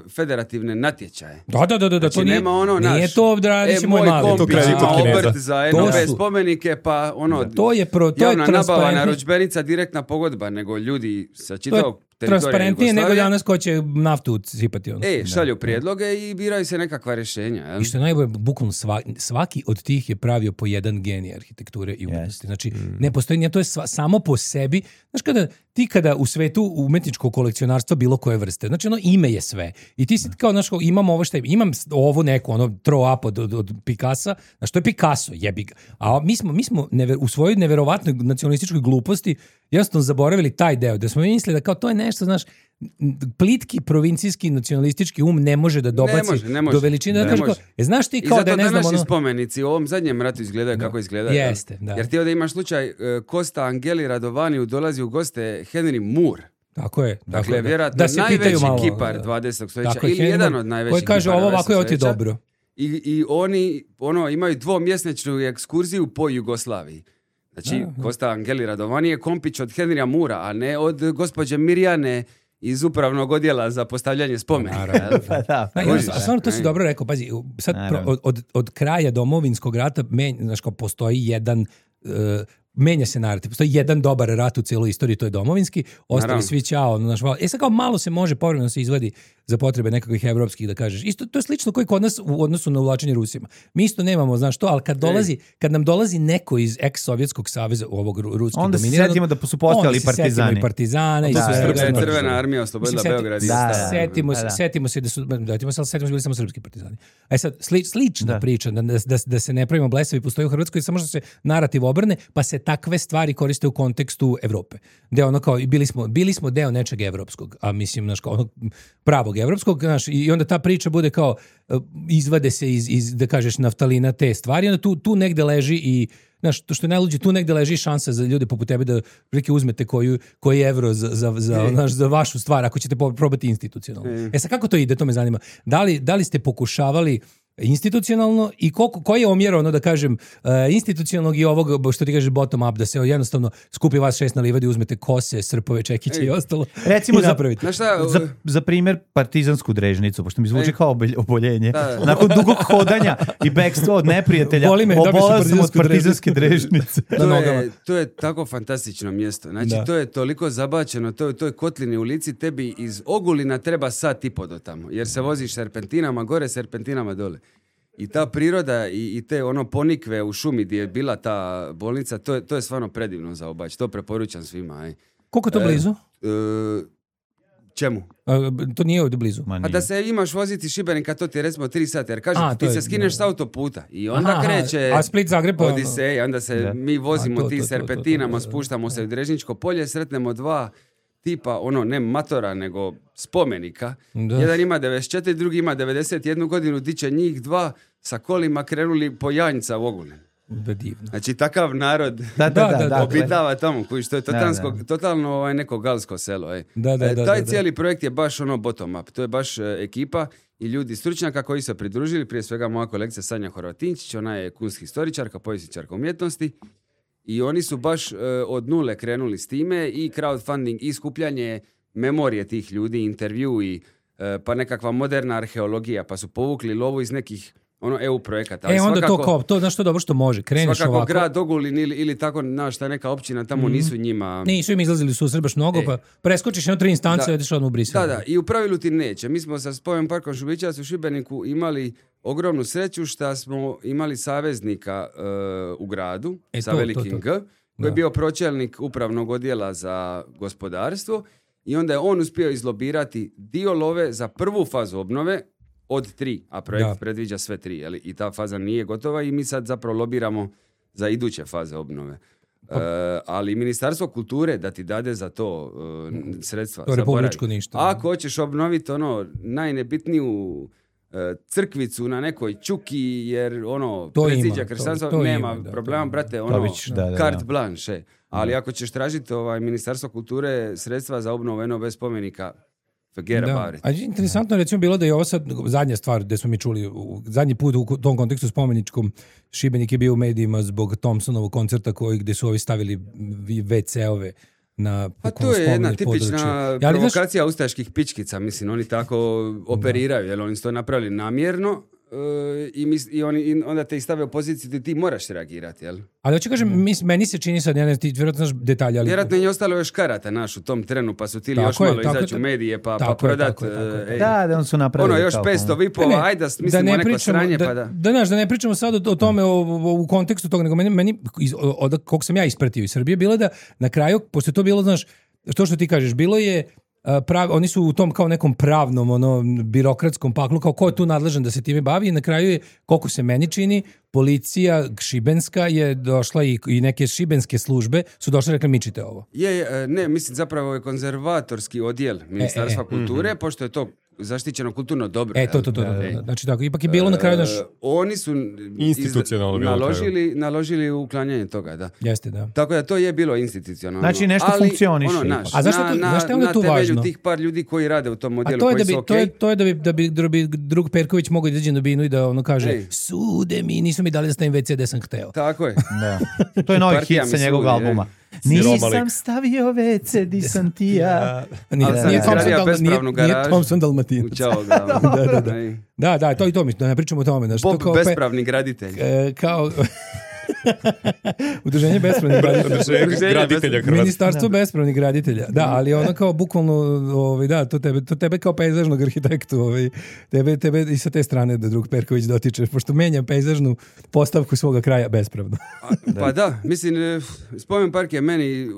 Speaker 9: federativne natječaje.
Speaker 8: Da, da, da, da,
Speaker 9: Znači,
Speaker 8: to nije,
Speaker 9: nema ono,
Speaker 8: nije
Speaker 9: naš,
Speaker 8: to radit
Speaker 9: e,
Speaker 8: će moj
Speaker 9: moj
Speaker 8: mali.
Speaker 9: kompić
Speaker 7: kredit
Speaker 9: ima
Speaker 7: od Kineza.
Speaker 9: obrt za
Speaker 8: To
Speaker 9: N O B
Speaker 8: su-
Speaker 9: spomenike, pa ono,
Speaker 8: To je pro, to je
Speaker 9: javna nabava,
Speaker 8: transparentnije.
Speaker 9: narudžbenica, direktna pogodba, nego ljudi sa
Speaker 8: To je
Speaker 9: čitavog teritorija
Speaker 8: transparentnije nego
Speaker 9: Jugoslavije.
Speaker 8: danas ko će naftu sipati. Ono.
Speaker 9: E, šalju prijedloge i biraju se nekakva rješenja. Jel?
Speaker 8: I što je najbolje, bukvalno svaki, svaki od tih je pravio po jedan genij arhitekture i umetnosti. Znači, ne postoji, nije, to je sva, samo po sebi. Znaš, kada, ti kada u svetu umetničkog kolekcionarstva bilo koje vrste, znači ono ime je sve. I ti si kao, znaš, kao, imam ovo što je, imam ovo neku, ono, throw up od, od, od Picassa, znaš, to je Picasso, jebi ga. A mi smo, mi smo never, u svojoj neverovatnoj nacionalističkoj gluposti jednostavno zaboravili taj deo, da smo mi mislili da kao to je nešto, znaš, plitki provincijski nacionalistički um ne može da dobaci
Speaker 9: može, ne može.
Speaker 8: do veličine. Da
Speaker 9: Ne
Speaker 8: kaže
Speaker 9: može.
Speaker 8: kao, e, znaš ti
Speaker 9: I
Speaker 8: kao
Speaker 9: zato
Speaker 8: da je, ne znam,
Speaker 9: današnji
Speaker 8: ono...
Speaker 9: spomenici u ovom zadnjem ratu izgledaju kako izgledaju. jel?
Speaker 8: Jeste, da.
Speaker 9: Jer ti ovdje imaš slučaj e, Kosta Angeli Radovaniju dolazi u goste Henry Moore.
Speaker 8: Tako je.
Speaker 9: Dakle,
Speaker 8: tako je, da.
Speaker 9: vjerojatno
Speaker 8: Da se pitaju
Speaker 9: najveći
Speaker 8: malo,
Speaker 9: kipar
Speaker 8: da.
Speaker 9: dvadesetog stoljeća
Speaker 8: Tako je,
Speaker 9: ili
Speaker 8: Henry
Speaker 9: jedan
Speaker 8: Moore,
Speaker 9: od najvećih
Speaker 8: koji kaže
Speaker 9: kipara
Speaker 8: ovo ovako je ovo ti je
Speaker 9: dvadesetog
Speaker 8: dobro.
Speaker 9: I, I oni ono, imaju dvomjesečnu ekskurziju po Jugoslaviji. Znači, Kosta Angeli Radovani je kompić od Henrya Mura, a ne od gospođe Mirjane iz upravnog odjela za postavljanje spomenika. jel?
Speaker 6: Pa da,
Speaker 8: Da,
Speaker 9: Kužiš,
Speaker 8: a stvarno to si
Speaker 9: ne?
Speaker 8: dobro rekao, pazi, sad pro,
Speaker 6: Naravno.
Speaker 8: od, od, od kraja domovinskog rata men, znaš, kao postoji jedan uh, menja se narativ. Postoji jedan dobar rat u cijeloj istoriji, to je domovinski, ostali
Speaker 9: Naravno.
Speaker 8: svi ćao. Naš, e sad kao malo se može povremeno se izvadi za potrebe nekakvih evropskih, da kažeš. Isto, to je slično koji kod nas u odnosu na uvlačenje Rusima. Mi isto nemamo, znaš što, ali kad, dolazi, kad nam dolazi neko iz ex-sovjetskog saveza, ovog ru- ruskog
Speaker 6: Onda se
Speaker 8: dominiranog,
Speaker 6: setimo da su postojali
Speaker 8: onda se setimo
Speaker 6: partizani.
Speaker 8: i partizana. i
Speaker 6: Da,
Speaker 8: svega,
Speaker 9: Srpska je
Speaker 8: znaš.
Speaker 9: crvena armija oslobodila
Speaker 8: Mislim, seti-
Speaker 9: Beograd. i
Speaker 8: da,
Speaker 6: Da,
Speaker 9: Star.
Speaker 8: setimo,
Speaker 6: da,
Speaker 8: se,
Speaker 6: da.
Speaker 8: setimo se da su, datimo se, ali setimo se bili samo srpski partizani. A sad, sli, slična
Speaker 6: Da.
Speaker 8: priča, da, da, da se ne pravimo blesavi, postoji u Hrvatskoj, samo što se narativ obrne, pa se takve stvari koriste u kontekstu Evrope. Gde ono kao, i bili smo, bili smo deo nečeg evropskog, a mislim, znaš, kao onog pravog evropskog, znaš, i onda ta priča bude kao, uh, izvade se iz, iz, da kažeš, naftalina te stvari, onda tu, tu negde leži i znaš, to što je najluđe, tu negde leži šansa za ljude poput tebe da prilike uzmete koju, koji evro za, za, za, znaš, za vašu stvar, ako ćete po- probati institucionalno. E sad, kako to ide, to me zanima. Da li, da li ste pokušavali institucionalno i koliko, koji je omjer, ono da kažem, uh, institucionalnog i ovog, što ti kažeš, bottom up, da se jednostavno skupi vas šest na livadi, uzmete kose, srpove, čekiće
Speaker 9: Ej.
Speaker 8: i ostalo
Speaker 6: Recimo
Speaker 8: i
Speaker 6: za-
Speaker 8: napravite.
Speaker 9: Znaš šta,
Speaker 6: Za, za primjer partizansku drežnicu, pošto mi zvuči
Speaker 9: E.
Speaker 6: kao obolj- oboljenje.
Speaker 9: Da, da.
Speaker 6: Nakon dugog hodanja i bekstva od neprijatelja,
Speaker 8: Boli me, dobio sam
Speaker 6: obolao sam od
Speaker 8: partizansku
Speaker 6: partizanske drežnice.
Speaker 8: na
Speaker 9: to
Speaker 8: nogama.
Speaker 9: je, to je tako fantastično mjesto. Znači,
Speaker 8: Da.
Speaker 9: to je toliko zabačeno, to, to je kotlini u lici, tebi iz Ogulina treba sat i po do tamo, jer se voziš serpentinama gore, serpentinama dole. I ta priroda i, i te ono ponikve u šumi gdje je bila ta bolnica, to je, to je stvarno predivno za obaći. To preporučam svima. Aj.
Speaker 8: Koliko je to
Speaker 9: E,
Speaker 8: blizu?
Speaker 9: E, čemu?
Speaker 8: A, to nije ovdje blizu.
Speaker 6: Ma
Speaker 9: A
Speaker 6: nije.
Speaker 9: da se imaš voziti Šibenika, to ti je recimo tri sata, jer kažem,
Speaker 8: A,
Speaker 9: ti
Speaker 8: to
Speaker 9: se
Speaker 8: je-
Speaker 9: skineš
Speaker 8: da.
Speaker 9: s autoputa i onda
Speaker 8: Aha, aha.
Speaker 9: kreće
Speaker 8: A Split, Zagreb, pa-
Speaker 9: Odisej, onda se
Speaker 6: Da.
Speaker 9: mi vozimo
Speaker 8: A, to,
Speaker 9: ti
Speaker 8: to, to,
Speaker 9: serpentinama,
Speaker 8: to, to, da, da.
Speaker 9: spuštamo se u Drežničko polje, sretnemo dva tipa, ono, ne matora, nego spomenika.
Speaker 8: Da.
Speaker 9: Jedan ima devedeset četiri, drugi ima devedeset jednu godinu, di će njih dva sa kolima krenuli po Janjca u Ogulin.
Speaker 8: Da, divno.
Speaker 9: Znači, takav narod
Speaker 6: Da, da, da, da,
Speaker 9: obitava tamo, koji što je totalsko,
Speaker 6: Da, da.
Speaker 9: totalno ovaj, neko galsko selo. Ej.
Speaker 8: Da, da,
Speaker 9: E,
Speaker 8: da,
Speaker 9: taj
Speaker 8: da, da.
Speaker 9: cijeli projekt je baš ono bottom up. To je baš e, ekipa i ljudi stručnjaka koji su se pridružili, prije svega moja kolegica Sanja Horvatinčić, ona je kunst historičarka, povjesničarka umjetnosti i oni su baš e, od nule krenuli s time i crowdfunding i skupljanje memorije tih ljudi, intervju i e, pa nekakva moderna arheologija, pa su povukli lovu iz nekih ono E U projekata.
Speaker 8: E, onda
Speaker 9: svakako,
Speaker 8: to kao, to, znaš što dobro što može, kreneš
Speaker 9: svakako
Speaker 8: ovako.
Speaker 9: grad Ogulin ili, ili tako, znaš, ta neka općina tamo
Speaker 8: Mhm.
Speaker 9: nisu njima...
Speaker 8: Nisu im izlazili su baš mnogo,
Speaker 9: E.
Speaker 8: pa preskočiš jedno tri instance
Speaker 9: Da.
Speaker 8: i odeš odmah u Brisel.
Speaker 9: Da, da, i u pravilu ti neće. Mi smo sa Spomen parkom Šubićevac u Šibeniku imali ogromnu sreću što smo imali saveznika e, u gradu,
Speaker 8: E,
Speaker 9: sa
Speaker 8: to,
Speaker 9: velikim
Speaker 8: to, to.
Speaker 9: G, koji
Speaker 8: Da.
Speaker 9: je bio pročelnik upravnog odjela za gospodarstvo i onda je on uspio izlobirati dio love za prvu fazu obnove od tri, a projekt
Speaker 8: Da.
Speaker 9: predviđa sve tri, jeli? I ta faza nije gotova i mi sad zapravo lobiramo za iduće faze obnove.
Speaker 8: Pa-
Speaker 9: E, ali Ministarstvo kulture da ti dade za to e, sredstva.
Speaker 8: To je
Speaker 9: zaboravi.
Speaker 8: republičko ništa.
Speaker 9: Ako hoćeš obnoviti ono najnebitniju e, crkvicu na nekoj čuki, jer ono
Speaker 8: To
Speaker 9: predziđa
Speaker 8: ima,
Speaker 9: kršćanstva,
Speaker 8: to- to
Speaker 9: nema
Speaker 8: ima, da,
Speaker 9: problema,
Speaker 8: to-
Speaker 9: brate, ono,
Speaker 6: Tobić, da, da, da.
Speaker 9: carte blanche. Ali ako ćeš tražiti ovaj, Ministarstvo kulture sredstva za obnovu N O B spomenika, forget
Speaker 8: Da.
Speaker 9: about it.
Speaker 8: A interesantno je recimo bilo da je ovo sad zadnja stvar gde smo mi čuli, u- zadnji put u tom kontekstu spomeničkom Šibenik je bio u medijima zbog Thompsonovog koncerta koji gde su ovi stavili ve ce-ove na
Speaker 9: Pa to je jedna
Speaker 8: spomenik
Speaker 9: tipična
Speaker 8: područje. Ali, znaš,
Speaker 9: provokacija ustaških pičkica, mislim, oni tako operiraju, jer oni su to napravili namjerno e, i, mis, i, oni, i onda te ih stave u poziciju da ti moraš reagirati, jel?
Speaker 8: ali hoću kažem, mis, meni se čini sad, ja ne ti vjerojatno znaš detalje, ali...
Speaker 9: Vjerojatno je ostalo još karata naš u tom trenu, pa su tili
Speaker 8: Tako
Speaker 9: još
Speaker 8: je,
Speaker 9: malo
Speaker 8: tako
Speaker 9: izaći
Speaker 8: je,
Speaker 9: u medije, pa,
Speaker 8: tako
Speaker 9: pa
Speaker 8: je,
Speaker 9: prodat.
Speaker 8: tako je, tako je.
Speaker 9: e, ej,
Speaker 6: Da, da, on su napravili
Speaker 9: ono, još
Speaker 6: kao-
Speaker 9: petsto
Speaker 8: Ne,
Speaker 9: vipova,
Speaker 8: ne,
Speaker 9: ajde da smislimo neko
Speaker 8: pričamo-
Speaker 9: sranje,
Speaker 8: da,
Speaker 9: pa da...
Speaker 8: Da, znaš, da ne pričamo sad o, o tome o, o- u kontekstu toga, nego meni, meni iz, od kog sam ja ispratio iz Srbije, bilo je da na kraju, pošto je to bilo, znaš, to što ti kažeš, bilo je a, prav, oni su u tom kao nekom pravnom, ono, birokratskom paklu, kao ko je tu nadležan da se time bavi i na kraju je, koliko se meni čini, policija šibenska je došla i, i neke šibenske službe su došle i rekli mičite ovo.
Speaker 9: Je, je, ne, mislim zapravo je konzervatorski odjel Ministarstva
Speaker 8: e,
Speaker 9: kulture, pošto je to zaštićeno kulturno dobro.
Speaker 8: E, to, to, to,
Speaker 9: jel?
Speaker 8: to,
Speaker 9: E,
Speaker 8: to. Znači tako, ipak je bilo na kraju naš...
Speaker 9: e, oni su
Speaker 7: Institucionalno bilo na kraju.
Speaker 9: naložili, naložili uklanjanje toga, da.
Speaker 8: Jeste, da.
Speaker 9: Tako da to je bilo institucionalno.
Speaker 6: Znači, nešto
Speaker 9: ali,
Speaker 6: funkcioniše
Speaker 9: ono,
Speaker 6: ipak.
Speaker 9: naš,
Speaker 8: A zašto
Speaker 9: na,
Speaker 8: to-
Speaker 9: na,
Speaker 8: znaš šta je onda
Speaker 9: na
Speaker 8: tu
Speaker 9: temelju
Speaker 8: važno?
Speaker 9: tih par ljudi koji rade u tom
Speaker 8: A
Speaker 9: odjelu,
Speaker 8: to je
Speaker 9: koji
Speaker 8: da bi,
Speaker 9: su
Speaker 8: to, je,
Speaker 9: okej.
Speaker 8: to je da bi, da bi, da bi drug Perković mogao da izađe na binu i da ono kaže
Speaker 9: Ej.
Speaker 8: sude mi, nisu mi dali da stavim ve ce gde sam hteo.
Speaker 9: Tako je.
Speaker 6: Da. To je novi
Speaker 9: Partija
Speaker 6: hit
Speaker 9: mi
Speaker 6: sa njegovog
Speaker 9: sudi,
Speaker 6: albuma.
Speaker 7: Siromalik.
Speaker 6: Nisam stavio ve ce, di sam ti ja.
Speaker 8: Nije,
Speaker 9: Ali sam
Speaker 8: nije, Thompson,
Speaker 9: izgradio
Speaker 8: Dal, nije,
Speaker 9: bespravnu
Speaker 8: nije
Speaker 9: garažu.
Speaker 8: Thompson Dalmatinac.
Speaker 9: U Ćao glavu.
Speaker 8: Da, da, da.
Speaker 9: Ej.
Speaker 8: Da, da, to i to mi, da ne pričamo o tome. Znaš, to
Speaker 9: Bob
Speaker 8: kao pe-
Speaker 9: bespravni graditelj.
Speaker 8: e, kao... Udruženje bespravnih graditelja.
Speaker 7: Udruženje graditelja Hrvatske.
Speaker 8: Ministarstvo bespravnih graditelja. Da, ali ono kao bukvalno, ovaj, da, to tebe, to tebe kao pejzažnog arhitektu, ovaj, tebe, tebe i sa te strane da drug Perković dotiče, pošto menja pejzažnu postavku svoga kraja bespravno.
Speaker 9: A, pa da, mislim, e, Spomen park je meni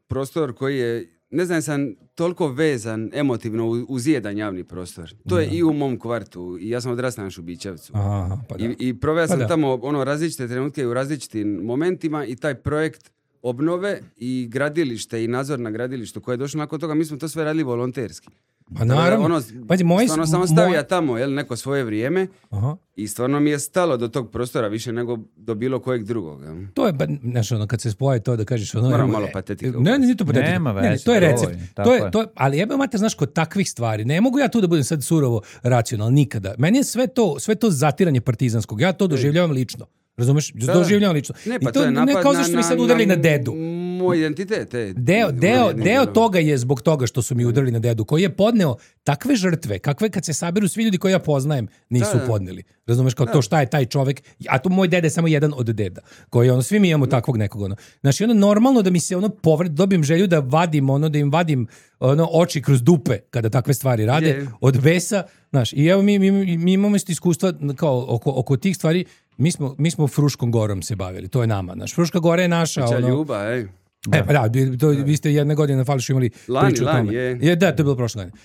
Speaker 9: prostor koji je, ne znam, sam toliko vezan emotivno u- uz jedan javni prostor. To je i u mom kvartu. I ja sam odrastao na Šubićevcu.
Speaker 8: Aha, pa da.
Speaker 9: I, i proveo sam
Speaker 8: Pa da.
Speaker 9: tamo ono različite trenutke i u različitim momentima i taj projekt obnove i gradilište i nadzor na gradilištu koje je došlo nakon toga, mi smo to sve radili volonterski.
Speaker 8: Pa naravno.
Speaker 9: Ono,
Speaker 8: Pazi, moj-
Speaker 9: stvarno samo
Speaker 8: moj-
Speaker 9: stavija tamo, jel, neko svoje vrijeme
Speaker 8: Aha.
Speaker 9: i stvarno mi je stalo do tog prostora više nego do bilo kojeg drugog. jel.
Speaker 8: To je, ba- znaš, ono, kad se spoje to da kažeš ono...
Speaker 9: Moram
Speaker 8: evo,
Speaker 9: malo
Speaker 8: e,
Speaker 9: patetike
Speaker 8: Ne, ne, nije to patetika.
Speaker 6: Nema
Speaker 8: Ne, ne,
Speaker 6: veze,
Speaker 8: to je
Speaker 6: to je,
Speaker 8: recept.
Speaker 6: tako
Speaker 8: To je,
Speaker 6: je.
Speaker 8: to je, ali jebe mater, znaš, kod takvih stvari, ne mogu ja tu da budem sad surovo racionalan, nikada. Meni je sve to, sve to zatiranje partizanskog. Ja to doživljavam lično. Razumeš? Doživljavam lično.
Speaker 9: Ne, pa
Speaker 8: I to,
Speaker 9: je
Speaker 8: ne
Speaker 9: napad
Speaker 8: kao zašto mi sad udarili na dedu.
Speaker 9: Moj identitet. e,
Speaker 8: Deo,
Speaker 9: u
Speaker 8: deo,
Speaker 9: jednim
Speaker 8: deo
Speaker 9: dijelom.
Speaker 8: toga je zbog toga što su mi udarili na dedu, koji je podneo takve žrtve, kakve kad se saberu svi ljudi koje ja poznajem, nisu
Speaker 9: Da, da.
Speaker 8: podneli. Razumeš, kao to šta je taj čovek, a to moj deda je samo jedan od deda, koji ono, svi mi imamo takvog nekog, ono. Znači, ono, normalno da mi se ono povred, dobijem želju da vadim, ono, da im vadim ono, oči kroz dupe kada takve stvari rade,
Speaker 9: Je.
Speaker 8: od besa, znaš, i evo mi, mi, mi imamo isto iskustva kao oko, oko tih stvari, mi smo, mi smo Fruškom gorom se bavili, to je nama, znaš, Fruška gora je naša,
Speaker 9: Kuća
Speaker 8: ono,
Speaker 9: ljuba, ej.
Speaker 8: E, pa da, bi- to, vi ste jedne godine na Fališu imali
Speaker 9: Lani,
Speaker 8: priču o
Speaker 9: lani,
Speaker 8: tome.
Speaker 9: je.
Speaker 8: je. Da, to je bilo prošle godine.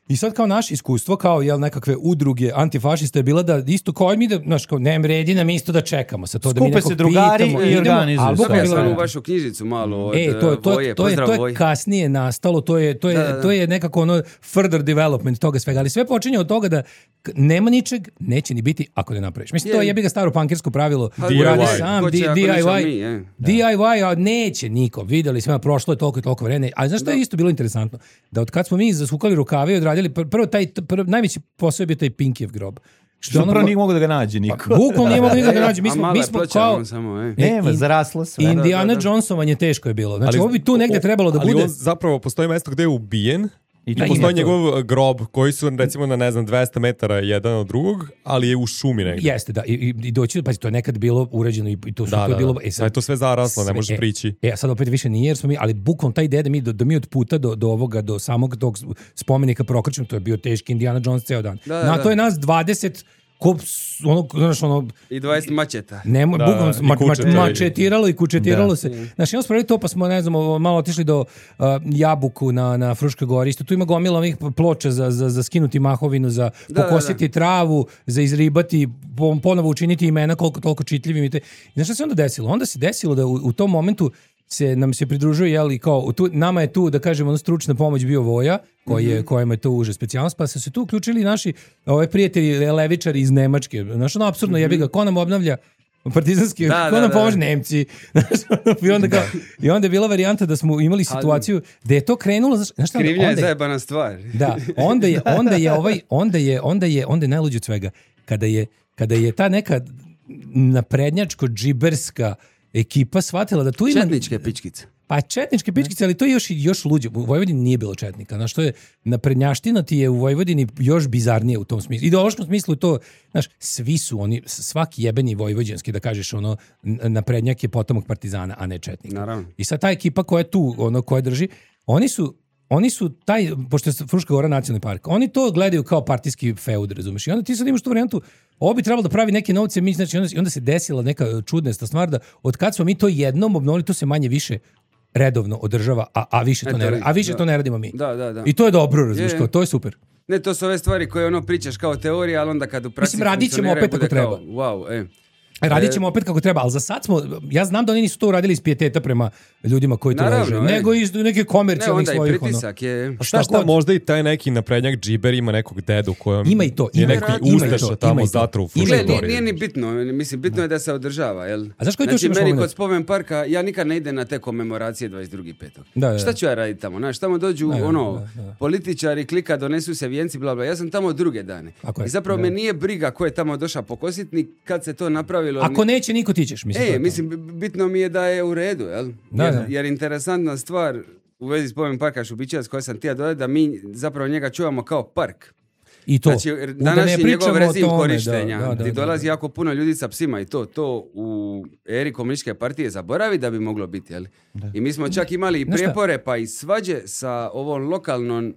Speaker 8: I sad kao naše iskustvo, kao jel nekakve udruge antifašista je bila da isto kao mi da, znaš, kao ne vredi nam isto da čekamo sa to da mi
Speaker 6: Skupe
Speaker 8: nekog
Speaker 6: se drugari
Speaker 8: pitamo,
Speaker 6: i
Speaker 8: idemo,
Speaker 6: organizuju
Speaker 8: ali
Speaker 6: sve.
Speaker 8: bukvalno
Speaker 9: Ja
Speaker 8: bilo-
Speaker 9: sam u vašu knjižicu malo od
Speaker 8: E, to, to,
Speaker 9: Voje,
Speaker 8: to, je,
Speaker 9: pozdrav
Speaker 8: to je
Speaker 9: Voji.
Speaker 8: kasnije nastalo, to je, to je,
Speaker 9: Da, da, da.
Speaker 8: to je nekako ono further development toga svega, ali sve počinje od toga da k- nema ničeg, neće ni biti ako ne napraviš. Mislim, to je
Speaker 9: Je.
Speaker 8: jebi ga staro pankersko pravilo,
Speaker 9: Pa,
Speaker 8: uradi
Speaker 7: D I Y.
Speaker 8: sam,
Speaker 9: Ko će
Speaker 8: D-
Speaker 9: ako nećemo
Speaker 8: DIY,
Speaker 9: mi, je.
Speaker 8: DIY, a neće niko, videli smo, prošlo je toliko i toliko vremena, ali znaš što je isto bilo interesantno? Da od kad smo mi zasukali rukave i odradili, pr- prvo taj, prvo, najveći posao je bio taj Pinkijev grob.
Speaker 6: Što
Speaker 8: ono-
Speaker 6: prvo nije mogu da ga nađe niko.
Speaker 8: Bukvalno nije mogu nikad da nađe, mi
Speaker 9: A
Speaker 8: smo,
Speaker 9: mala
Speaker 8: mi
Speaker 9: je
Speaker 8: smo
Speaker 9: ploča,
Speaker 8: kao...
Speaker 9: ono samo, e.
Speaker 6: Nema,
Speaker 8: in-
Speaker 6: zaraslo sve.
Speaker 8: Indiana
Speaker 9: da, da.
Speaker 8: Jonesovanje teško je bilo. Znači,
Speaker 7: Ali-
Speaker 8: ovo bi tu negde
Speaker 7: o-
Speaker 8: trebalo da
Speaker 7: ali
Speaker 8: bude...
Speaker 7: on zapravo postoji mesto gde je ubijen i
Speaker 8: Da,
Speaker 7: postoji
Speaker 8: ima to.
Speaker 7: njegov grob koji su recimo na ne znam dvesta metara jedan od drugog, ali je u šumi negde.
Speaker 8: Jeste, da. I, i, i doći, pa to je nekad bilo uređeno i, i to, su,
Speaker 7: Da,
Speaker 8: to je
Speaker 7: da,
Speaker 8: bilo...
Speaker 7: da.
Speaker 8: E,
Speaker 7: Sad je to sve zaraslo, ne
Speaker 8: sve-
Speaker 7: možeš
Speaker 8: e,
Speaker 7: prići.
Speaker 8: E, a sad opet više nije, jer smo mi, ali bukvalno taj ideja da mi, da, da mi od puta do, do ovoga, do samog tog spomenika prokrčimo, to je bio teški Indiana Jones ceo dan.
Speaker 9: Da, da,
Speaker 8: Na
Speaker 9: da.
Speaker 8: to je nas dvadeset ko, ono, znaš, ono,
Speaker 9: I dvadeset mačeta.
Speaker 8: Nemo,
Speaker 7: Da,
Speaker 8: bukvalno
Speaker 7: i
Speaker 8: ma, ma,
Speaker 7: kučeta i-
Speaker 8: mačetiralo i kučetiralo
Speaker 6: Da.
Speaker 8: se. Znači, imamo spravili to, pa smo, ne znam, ovo, malo otišli do uh, Jabuku na, na Fruškoj gori. Isto tu ima gomila ovih ploča za, za, za skinuti mahovinu, za
Speaker 9: Da,
Speaker 8: pokositi travu, za izribati, po- ponovo učiniti imena koliko toliko čitljivim. I te. I znaš šta se onda desilo? Onda se desilo da u, u tom momentu se nam se pridružuje, jel, kao, tu, nama je tu, da kažemo, ono, stručna pomoć bio Voja, koji je, kojima je to uže specijalnost, pa su se tu uključili naši ove prijatelji levičari iz Nemačke. Znaš, ono, apsurdno, jebi ga, ko nam obnavlja partizanski,
Speaker 9: Da,
Speaker 8: ko
Speaker 9: da,
Speaker 8: nam
Speaker 9: da.
Speaker 8: pomože Nemci. Znaš, ono, I onda, kao, I onda je bila varijanta da smo imali situaciju da je to krenulo, znaš, znaš šta,
Speaker 9: Krivnja je
Speaker 8: onda je-
Speaker 9: zajebana stvar.
Speaker 8: da, onda je, onda je ovaj, onda je, onda je, onda je najluđe od svega. Kada je, kada je ta neka naprednjačko-džiberska ekipa shvatila da tu ima...
Speaker 9: Četničke pičkice.
Speaker 8: Pa četničke pičkice, ali to je još, još luđe. U Vojvodini nije bilo četnika. Znaš, to je, naprednjaština ti je u Vojvodini još bizarnije u tom smislu. Ideološkom smislu je to, znaš, svi su oni, svaki jebeni vojvođanski, da kažeš, ono, n- naprednjak je potomak partizana, a ne četnika.
Speaker 9: Naravno.
Speaker 8: I sad ta ekipa koja je tu, ono, koja drži, oni su oni su taj, pošto je Fruška Gora nacionalni park, oni to gledaju kao partijski feud, razumeš? I onda ti sad imaš tu varijantu, ovo bi trebalo da pravi neke novce, mi, znači, onda, onda se desila neka čudna stvar da od kad smo mi to jednom obnovili, to se manje više redovno održava, a, a više, to
Speaker 9: Eto,
Speaker 8: ne,
Speaker 9: vidi,
Speaker 8: a više
Speaker 9: da.
Speaker 8: to ne radimo mi.
Speaker 9: Da, da, da.
Speaker 8: I to je dobro, razumiješ,
Speaker 9: Je.
Speaker 8: kao, to je super.
Speaker 9: Ne, to su ove stvari koje ono pričaš kao teorija, ali onda kad u praksi
Speaker 8: Mislim, radit ćemo
Speaker 9: funkcioniraju,
Speaker 8: opet kako
Speaker 9: bude kao,
Speaker 8: treba.
Speaker 9: Wow, e.
Speaker 8: Radit ćemo opet kako treba, ali za sad smo, ja znam da oni nisu to uradili iz pijeteta prema ljudima koji to
Speaker 9: Naravno,
Speaker 8: leže,
Speaker 9: e.
Speaker 8: nego iz neke
Speaker 9: Ne,
Speaker 8: komercijalnih
Speaker 9: onda i
Speaker 8: svojih, ono.
Speaker 9: pritisak je...
Speaker 7: A šta šta,
Speaker 8: god.
Speaker 7: možda i taj neki naprednjak džiber ima nekog dedu kojom
Speaker 8: Ima i to,
Speaker 7: je
Speaker 8: ima i
Speaker 7: neki
Speaker 8: to, ima i
Speaker 7: ustaša
Speaker 8: to,
Speaker 7: tamo
Speaker 8: ima i to.
Speaker 7: zatru u
Speaker 8: Ima i
Speaker 9: Gle,
Speaker 8: to.
Speaker 9: nije,
Speaker 7: Fruškoj
Speaker 9: nije
Speaker 7: Gori.
Speaker 9: ni bitno, mislim, bitno je da se održava, jel?
Speaker 8: A znaš koji tu još
Speaker 9: znači,
Speaker 8: imaš
Speaker 9: meni
Speaker 8: moment?
Speaker 9: kod spomen parka, ja nikad ne idem na te komemoracije dvadeset drugi petog
Speaker 8: Da, da.
Speaker 9: Šta ću ja raditi tamo? Znaš, tamo dođu,
Speaker 8: Da, da,
Speaker 9: ono,
Speaker 8: da, da.
Speaker 9: političari, klika, donesu se vijenci, bla, bla. Ja sam tamo druge dane.
Speaker 8: Tako je,
Speaker 9: I zapravo
Speaker 8: da.
Speaker 9: me nije briga ko je tamo došao pokositi, ni kad se to napravilo.
Speaker 8: Ako
Speaker 9: ni-
Speaker 8: neće, niko ti ćeš, mislim. to je
Speaker 9: E,
Speaker 8: to.
Speaker 9: mislim, b- bitno mi je da je u redu, jel?
Speaker 8: Da,
Speaker 9: jer,
Speaker 8: da.
Speaker 9: jer interesantna stvar u vezi spomen parka Šubićevac koja sam tija dodati, da mi zapravo njega čuvamo kao park.
Speaker 8: I to.
Speaker 9: Znači,
Speaker 8: Da ne
Speaker 9: današnji
Speaker 8: pričamo
Speaker 9: njegov
Speaker 8: o
Speaker 9: rezim
Speaker 8: tome,
Speaker 9: korištenja,
Speaker 8: da, da,
Speaker 9: gdje
Speaker 8: da,
Speaker 9: dolazi
Speaker 8: da.
Speaker 9: jako puno ljudi sa psima i to, to u eri komunističke partije zaboravi da bi moglo biti, jel? I mi smo čak imali i
Speaker 8: Znaš šta?
Speaker 9: prijepore pa i svađe sa ovom lokalnom e,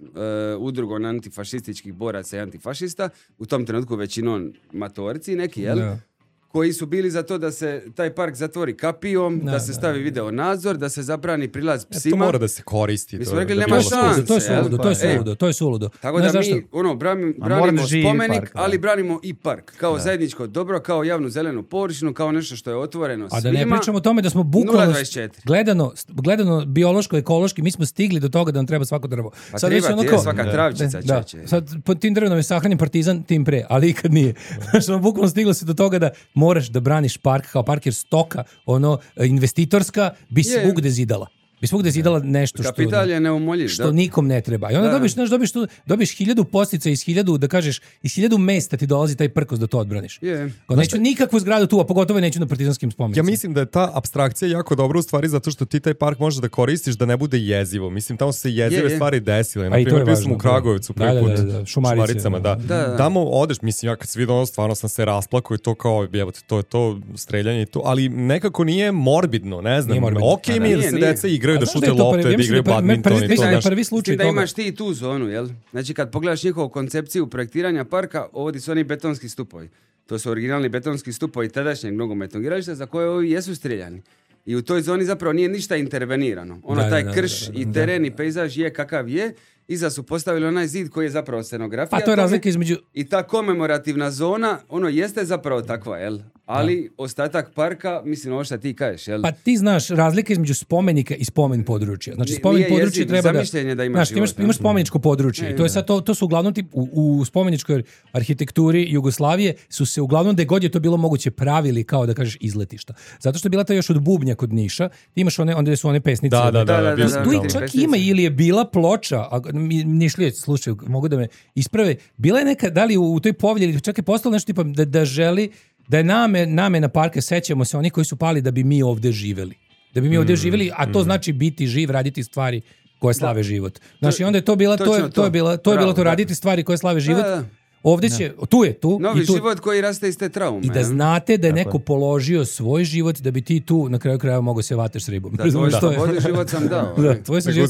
Speaker 9: udrugom antifašističkih boraca i antifašista, u tom trenutku većinom matorci neki, jel?
Speaker 8: Da.
Speaker 9: Koji su bili za to da se taj park zatvori kapijom, da,
Speaker 8: Da,
Speaker 9: se
Speaker 8: da,
Speaker 9: stavi video nadzor, da se zabrani prilaz
Speaker 7: To
Speaker 9: psima.
Speaker 7: mora da se koristi.
Speaker 9: Mi
Speaker 7: to
Speaker 9: smo
Speaker 7: je-
Speaker 9: rekli,
Speaker 7: da bi
Speaker 9: nema
Speaker 7: bilo
Speaker 9: šanse.
Speaker 7: skupo.
Speaker 8: To je
Speaker 9: jel?
Speaker 8: suludo, to je
Speaker 9: E.
Speaker 8: suludo, to je suludo.
Speaker 9: Tako
Speaker 8: Znaš
Speaker 9: da
Speaker 8: zašto?
Speaker 9: mi ono, branimo,
Speaker 6: A mora
Speaker 9: branimo
Speaker 6: da živi
Speaker 9: spomenik,
Speaker 6: park, da.
Speaker 9: ali branimo i park. Kao zajedničko dobro, kao javnu zelenu površinu, kao nešto što je otvoreno
Speaker 8: A
Speaker 9: svima.
Speaker 8: da ne pričamo o tome da smo
Speaker 9: nula
Speaker 8: bukvalno
Speaker 9: dvadeset četiri.
Speaker 8: gledano, gledano biološko, ekološki, mi smo stigli do toga da nam treba svako drvo.
Speaker 9: Pa treba ti je svaka travčica,
Speaker 8: da,
Speaker 9: čeče.
Speaker 8: sad pod tim drvenom je sahranjen partizan tim pre, ali ikad nije. Znači, ono, bukvalno stiglo se do toga da moraš da braniš park kao park, jer stoka, ono, investitorska, bi
Speaker 9: Je.
Speaker 8: svugde zidala. Bi svugde zidala nešto što...
Speaker 9: Kapital je neumoljiv,
Speaker 8: što
Speaker 9: da.
Speaker 8: nikom ne treba. I onda
Speaker 9: Da.
Speaker 8: dobiš, znaš, dobiš, tu, dobiš hiljadu postica iz hiljadu, da kažeš, iz hiljadu mesta ti dolazi taj prkos da to odbraniš.
Speaker 9: Je.
Speaker 8: Kao, neću nikakvu zgradu tu, a pogotovo neću na partizanskim spomenicima.
Speaker 7: Ja mislim da je ta apstrakcija jako dobra u stvari zato što ti taj park možeš da koristiš da ne bude jezivo. Mislim, tamo su se jezive
Speaker 9: Je, je.
Speaker 7: stvari desile. Na
Speaker 8: A i to
Speaker 7: primjer,
Speaker 8: je
Speaker 7: bio
Speaker 8: važno,
Speaker 7: sam u
Speaker 8: da.
Speaker 7: Kragujevcu
Speaker 8: Da,
Speaker 7: prvi
Speaker 8: da,
Speaker 7: put.
Speaker 8: da, da, Šumarice,
Speaker 7: Šumaricama, da.
Speaker 9: Da, da.
Speaker 7: Tamo odeš, mislim, ja kad sam vidio ono, stvarno sam se rasplakao i to kao, jebote, to je to streljanje i to, ali nekako nije morbidno, ne znam.
Speaker 8: Nije morbidno.
Speaker 7: Okej
Speaker 8: Da,
Speaker 7: mi je da
Speaker 9: nije,
Speaker 7: se
Speaker 9: nije.
Speaker 7: deca igraju,
Speaker 8: A
Speaker 7: da
Speaker 8: znaš
Speaker 7: šute
Speaker 8: da je to
Speaker 7: lopte,
Speaker 8: prvi- ja
Speaker 7: da
Speaker 8: mislim
Speaker 7: igraju
Speaker 8: da je prvi-
Speaker 7: badminton
Speaker 8: prvi-
Speaker 7: i to,
Speaker 8: mislim da je
Speaker 7: znaš.
Speaker 8: prvi
Speaker 9: S tim
Speaker 8: slučaj
Speaker 9: da
Speaker 8: toga.
Speaker 9: imaš ti i tu zonu, jel? Znači kad pogledaš njihovu koncepciju projektiranja parka, ovdje su oni betonski stupovi. To su originalni betonski stupovi tadašnjeg nogometnog igrališta za koje ovi jesu streljani. I u toj zoni zapravo nije ništa intervenirano. Ono,
Speaker 8: Da,
Speaker 9: taj
Speaker 8: da, da,
Speaker 9: krš
Speaker 8: da, da,
Speaker 9: i
Speaker 8: da.
Speaker 9: teren i pejzaž je kakav je iza su postavili onaj zid koji je zapravo scenografija.
Speaker 8: Pa to je razlika između...
Speaker 9: I ta komemorativna zona, ono jeste zapravo takva, jel? Ali da. Ostatak parka, mislim, ovo što ti kažeš, jel?
Speaker 8: Pa ti znaš razlika između spomenika i spomen područja. Znači, spomen područje treba da...
Speaker 9: da imaš,
Speaker 8: znaš,
Speaker 9: život,
Speaker 8: imaš, imaš spomeničko područje. Ne, I to, je sad, to, to su uglavnom tip, u, u spomeničkoj arhitekturi Jugoslavije su se uglavnom gde god je to bilo moguće pravili kao da kažeš izletišta. Zato što je bila ta još od bubnja kod Niša. Ti imaš one, onda su one pesnice.
Speaker 7: Da, da, da. da, da, da
Speaker 8: tu
Speaker 7: da,
Speaker 8: čak
Speaker 7: pesnice.
Speaker 8: Ima ili je bila ploča, a Nišlije, slušaj, mogu da me isprave, bila je neka, da li u, u toj povelji, čak je postalo nešto tipa da, da želi da je name, namena parka, sećamo se oni koji su pali da bi mi ovde živeli. Da bi mi ovde mm, živeli, a to mm. znači biti živ, raditi stvari koje slave da. život. Znači, onda je to bila, to je, to je bila, to je bilo to raditi stvari koje slave život. Da, da. Ovde će, tu je tu.
Speaker 9: Novi
Speaker 8: i tu,
Speaker 9: život koji raste iz te traume.
Speaker 8: I da znate da je neko je. položio svoj život da bi ti tu na kraju krajeva mogao se vateš s ribom.
Speaker 9: Da, tvoj slobodni život sam dao.
Speaker 8: Da, tvoj sam život.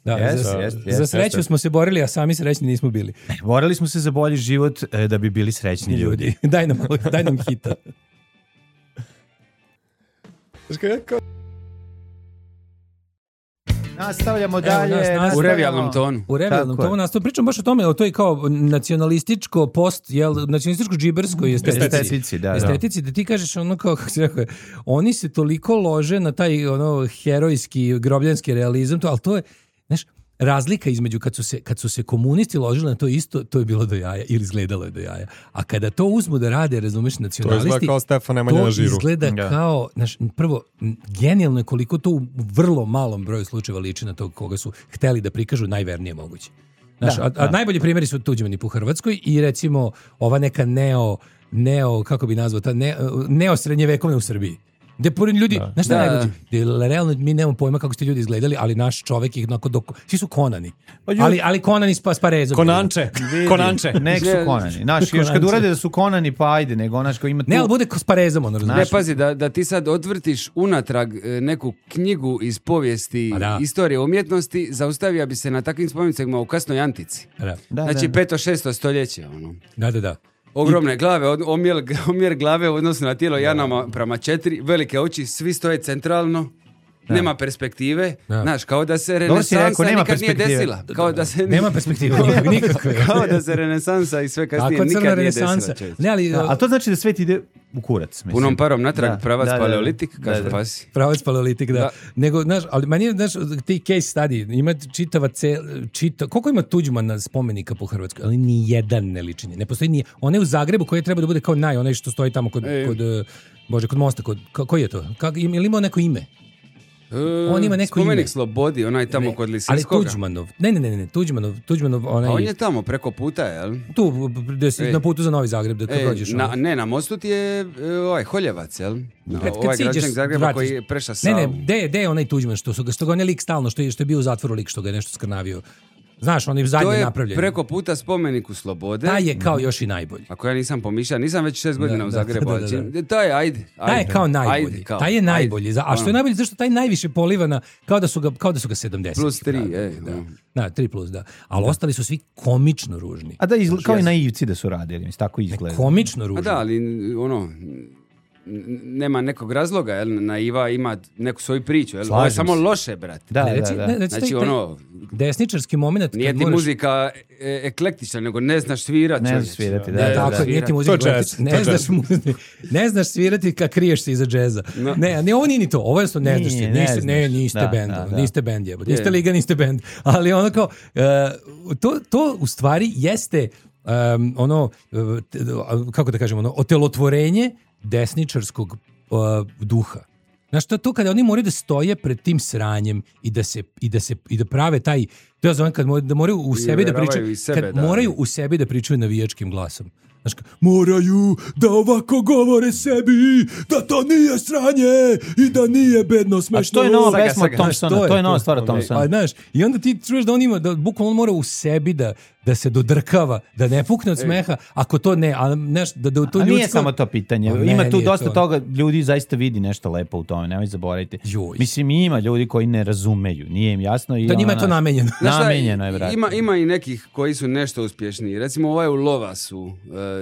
Speaker 7: Da,
Speaker 8: yes, za, yes, yes, za sreću yes, smo se borili, a sami srećni nismo bili.
Speaker 6: Borili smo se za bolji život da bi bili srećni ljudi. ljudi.
Speaker 8: daj nam, daj nam hita.
Speaker 6: Nastavljamo dalje. Evo, nas,
Speaker 9: nastavljamo. U revijalnom tonu.
Speaker 8: U revijalnom tonu nastavljamo. Pričam baš o tome, o toj kao nacionalističko post, jel, nacionalističko džiberskoj estetici.
Speaker 6: Estetici, da,
Speaker 8: estetici, da ti kažeš ono kao, kako se rekao, oni se toliko lože na taj ono herojski, grobljanski realizam, to, ali to je, znaš, razlika između kad su se kad su se komunisti ložili na to isto, to je bilo do jaja ili izgledalo je do jaja. A kada to uzmu da rade, razumeš, nacionalisti,
Speaker 7: to izgleda kao Stefan Nemanja na žiru.
Speaker 8: To izgleda ja. kao, znaš, prvo, genijalno je koliko to u vrlo malom broju slučajeva liči na to koga su hteli da prikažu najvernije moguće. Znaš, da, a, a da. najbolji primjeri su Tuđmani po Hrvatskoj i recimo ova neka neo, neo kako bi nazvao, ta ne, neo srednjevekovne u Srbiji. Gde pored ljudi, znaš šta je najluđe? Realno mi nemamo pojma kako ste ljudi izgledali, ali naš čovek ih onako dok... Svi su konani. Ali, ali konani s, s parezom.
Speaker 7: Konanče. Konanče.
Speaker 6: Nek su konani. Znaš, još kad urade da su konani, pa ajde, nego onaš ko ima tu...
Speaker 8: Ne, ali bude s parezom, ono razumiješ.
Speaker 9: Ne, pazi, da, da ti sad odvrtiš unatrag neku knjigu iz povijesti istorije umjetnosti, zaustavija bi se na takvim spomenicama u kasnoj antici.
Speaker 8: Da.
Speaker 9: Da, znači, peto, šesto stoljeće. Ono.
Speaker 8: Da, da, da.
Speaker 9: Ogromne glave, omjer, omjer glave u odnosu na tijelo Janama prema četiri, velike oči, svi stoje centralno, da. nema perspektive, da. znaš, kao da se renesansa nikad nije desila. Kao da se
Speaker 8: nema perspektive, nikakve.
Speaker 9: Kao da se renesansa i sve kasnije nikad nije desila.
Speaker 6: Ne, ali, a to znači da svet ide u kurac. Mislim.
Speaker 9: Punom parom natrag, da, pravac da, paleolitik, da, kaže da, da. pasi.
Speaker 8: Pravac paleolitik, da. da. Nego, znaš, ali meni, znaš, ti case study, ima čitava cel, čita, koliko ima Tuđmana spomenika po Hrvatskoj, ali ni jedan ne liči. Ne postoji ni, on je u Zagrebu koji treba da bude kao naj, onaj što stoji tamo kod, kod Bože, kod mosta, kod, koji je to? Kako, ili imao neko ime?
Speaker 9: Uh, on ima neko spomenik ime. Slobodi, onaj tamo ne, kod Lisinskoga.
Speaker 8: Ali Tuđmanov. Ne, ne, ne, ne, Tuđmanov, Tuđmanov onaj.
Speaker 9: A on je tamo preko puta, jel?
Speaker 8: Tu, gde si na putu za Novi Zagreb, da kad prođeš.
Speaker 9: Na, ne, na mostu ti je ovaj Holjevac, jel? No, kad, ovaj građanak Zagreba vratiš, koji je preša Savu.
Speaker 8: Ne, ne, gde, gde je onaj Tuđman, što, su, što ga on je lik stalno, što je, što je bio u zatvoru lik, što ga je nešto skrnavio. Znaš, on je zadnje napravljen.
Speaker 9: To je preko puta spomeniku Slobode.
Speaker 8: Taj je kao još i najbolji.
Speaker 9: Ako ja nisam pomišljao, nisam već šest godina da, u Zagrebu. Da, da, da. Taj je, ajde, ajde.
Speaker 8: Taj je kao najbolji. Ajde, kao, taj je najbolji. Ajde. A što je najbolji, zašto taj najviše polivana, kao da su ga, kao da su ga sedamdeset.
Speaker 9: Plus tri, ej.
Speaker 8: Da. Da, tri plus, da. Ali da. ostali su svi komično ružni.
Speaker 6: A da, izgled, kao i naivci da su radili, mislim, tako izgleda.
Speaker 8: Komično ružni.
Speaker 9: A da, ali ono... nema nekog razloga, jel? Naiva ima neku svoju priču, jel? Ovo je samo loše, brate.
Speaker 8: Da, ne, reci,
Speaker 6: da, da.
Speaker 8: Ne, reci,
Speaker 9: znači,
Speaker 8: taj,
Speaker 9: ono...
Speaker 8: Desničarski moment...
Speaker 9: Nije ti moraš... muzika e- eklektična, nego ne znaš svirati.
Speaker 6: Ne znaš svirati, da.
Speaker 8: Ne, da, da, da. Nije ti muzika
Speaker 7: jazz,
Speaker 8: ne, znaš, ne znaš svirati kad kriješ se iza džeza. No. Ne, ne, ovo nije ni to. Ovo je ne znaš svirati. Niste, ne, niste da, bend. Da, da. Niste bend, jebo. Niste liga, niste bend. Ali ono kao... Uh, to, to u stvari jeste um, ono... Uh, kako da kažemo? Ono, otelotvorenje desničarskog uh, duha. Znaš, to, to kada oni moraju da stoje pred tim sranjem i da se i da se i da prave taj, to ja zovem kad moraju, da moraju u sebi da pričaju, sebe, kad da. moraju u sebi da pričaju navijačkim glasom. Znaš, moraju da ovako govore sebi, da to nije sranje i da nije bedno smešno.
Speaker 6: A to je nova pesma od Thompsona, to je, to je nova stvar od Thompsona.
Speaker 8: Pa, znaš, i onda ti čuješ da on ima, da bukvalno mora u sebi da da se dodrkava, da ne pukne od smeha, ako to ne, a neš, da, da to
Speaker 6: a nije
Speaker 8: ljudsko...
Speaker 6: samo to pitanje,
Speaker 8: a
Speaker 6: ima tu dosta
Speaker 8: to...
Speaker 6: toga, ljudi zaista vidi nešto lepo u tome, nemoj zaboraviti. Joj. Mislim, ima ljudi koji ne razumeju, nije im jasno. I
Speaker 8: to njima je to namenjeno.
Speaker 6: Namenjeno je, brate.
Speaker 9: Ima, ima i nekih koji su nešto uspješniji, recimo ovaj u Lovasu,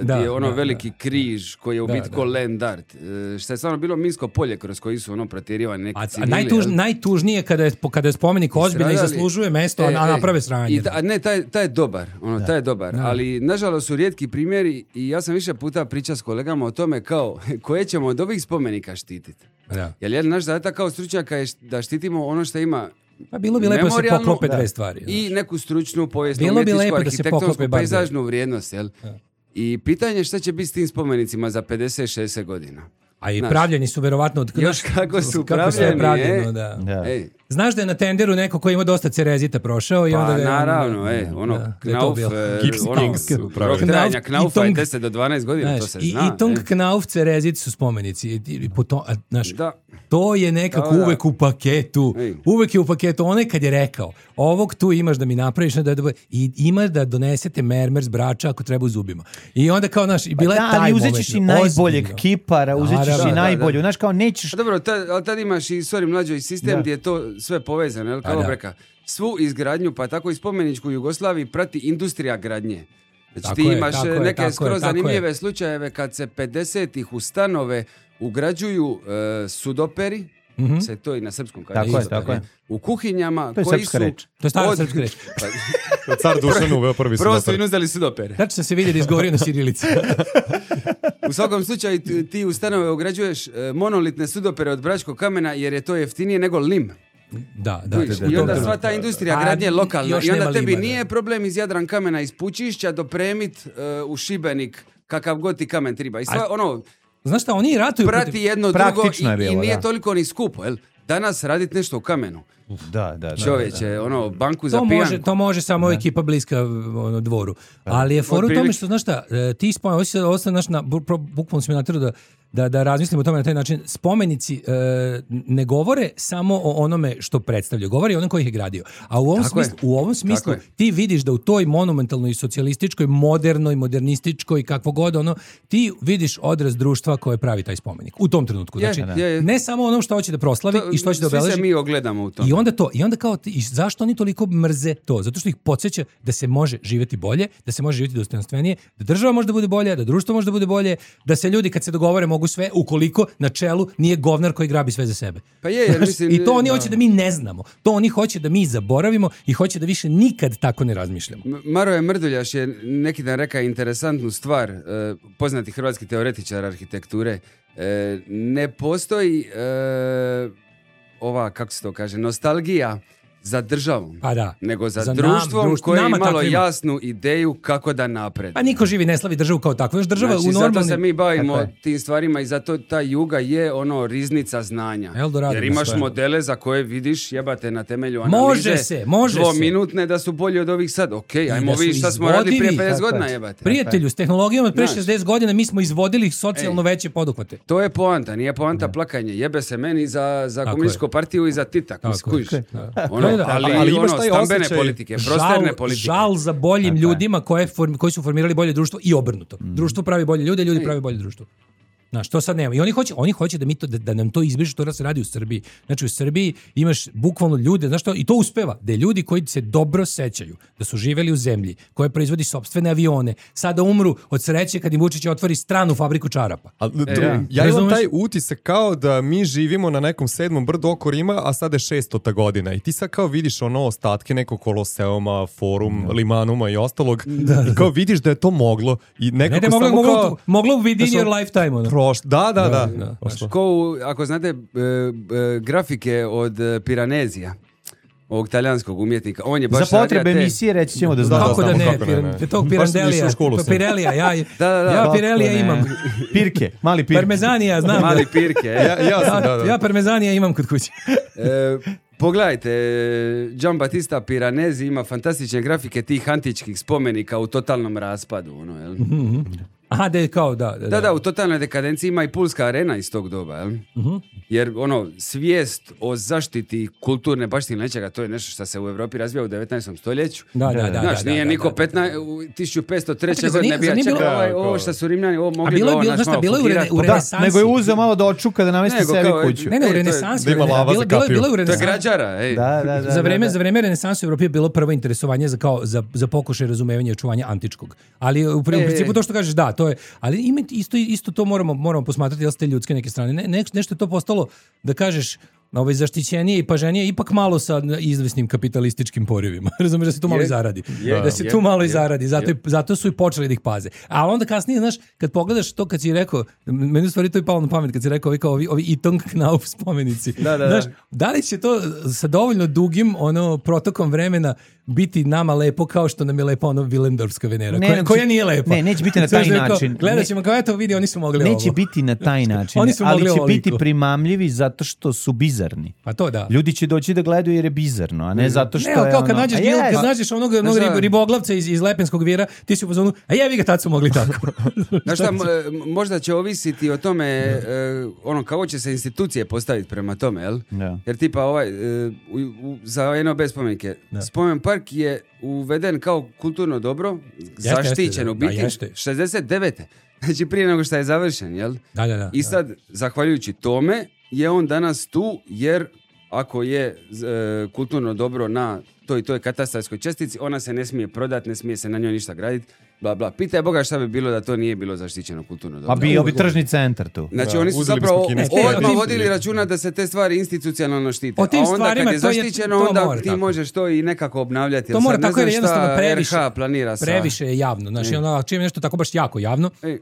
Speaker 9: gdje je ono
Speaker 8: da,
Speaker 9: veliki križ koji je u
Speaker 8: Da,
Speaker 9: biti
Speaker 8: da.
Speaker 9: ko land art. E, Što je stvarno bilo minsko polje kroz koji su ono protjerivani neki
Speaker 8: A, a
Speaker 9: civili.
Speaker 8: najtuž,
Speaker 9: jel?
Speaker 8: najtužnije kada je, kada je spomenik ozbiljno i
Speaker 9: Stradali-
Speaker 8: zaslužuje mesto, a,
Speaker 9: E,
Speaker 8: a
Speaker 9: e,
Speaker 8: naprave sranje.
Speaker 9: I ta, a ne, taj, taj je dobar, ono, taj je dobar,
Speaker 8: Da.
Speaker 9: ali nažalost su rijetki primjeri i ja sam više puta pričao s kolegama o tome kao koje ćemo od ovih spomenika štititi.
Speaker 8: Da.
Speaker 9: Jer jedan naš zadatak kao stručnjaka je št- da štitimo ono što ima
Speaker 8: Pa bilo bi lepo da se
Speaker 9: memorijalnu
Speaker 8: poklope dve stvari.
Speaker 9: i neku stručnu, povijesnu,
Speaker 8: Bilo bi
Speaker 9: umjetničku,
Speaker 8: lepo da se poklope
Speaker 9: arhitektonsku,
Speaker 8: bar dve.
Speaker 9: pejzažnu vrijednost, jel? I pitanje je šta će biti s tim spomenicima za pedeset šezdeset godina.
Speaker 8: A i
Speaker 9: Znaš,
Speaker 8: pravljeni su verovatno od
Speaker 9: Još kako su
Speaker 8: kako sve je
Speaker 9: pravljeni,
Speaker 8: pravljeno,
Speaker 9: e.
Speaker 8: da.
Speaker 6: Da.
Speaker 9: Ej,
Speaker 8: Znaš da je na tenderu neko koji ima dosta cerezita prošao i
Speaker 9: pa
Speaker 8: onda ga je on-
Speaker 9: naravno, e, ono,
Speaker 8: da, da je to
Speaker 9: Knauf,
Speaker 8: bilo.
Speaker 9: e,
Speaker 7: Gips
Speaker 9: ono,
Speaker 7: Kings su pravili.
Speaker 9: rok trajanja
Speaker 8: Knauf-
Speaker 9: Knaufa
Speaker 8: i
Speaker 9: je
Speaker 8: Tong-
Speaker 9: deset do dvanaest godina,
Speaker 8: Znaš,
Speaker 9: to se
Speaker 8: i,
Speaker 9: zna.
Speaker 8: i Tong
Speaker 9: e.
Speaker 8: Knauf cerezit su spomenici. I, i po to, a, znaš,
Speaker 9: Da.
Speaker 8: to je nekako
Speaker 9: Da, da.
Speaker 8: uvek u paketu.
Speaker 9: Ej.
Speaker 8: Uvek je u paketu. Onaj kad je rekao, ovog tu imaš da mi napraviš, da, da, i imaš da donesete mermer s Brača ako treba u zubima. I onda kao, znaš, i bila je
Speaker 6: Da,
Speaker 8: taj
Speaker 6: ali
Speaker 8: moment.
Speaker 6: uzet ćeš i najboljeg
Speaker 8: ozbiljno.
Speaker 6: kipara, uzet ćeš
Speaker 8: Naravno.
Speaker 6: i
Speaker 9: Da, da,
Speaker 6: najbolju.
Speaker 9: da.
Speaker 6: Znaš, kao nećeš...
Speaker 9: A dobro, tad, ali tad imaš i, sorry mlađo, i sistem
Speaker 6: Da.
Speaker 9: gdje je to sve povezano, jel,
Speaker 8: A
Speaker 9: kao
Speaker 8: da.
Speaker 9: breka. Svu izgradnju, pa tako i spomeničku Jugoslaviji prati industrija gradnje. Znači
Speaker 8: Tako
Speaker 9: ti
Speaker 8: je,
Speaker 9: imaš
Speaker 8: tako je,
Speaker 9: neke
Speaker 8: tako je,
Speaker 9: skoro
Speaker 8: tako
Speaker 9: zanimljive
Speaker 8: je.
Speaker 9: slučajeve kad se pedesetih u stanove ugrađuju e, sudoperi, se to i na srpskom kaže.
Speaker 6: Tako je,
Speaker 9: sudoperi,
Speaker 6: tako je.
Speaker 9: U kuhinjama
Speaker 6: To je
Speaker 9: koji
Speaker 6: srpska
Speaker 9: su...
Speaker 6: reč.
Speaker 8: To je stara
Speaker 9: od-
Speaker 8: srpska reč.
Speaker 9: Pa,
Speaker 7: Car Dušan uveo prvi
Speaker 9: prvo su
Speaker 7: sudoper.
Speaker 9: im uzeli sudopere.
Speaker 8: Tačno se vidi da izgovorio na sirilici.
Speaker 9: U svakom slučaju ti, ti u stanove ugrađuješ e, monolitne sudopere od bračkog kamena jer je to jeftinije nego lim.
Speaker 8: Da, da.
Speaker 9: Vidiš,
Speaker 8: da,
Speaker 9: I
Speaker 8: da,
Speaker 9: onda
Speaker 8: da.
Speaker 9: sva ta industrija
Speaker 8: A,
Speaker 9: gradnje je lokalna
Speaker 8: još
Speaker 9: i onda
Speaker 8: nema
Speaker 9: tebi
Speaker 8: lima,
Speaker 9: nije
Speaker 8: da.
Speaker 9: problem iz Jadran kamena iz Pučišća dopremit e, u Šibenik kakav god ti kamen treba. I sva, ono,
Speaker 8: Znaš šta, oni ratuju
Speaker 9: prati
Speaker 8: protiv-
Speaker 9: jedno drugo
Speaker 6: Praktično je
Speaker 9: i, i
Speaker 6: bilo,
Speaker 9: nije
Speaker 6: da.
Speaker 9: toliko ni skupo. Jel? Danas radit nešto u kamenu.
Speaker 6: Da, da, da.
Speaker 9: Čovječe, ono, banku za
Speaker 8: To
Speaker 9: pijanku.
Speaker 8: može, to može samo ekipa bliska ono, dvoru. Ali je fora u tome
Speaker 9: Otprilike.
Speaker 8: što, znaš šta, e, ti spomenici, ovo se ovo se, znaš, na, bu- pro- bukvalno si me natjerao da, da, da razmislimo o tome na taj način. Spomenici e, ne govore samo o onome što predstavljaju, govore i o onom koji ih je gradio. A u ovom
Speaker 9: Tako je.
Speaker 8: smislu, u ovom smislu
Speaker 9: je.
Speaker 8: ti vidiš da u toj monumentalnoj, socijalističkoj, modernoj, modernističkoj, kakvo god ono, ti vidiš odraz društva koje pravi taj spomenik. U tom trenutku.
Speaker 9: Je,
Speaker 8: Znači,
Speaker 9: je, je.
Speaker 8: ne samo onom što hoće da proslavi
Speaker 9: To-
Speaker 8: i što hoće da
Speaker 9: svi
Speaker 8: obeleži.
Speaker 9: se mi ogledamo u tome.
Speaker 8: I onda to, i onda kao, ti- i zašto oni toliko mrze to? Zato što ih podsjeća da se može živjeti bolje, da se može živjeti dostojanstvenije, da država može da bude bolje, da društvo može da bude bolje, da se ljudi kad se dogovore mogu sve, ukoliko na čelu nije govnar koji grabi sve za sebe.
Speaker 9: Pa je, jer mislim...
Speaker 8: I to oni
Speaker 9: da.
Speaker 8: hoće da mi ne znamo. To oni hoće da mi zaboravimo i hoće da više nikad tako ne razmišljamo.
Speaker 9: M- Maroje Mrduljaš je neki dan rekao interesantnu stvar, e, poznati hrvatski teoretičar arhitekture. E, ne postoji e, ova, kako se to kaže, nostalgija za državom,
Speaker 8: Pa da.
Speaker 9: nego za,
Speaker 8: Za nam,
Speaker 9: društvom
Speaker 8: društvo-
Speaker 9: koje je
Speaker 8: nama
Speaker 9: imalo
Speaker 8: takvima.
Speaker 9: jasnu ideju kako da napreduje.
Speaker 8: Pa niko živi ne slavi državu kao takvu. Još država
Speaker 9: Znači,
Speaker 8: u
Speaker 9: zato
Speaker 8: normalnim...
Speaker 9: se mi bavimo
Speaker 6: Tako je.
Speaker 9: tim stvarima i zato ta juga je ono riznica znanja.
Speaker 8: Eldorado
Speaker 9: Jer
Speaker 8: na
Speaker 9: imaš
Speaker 8: sve.
Speaker 9: modele za koje vidiš jebate na temelju analize.
Speaker 8: Može se, može se.
Speaker 9: Dvominutne da su bolji od ovih sad. Ok, ajmo
Speaker 8: da su
Speaker 9: vidjeti šta smo radili prije
Speaker 8: izvodivi.
Speaker 9: pedeset
Speaker 6: Tako je.
Speaker 9: godina jebate.
Speaker 8: Prijatelju, s tehnologijom od pre
Speaker 9: Znaš.
Speaker 8: šezdeset godina mi smo izvodili socijalno veće poduhvate.
Speaker 9: To je poanta, nije poanta plakanje. Jebe se meni za, za
Speaker 8: Tako
Speaker 9: komunističku
Speaker 8: je.
Speaker 9: partiju i za Titak,
Speaker 8: Tako
Speaker 9: mi skužiš.
Speaker 8: je.
Speaker 9: Ono,
Speaker 8: Da, da,
Speaker 9: ali,
Speaker 7: ali imaš
Speaker 9: ono,
Speaker 7: taj
Speaker 9: stambene
Speaker 7: osjećaj-
Speaker 9: politike, prosterne
Speaker 8: žal,
Speaker 9: politike.
Speaker 8: žal za boljim ljudima koje form, koji su formirali bolje društvo i obrnuto. Društvo pravi bolje ljude, ljudi pravi bolje društvo. Znaš, to sad nema. I oni hoće, oni hoće da mi to da, da nam to izbrišu, to da se radi u Srbiji. Znači u Srbiji imaš bukvalno ljude, znaš što, i to uspeva, da je ljudi koji se dobro sećaju, da su živeli u zemlji, koja proizvodi sopstvene avione, sada umru od sreće kad im Vučić otvori stranu fabriku čarapa.
Speaker 7: A, to-
Speaker 9: da.
Speaker 7: ja imam
Speaker 8: Razumeš?
Speaker 7: taj utisak kao da mi živimo na nekom sedmom brdu oko Rima, a sada je šestota godina. I ti sad kao vidiš ono ostatke nekog Koloseuma, Forum, Limanuma i ostalog. I kao vidiš da je to moglo. I nekako
Speaker 8: Ne, ne, moglo,
Speaker 7: samo
Speaker 8: moglo,
Speaker 7: kao...
Speaker 8: moglo within
Speaker 7: da su-
Speaker 8: your lifetime. Ono.
Speaker 7: Proš, da, da, da.
Speaker 8: da.
Speaker 7: Prošlo.
Speaker 9: Ko u- ako znate e, e, grafike od e, Piranezija, ovog talijanskog umjetnika, on je baš
Speaker 6: Za potrebe
Speaker 9: radio te-
Speaker 6: emisije reći ćemo da
Speaker 7: Da,
Speaker 6: znamo.
Speaker 8: Kako da
Speaker 7: znamo
Speaker 8: ne,
Speaker 7: kako ne, ne.
Speaker 8: pir, tog
Speaker 7: Baš
Speaker 8: Pirandelija,
Speaker 7: nisam u školu sam.
Speaker 8: Pirelija, ja,
Speaker 9: Da, da, da.
Speaker 8: ja
Speaker 6: Kako
Speaker 8: Pirelija
Speaker 6: ne?
Speaker 8: imam.
Speaker 6: Pirke, mali pirke.
Speaker 8: Parmezanija, znam.
Speaker 9: Mali
Speaker 8: da.
Speaker 9: pirke. e.
Speaker 7: Ja, ja sam, da,
Speaker 8: Ja,
Speaker 7: da.
Speaker 8: ja parmezanija imam kod kuće.
Speaker 9: E, pogledajte, Gian Battista Piranesi ima fantastične grafike tih antičkih spomenika u totalnom raspadu. Ono, jel?
Speaker 8: Aha, da je kao, da. Da,
Speaker 9: Da, da, u totalnoj dekadenciji ima i Pulska arena iz tog doba, jel? Jer ono, svijest o zaštiti kulturne baštine nečega, to je nešto što se u Evropi razvija u devetnaestom stoljeću.
Speaker 8: Da, da, da,
Speaker 9: Znaš,
Speaker 8: da,
Speaker 9: nije
Speaker 8: da,
Speaker 9: niko
Speaker 8: da, da.
Speaker 9: petnaest u tisuću petsto treće
Speaker 8: Čekaj,
Speaker 9: godine
Speaker 8: zar
Speaker 9: bija
Speaker 8: nije bilo-
Speaker 9: čekaj, ovaj,
Speaker 7: Da,
Speaker 9: ovo
Speaker 7: kao-
Speaker 9: što su Rimljani, ovo
Speaker 8: A
Speaker 9: mogli
Speaker 8: bilo
Speaker 9: bi
Speaker 8: je
Speaker 9: ovo
Speaker 8: bilo,
Speaker 9: naš
Speaker 8: znaš šta,
Speaker 9: malo
Speaker 8: bilo je u,
Speaker 9: fugirati.
Speaker 8: rene, u
Speaker 6: Da,
Speaker 8: renesansi.
Speaker 6: nego je uzeo malo da očuka da namesti
Speaker 9: Nego
Speaker 6: sebi
Speaker 9: kao,
Speaker 6: kuću.
Speaker 8: Ne, ne,
Speaker 9: E,
Speaker 8: u
Speaker 9: to je-
Speaker 8: renesansi.
Speaker 7: da ima
Speaker 8: u rene-
Speaker 7: lava za
Speaker 8: bilo- bilo je-
Speaker 7: kapiju.
Speaker 8: bilo je u
Speaker 9: To je
Speaker 8: renesansi.
Speaker 9: građara, ej.
Speaker 6: Da, da, da.
Speaker 8: Za vreme,
Speaker 6: da,
Speaker 8: za vreme renesansa u Evropi je bilo prvo interesovanje za, kao, za, za pokušaj razumevanja i očuvanja antičkog. Ali u, pri- u
Speaker 9: E,
Speaker 8: principu to što kažeš, da, to je, ali ima isto, isto to moramo, moramo posmatrati, jel ste ljudske neke strane. Ne, ne, nešto je to postalo, da kažeš, ovaj zaštićenije i paženije ipak malo sa izvesnim kapitalističkim porivima. Razumeš da se tu malo i zaradi.
Speaker 9: Je,
Speaker 8: da se
Speaker 9: je,
Speaker 8: tu malo i
Speaker 9: je,
Speaker 8: zaradi. Zato,
Speaker 9: je.
Speaker 8: i, zato su i počeli da ih paze. A onda kasnije, znaš, kad pogledaš to kad si rekao, meni u stvari to je palo na pamet kad si rekao ovi, kao ovi, ovi Itong Knauf spomenici.
Speaker 9: Da, da,
Speaker 8: znaš,
Speaker 9: da.
Speaker 8: da li će to sa dovoljno dugim ono protokom vremena biti nama lepo kao što nam je lepo ono Willendorfska Venera,
Speaker 6: Ne,
Speaker 8: koja,
Speaker 6: neće-
Speaker 8: koja nije lepa.
Speaker 6: ne, neće biti na taj
Speaker 8: Znaš, rekao,
Speaker 6: način.
Speaker 8: Gledat ćemo kao, eto vidi, oni su mogli ovo.
Speaker 6: Neće biti na taj način,
Speaker 8: Oni su
Speaker 6: ali
Speaker 8: mogli
Speaker 6: će
Speaker 8: ovoliko.
Speaker 6: biti primamljivi zato što su bizarni.
Speaker 8: Pa to da.
Speaker 6: Ljudi će doći da gledaju jer je bizarno, a ne zato što
Speaker 8: Ne, ali
Speaker 6: je
Speaker 8: kao
Speaker 6: ono...
Speaker 8: kad nađeš,
Speaker 6: A
Speaker 8: Gil,
Speaker 6: jest.
Speaker 8: kad nađeš onog, onog
Speaker 9: Znaš šta?
Speaker 8: rib- riboglavca iz, iz Lepenskog vira, ti si u fazonu, a jevi ga, tad su mogli tako.
Speaker 9: Znaš šta, m- možda će ovisiti o tome, e, ono, kako će se institucije postaviti prema tome, jel?
Speaker 6: Da.
Speaker 9: Jer tipa ovaj, e, u, u, za N O B spomenike, spomen park je uveden kao kulturno dobro, zaštićen
Speaker 8: jeste,
Speaker 9: u
Speaker 8: da,
Speaker 9: biti,
Speaker 8: jeste.
Speaker 9: šezdeset devete Znači prije nego što je završen, jel?
Speaker 8: Da, da, da.
Speaker 9: I sad, zahvaljujući tome, je on danas tu, jer ako je e, kulturno dobro na toj toj katastarskoj čestici, ona se ne smije prodati, ne smije se na njoj ništa graditi, bla bla. Pitaj Boga šta bi bilo da to nije bilo zaštićeno kulturno dobro.
Speaker 6: A bio bi tržni centar tu.
Speaker 9: Znači
Speaker 7: Da,
Speaker 9: oni su
Speaker 7: uzeli
Speaker 9: zapravo
Speaker 7: bismo kineski
Speaker 9: odmah
Speaker 8: kredit.
Speaker 9: vodili računa da se te stvari institucionalno štite.
Speaker 8: O tim
Speaker 9: A onda
Speaker 8: stvarima,
Speaker 9: kad je
Speaker 8: to je-
Speaker 9: zaštićeno,
Speaker 8: to
Speaker 9: onda
Speaker 8: mora
Speaker 9: ti
Speaker 8: tako.
Speaker 9: možeš to i nekako obnavljati.
Speaker 8: To
Speaker 9: Jer
Speaker 8: mora
Speaker 9: sad ne
Speaker 8: tako jer
Speaker 9: znam
Speaker 8: jednostavno
Speaker 9: šta
Speaker 8: previše,
Speaker 9: R H planira sa...
Speaker 8: previše je javno. Znači,
Speaker 9: E.
Speaker 8: ono, čim je nešto tako baš jako javno,
Speaker 9: Ej,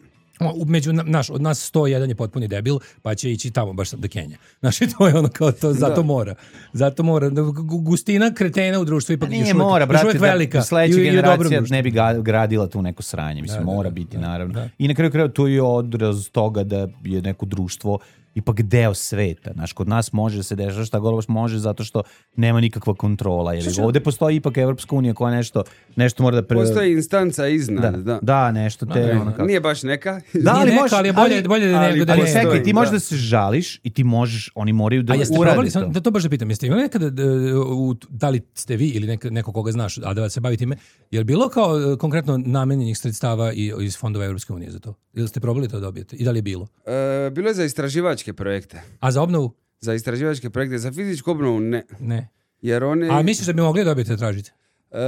Speaker 8: u- među na- naš, od nas sto jedan je potpuni debil, pa će ići tamo baš do Kenja. Znači, to je ono kao to, zato mora. Zato mora. Gu- Gustina kretena u društvu ipak
Speaker 6: Pa
Speaker 8: još
Speaker 6: nije
Speaker 8: uvek,
Speaker 6: mora,
Speaker 8: još
Speaker 6: brate,
Speaker 8: uvek
Speaker 6: da
Speaker 8: velika.
Speaker 6: sledeća
Speaker 8: I- i u dobrom
Speaker 6: generacija
Speaker 8: društvu.
Speaker 6: ne bi ga, gradila tu neko sranje. Mislim,
Speaker 8: Da, da,
Speaker 6: mora
Speaker 8: da,
Speaker 6: biti,
Speaker 8: da,
Speaker 6: naravno.
Speaker 8: da.
Speaker 6: I na kraju kraju to je odraz toga da je neko društvo ipak deo sveta. Znaš, kod nas može da se dešava šta god može zato što nema nikakva kontrola. Jer ovdje postoji ipak Evropska unija koja nešto, nešto mora da... Pre...
Speaker 9: Postoji instanca iznad,
Speaker 6: da,
Speaker 9: da.
Speaker 6: da, nešto te...
Speaker 8: Da,
Speaker 6: ono kako...
Speaker 9: Nije baš neka.
Speaker 6: Da,
Speaker 8: Nije neka, ali je bolje- bolje da
Speaker 6: ali,
Speaker 8: nego da
Speaker 6: ali
Speaker 8: ne.
Speaker 6: čekaj, ti
Speaker 9: Da.
Speaker 6: možeš da se žališ i ti možeš, oni moraju da
Speaker 8: A jeste
Speaker 6: urade
Speaker 8: probali,
Speaker 6: to.
Speaker 8: sam, da to baš da pitam, jeste imali nekada, d- u, da li ste vi ili neko, neko koga znaš, a da se bavi time, je li bilo kao e, konkretno namenjenih sredstava i, iz fondova Evropske unije za to? Ili ste probali to dobijete? I da li je bilo?
Speaker 9: E, bilo je za istraživačke projekte.
Speaker 8: A za obnovu?
Speaker 9: Za istraživačke projekte, za fizičku obnovu ne.
Speaker 8: Ne.
Speaker 9: Jer one...
Speaker 8: A misliš da bi mogli dobiti da tražite?
Speaker 9: e,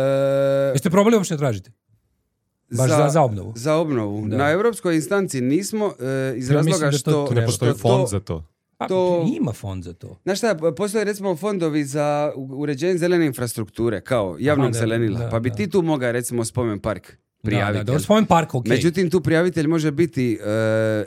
Speaker 8: Jeste probali uopšte da tražite? Baš za, za obnovu?
Speaker 9: Za obnovu.
Speaker 8: Da.
Speaker 9: Na europskoj instanci nismo e, iz
Speaker 8: Ja
Speaker 9: razloga
Speaker 8: mislim da to
Speaker 9: što...
Speaker 8: treba.
Speaker 7: Ne postoji
Speaker 9: što
Speaker 7: fond
Speaker 9: to-
Speaker 7: za to.
Speaker 8: Pa,
Speaker 9: to-
Speaker 8: ima fond za to.
Speaker 9: Znaš šta, postoje recimo fondovi za u- uređenje zelene infrastrukture, kao javnog
Speaker 8: Aha, da,
Speaker 9: zelenila.
Speaker 8: da,
Speaker 9: pa bi
Speaker 8: da.
Speaker 9: ti tu mogao recimo spomen park prijaviti.
Speaker 8: Da, da,
Speaker 9: jel?
Speaker 8: da, spomen park, ok.
Speaker 9: Međutim, tu prijavitelj može biti e,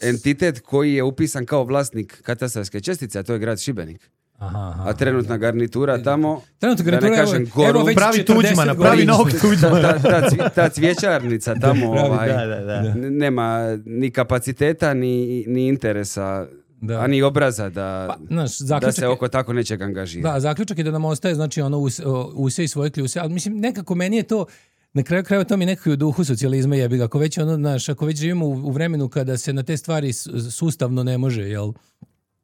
Speaker 9: entitet koji je upisan kao vlasnik katastarske čestice, a to je grad Šibenik.
Speaker 8: Aha, aha.
Speaker 9: A trenutna garnitura tamo,
Speaker 8: Trenutno
Speaker 9: da ne
Speaker 8: garnitura,
Speaker 9: kažem,
Speaker 8: evo,
Speaker 9: goru,
Speaker 8: evo već
Speaker 6: pravi
Speaker 8: četrdeset
Speaker 6: Tuđmana,
Speaker 8: godina.
Speaker 6: pravi novog
Speaker 9: ta,
Speaker 6: Tuđmana.
Speaker 9: ta, ta, cvi- ta cvjećarnica tamo ovaj,
Speaker 6: Da, da, da.
Speaker 9: n- nema ni kapaciteta, ni, ni interesa,
Speaker 8: Da.
Speaker 9: a ni obraza da,
Speaker 8: Pa, znaš,
Speaker 9: da
Speaker 8: zaključak
Speaker 9: se
Speaker 8: je-
Speaker 9: oko tako nečeg angažira.
Speaker 8: Da, zaključak je da nam ostaje, znači, ono, us, o, use i svoje kljuse, ali mislim, nekako meni je to, na kraju krajeva to mi je nekako i u duhu socijalizma jebi ga, ako već, ono, znaš, ako već živimo u, u vremenu kada se na te stvari s- sustavno ne može, jel,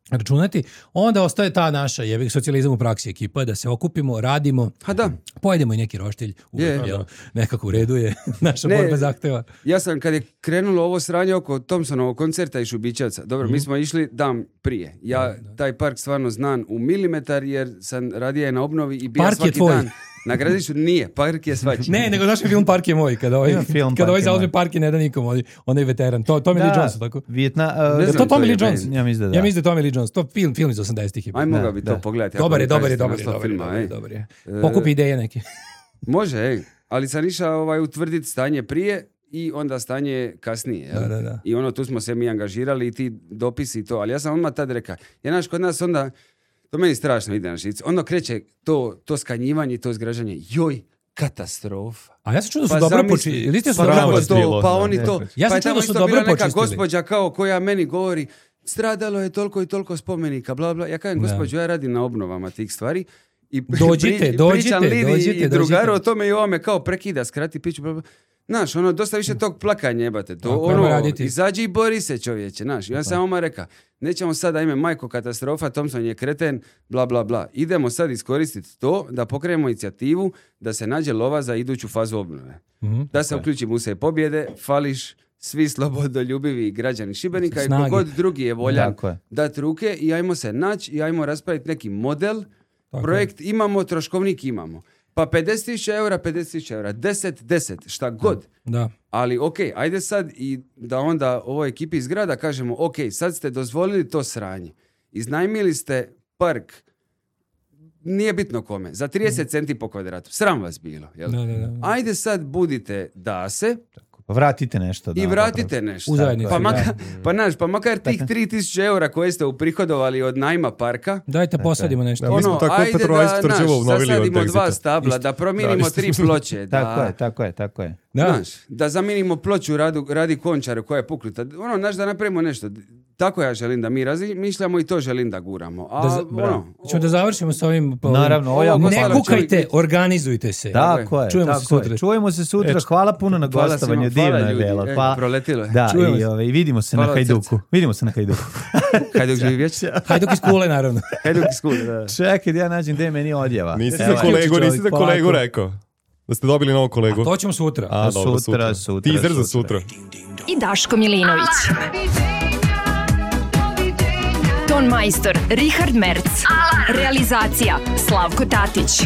Speaker 8: računati, onda ostaje ta naša jebi ga, socijalizam u praksi ekipa, da se okupimo, radimo,
Speaker 9: Ha da,
Speaker 8: pojedemo i neki roštilj, uvek,
Speaker 9: Je.
Speaker 8: jel, nekako u redu je, naša
Speaker 9: Ne.
Speaker 8: borba zahteva.
Speaker 9: ja sam kad je krenulo ovo sranje oko Thompsonovog koncerta i Šubićevca, dobro,
Speaker 8: Mhm.
Speaker 9: mi smo išli dan prije. Ja taj park stvarno znam u milimetar jer sam radije na obnovi i bio
Speaker 8: Park je
Speaker 9: svaki
Speaker 8: tvoj.
Speaker 9: dan. Na Gradištu nije, park je svačiji.
Speaker 8: Ne, nego znaš film Park je moj, kada ovaj,
Speaker 6: Ima film
Speaker 8: kada
Speaker 6: Park
Speaker 8: ovaj
Speaker 6: je
Speaker 8: zauzme
Speaker 6: moj.
Speaker 8: park i ne da nikom, onaj, onaj veteran, to, Tommy Lee Jones, tako?
Speaker 6: Vijetna, uh,
Speaker 9: Ne
Speaker 8: Je
Speaker 9: znam,
Speaker 8: to Tommy
Speaker 9: to
Speaker 8: Lee
Speaker 9: je
Speaker 8: Jones?
Speaker 9: band.
Speaker 6: Ja mislim da da.
Speaker 8: Ja mislim da je Tommy Lee Jones, to film, film iz osamdesetih je.
Speaker 9: Aj,
Speaker 6: Da,
Speaker 9: mogao bi to
Speaker 6: da.
Speaker 9: pogledati. ako
Speaker 8: Dobar je,
Speaker 9: mi
Speaker 8: dobar je,
Speaker 9: kažete
Speaker 8: dobar je,
Speaker 9: naslov
Speaker 8: dobar je,
Speaker 9: filma,
Speaker 8: dobar je,
Speaker 9: ej.
Speaker 8: dobar je.
Speaker 9: E,
Speaker 8: Pokupi ideje neke.
Speaker 9: Može, ej. Ali sam išao ovaj, utvrditi stanje prije i onda stanje kasnije. Jel?
Speaker 8: Da, da, da.
Speaker 9: I ono, tu smo se mi angažirali i ti dopisi i to. Ali ja sam odmah tad rekao, jer znaš, kod nas onda, to meni strašno ide na žicu, onda kreće to, to skanjivanje i to zgražanje. Joj, katastrofa.
Speaker 8: A ja sam čuo da su
Speaker 9: Pa
Speaker 8: dobro
Speaker 9: zamisli-
Speaker 8: počeli. Ili ste su
Speaker 9: Pa
Speaker 8: dobro
Speaker 9: kako
Speaker 8: počeli?
Speaker 9: to, pa oni to.
Speaker 8: Ja sam
Speaker 9: pa je
Speaker 8: čuo
Speaker 9: tamo
Speaker 8: da su
Speaker 9: isto
Speaker 8: dobro
Speaker 9: bila neka
Speaker 8: počistili.
Speaker 9: gospođa kao koja meni govori, stradalo je toliko i toliko spomenika, bla bla. Ja kažem,
Speaker 8: Da.
Speaker 9: gospođo, ja radim na obnovama tih stvari. I
Speaker 8: Dođite,
Speaker 9: pri-
Speaker 8: dođite,
Speaker 9: pričam Lidi
Speaker 8: dođite,
Speaker 9: i drugaru
Speaker 8: dođite.
Speaker 9: o tome i ovome kao prekida, skrati piću, bla, bla. Znaš, ono, dosta više tog plakanja jebate. To,
Speaker 8: Tako,
Speaker 9: ono,
Speaker 8: ajmo raditi.
Speaker 9: izađi i bori se, čovječe, znaš. I ja sam oma reka, nećemo sada ime majko katastrofa, Thompson je kreten, bla, bla, bla. Idemo sad iskoristiti to da pokrenemo inicijativu da se nađe lova za iduću fazu obnove.
Speaker 8: Mhm.
Speaker 9: Da se uključi Muse pobjede, fališ svi slobodoljubivi građani Šibenika i
Speaker 8: Snage.
Speaker 9: kogod drugi je voljan
Speaker 6: Tako je.
Speaker 9: dati ruke i ajmo se naći i ajmo raspraviti neki model.
Speaker 8: Tako
Speaker 9: Projekt imamo, troškovnik imamo. Pa pedeset tisuća eura, pedeset tisuća eura, deset, deset, šta god.
Speaker 8: Da.
Speaker 9: Ali ok, ajde sad i da onda ovoj ekipi iz grada kažemo, ok, sad ste dozvolili to sranje. Iznajmili ste park, nije bitno kome, za trideset centi po kvadratu. Sram vas bilo. Jel?
Speaker 8: Da, da, da.
Speaker 9: Ajde sad budite dase,
Speaker 6: Pa vratite nešto. Da,
Speaker 9: i vratite nešto.
Speaker 8: U zajednici,
Speaker 9: Pa, maka,
Speaker 8: da.
Speaker 9: pa, naš, pa makar tih tri tisuće eura koje ste uprihodovali od najma parka,
Speaker 8: Dajte posadimo nešto.
Speaker 7: Da, mi smo tako
Speaker 9: ajde
Speaker 7: Petrovac
Speaker 9: da,
Speaker 7: Tvrđevo
Speaker 9: naš,
Speaker 7: obnovili od
Speaker 9: zasadimo dva
Speaker 7: Exita.
Speaker 9: stabla, da promijenimo
Speaker 7: Da,
Speaker 9: tri
Speaker 7: isto.
Speaker 9: ploče. Da,
Speaker 6: Tako je, tako je, tako je.
Speaker 8: Da.
Speaker 9: Znaš, da zamijenimo ploču radu, radi Končaru koja je puknuta. Ono, znaš, da napravimo nešto. Tako ja želim da mi razmišljamo i to želim da guramo. A,
Speaker 8: Da za-
Speaker 9: ono,
Speaker 8: Ćemo da završimo s ovim. ovim-
Speaker 6: Naravno, ovo je jako
Speaker 8: Ne
Speaker 9: hvala,
Speaker 8: kukajte,
Speaker 9: čovjek.
Speaker 8: organizujte se.
Speaker 6: Tako je,
Speaker 8: Čujemo se
Speaker 6: tako je.
Speaker 8: sutra.
Speaker 6: Čujemo se sutra.
Speaker 8: Eč.
Speaker 6: Hvala puno na
Speaker 9: Hvala
Speaker 6: gostovanju.
Speaker 9: svima, hvala
Speaker 6: Divno je
Speaker 9: ljudi.
Speaker 6: bilo.
Speaker 9: E,
Speaker 6: Hvala.
Speaker 9: proletilo je.
Speaker 6: Da,
Speaker 8: Čujemo
Speaker 6: i
Speaker 8: se.
Speaker 6: ovaj, vidimo se
Speaker 9: Hvala
Speaker 6: na
Speaker 9: od
Speaker 6: Hajduku.
Speaker 9: srca.
Speaker 6: Vidimo se na Hajduku.
Speaker 9: Hajduk živi vječno.
Speaker 8: Hajduk iz kule, naravno.
Speaker 9: Hajduk iz kule, da.
Speaker 6: Čekaj da ja nađem gde je meni odjava.
Speaker 7: Nisi
Speaker 6: Evo
Speaker 7: za
Speaker 6: je.
Speaker 7: kolegu, nisi za
Speaker 6: Polako.
Speaker 7: kolegu rekao. Da ste dobili novog kolegu.
Speaker 8: To ćemo sutra.
Speaker 7: A,
Speaker 6: A,
Speaker 7: dobro,
Speaker 6: sutra, sutra,
Speaker 7: Teaser za
Speaker 6: sutra.
Speaker 7: sutra.
Speaker 4: I Daško Milinović. Ton majstor Richard Merc. Realizacija Slavko Tatić.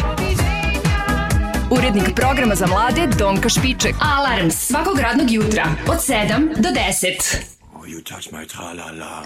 Speaker 4: Urednik programa za mlade Donka Špiček. Alarms svakog radnog jutra od sedam do deset.
Speaker 5: Oh, you touch my tra-la-la.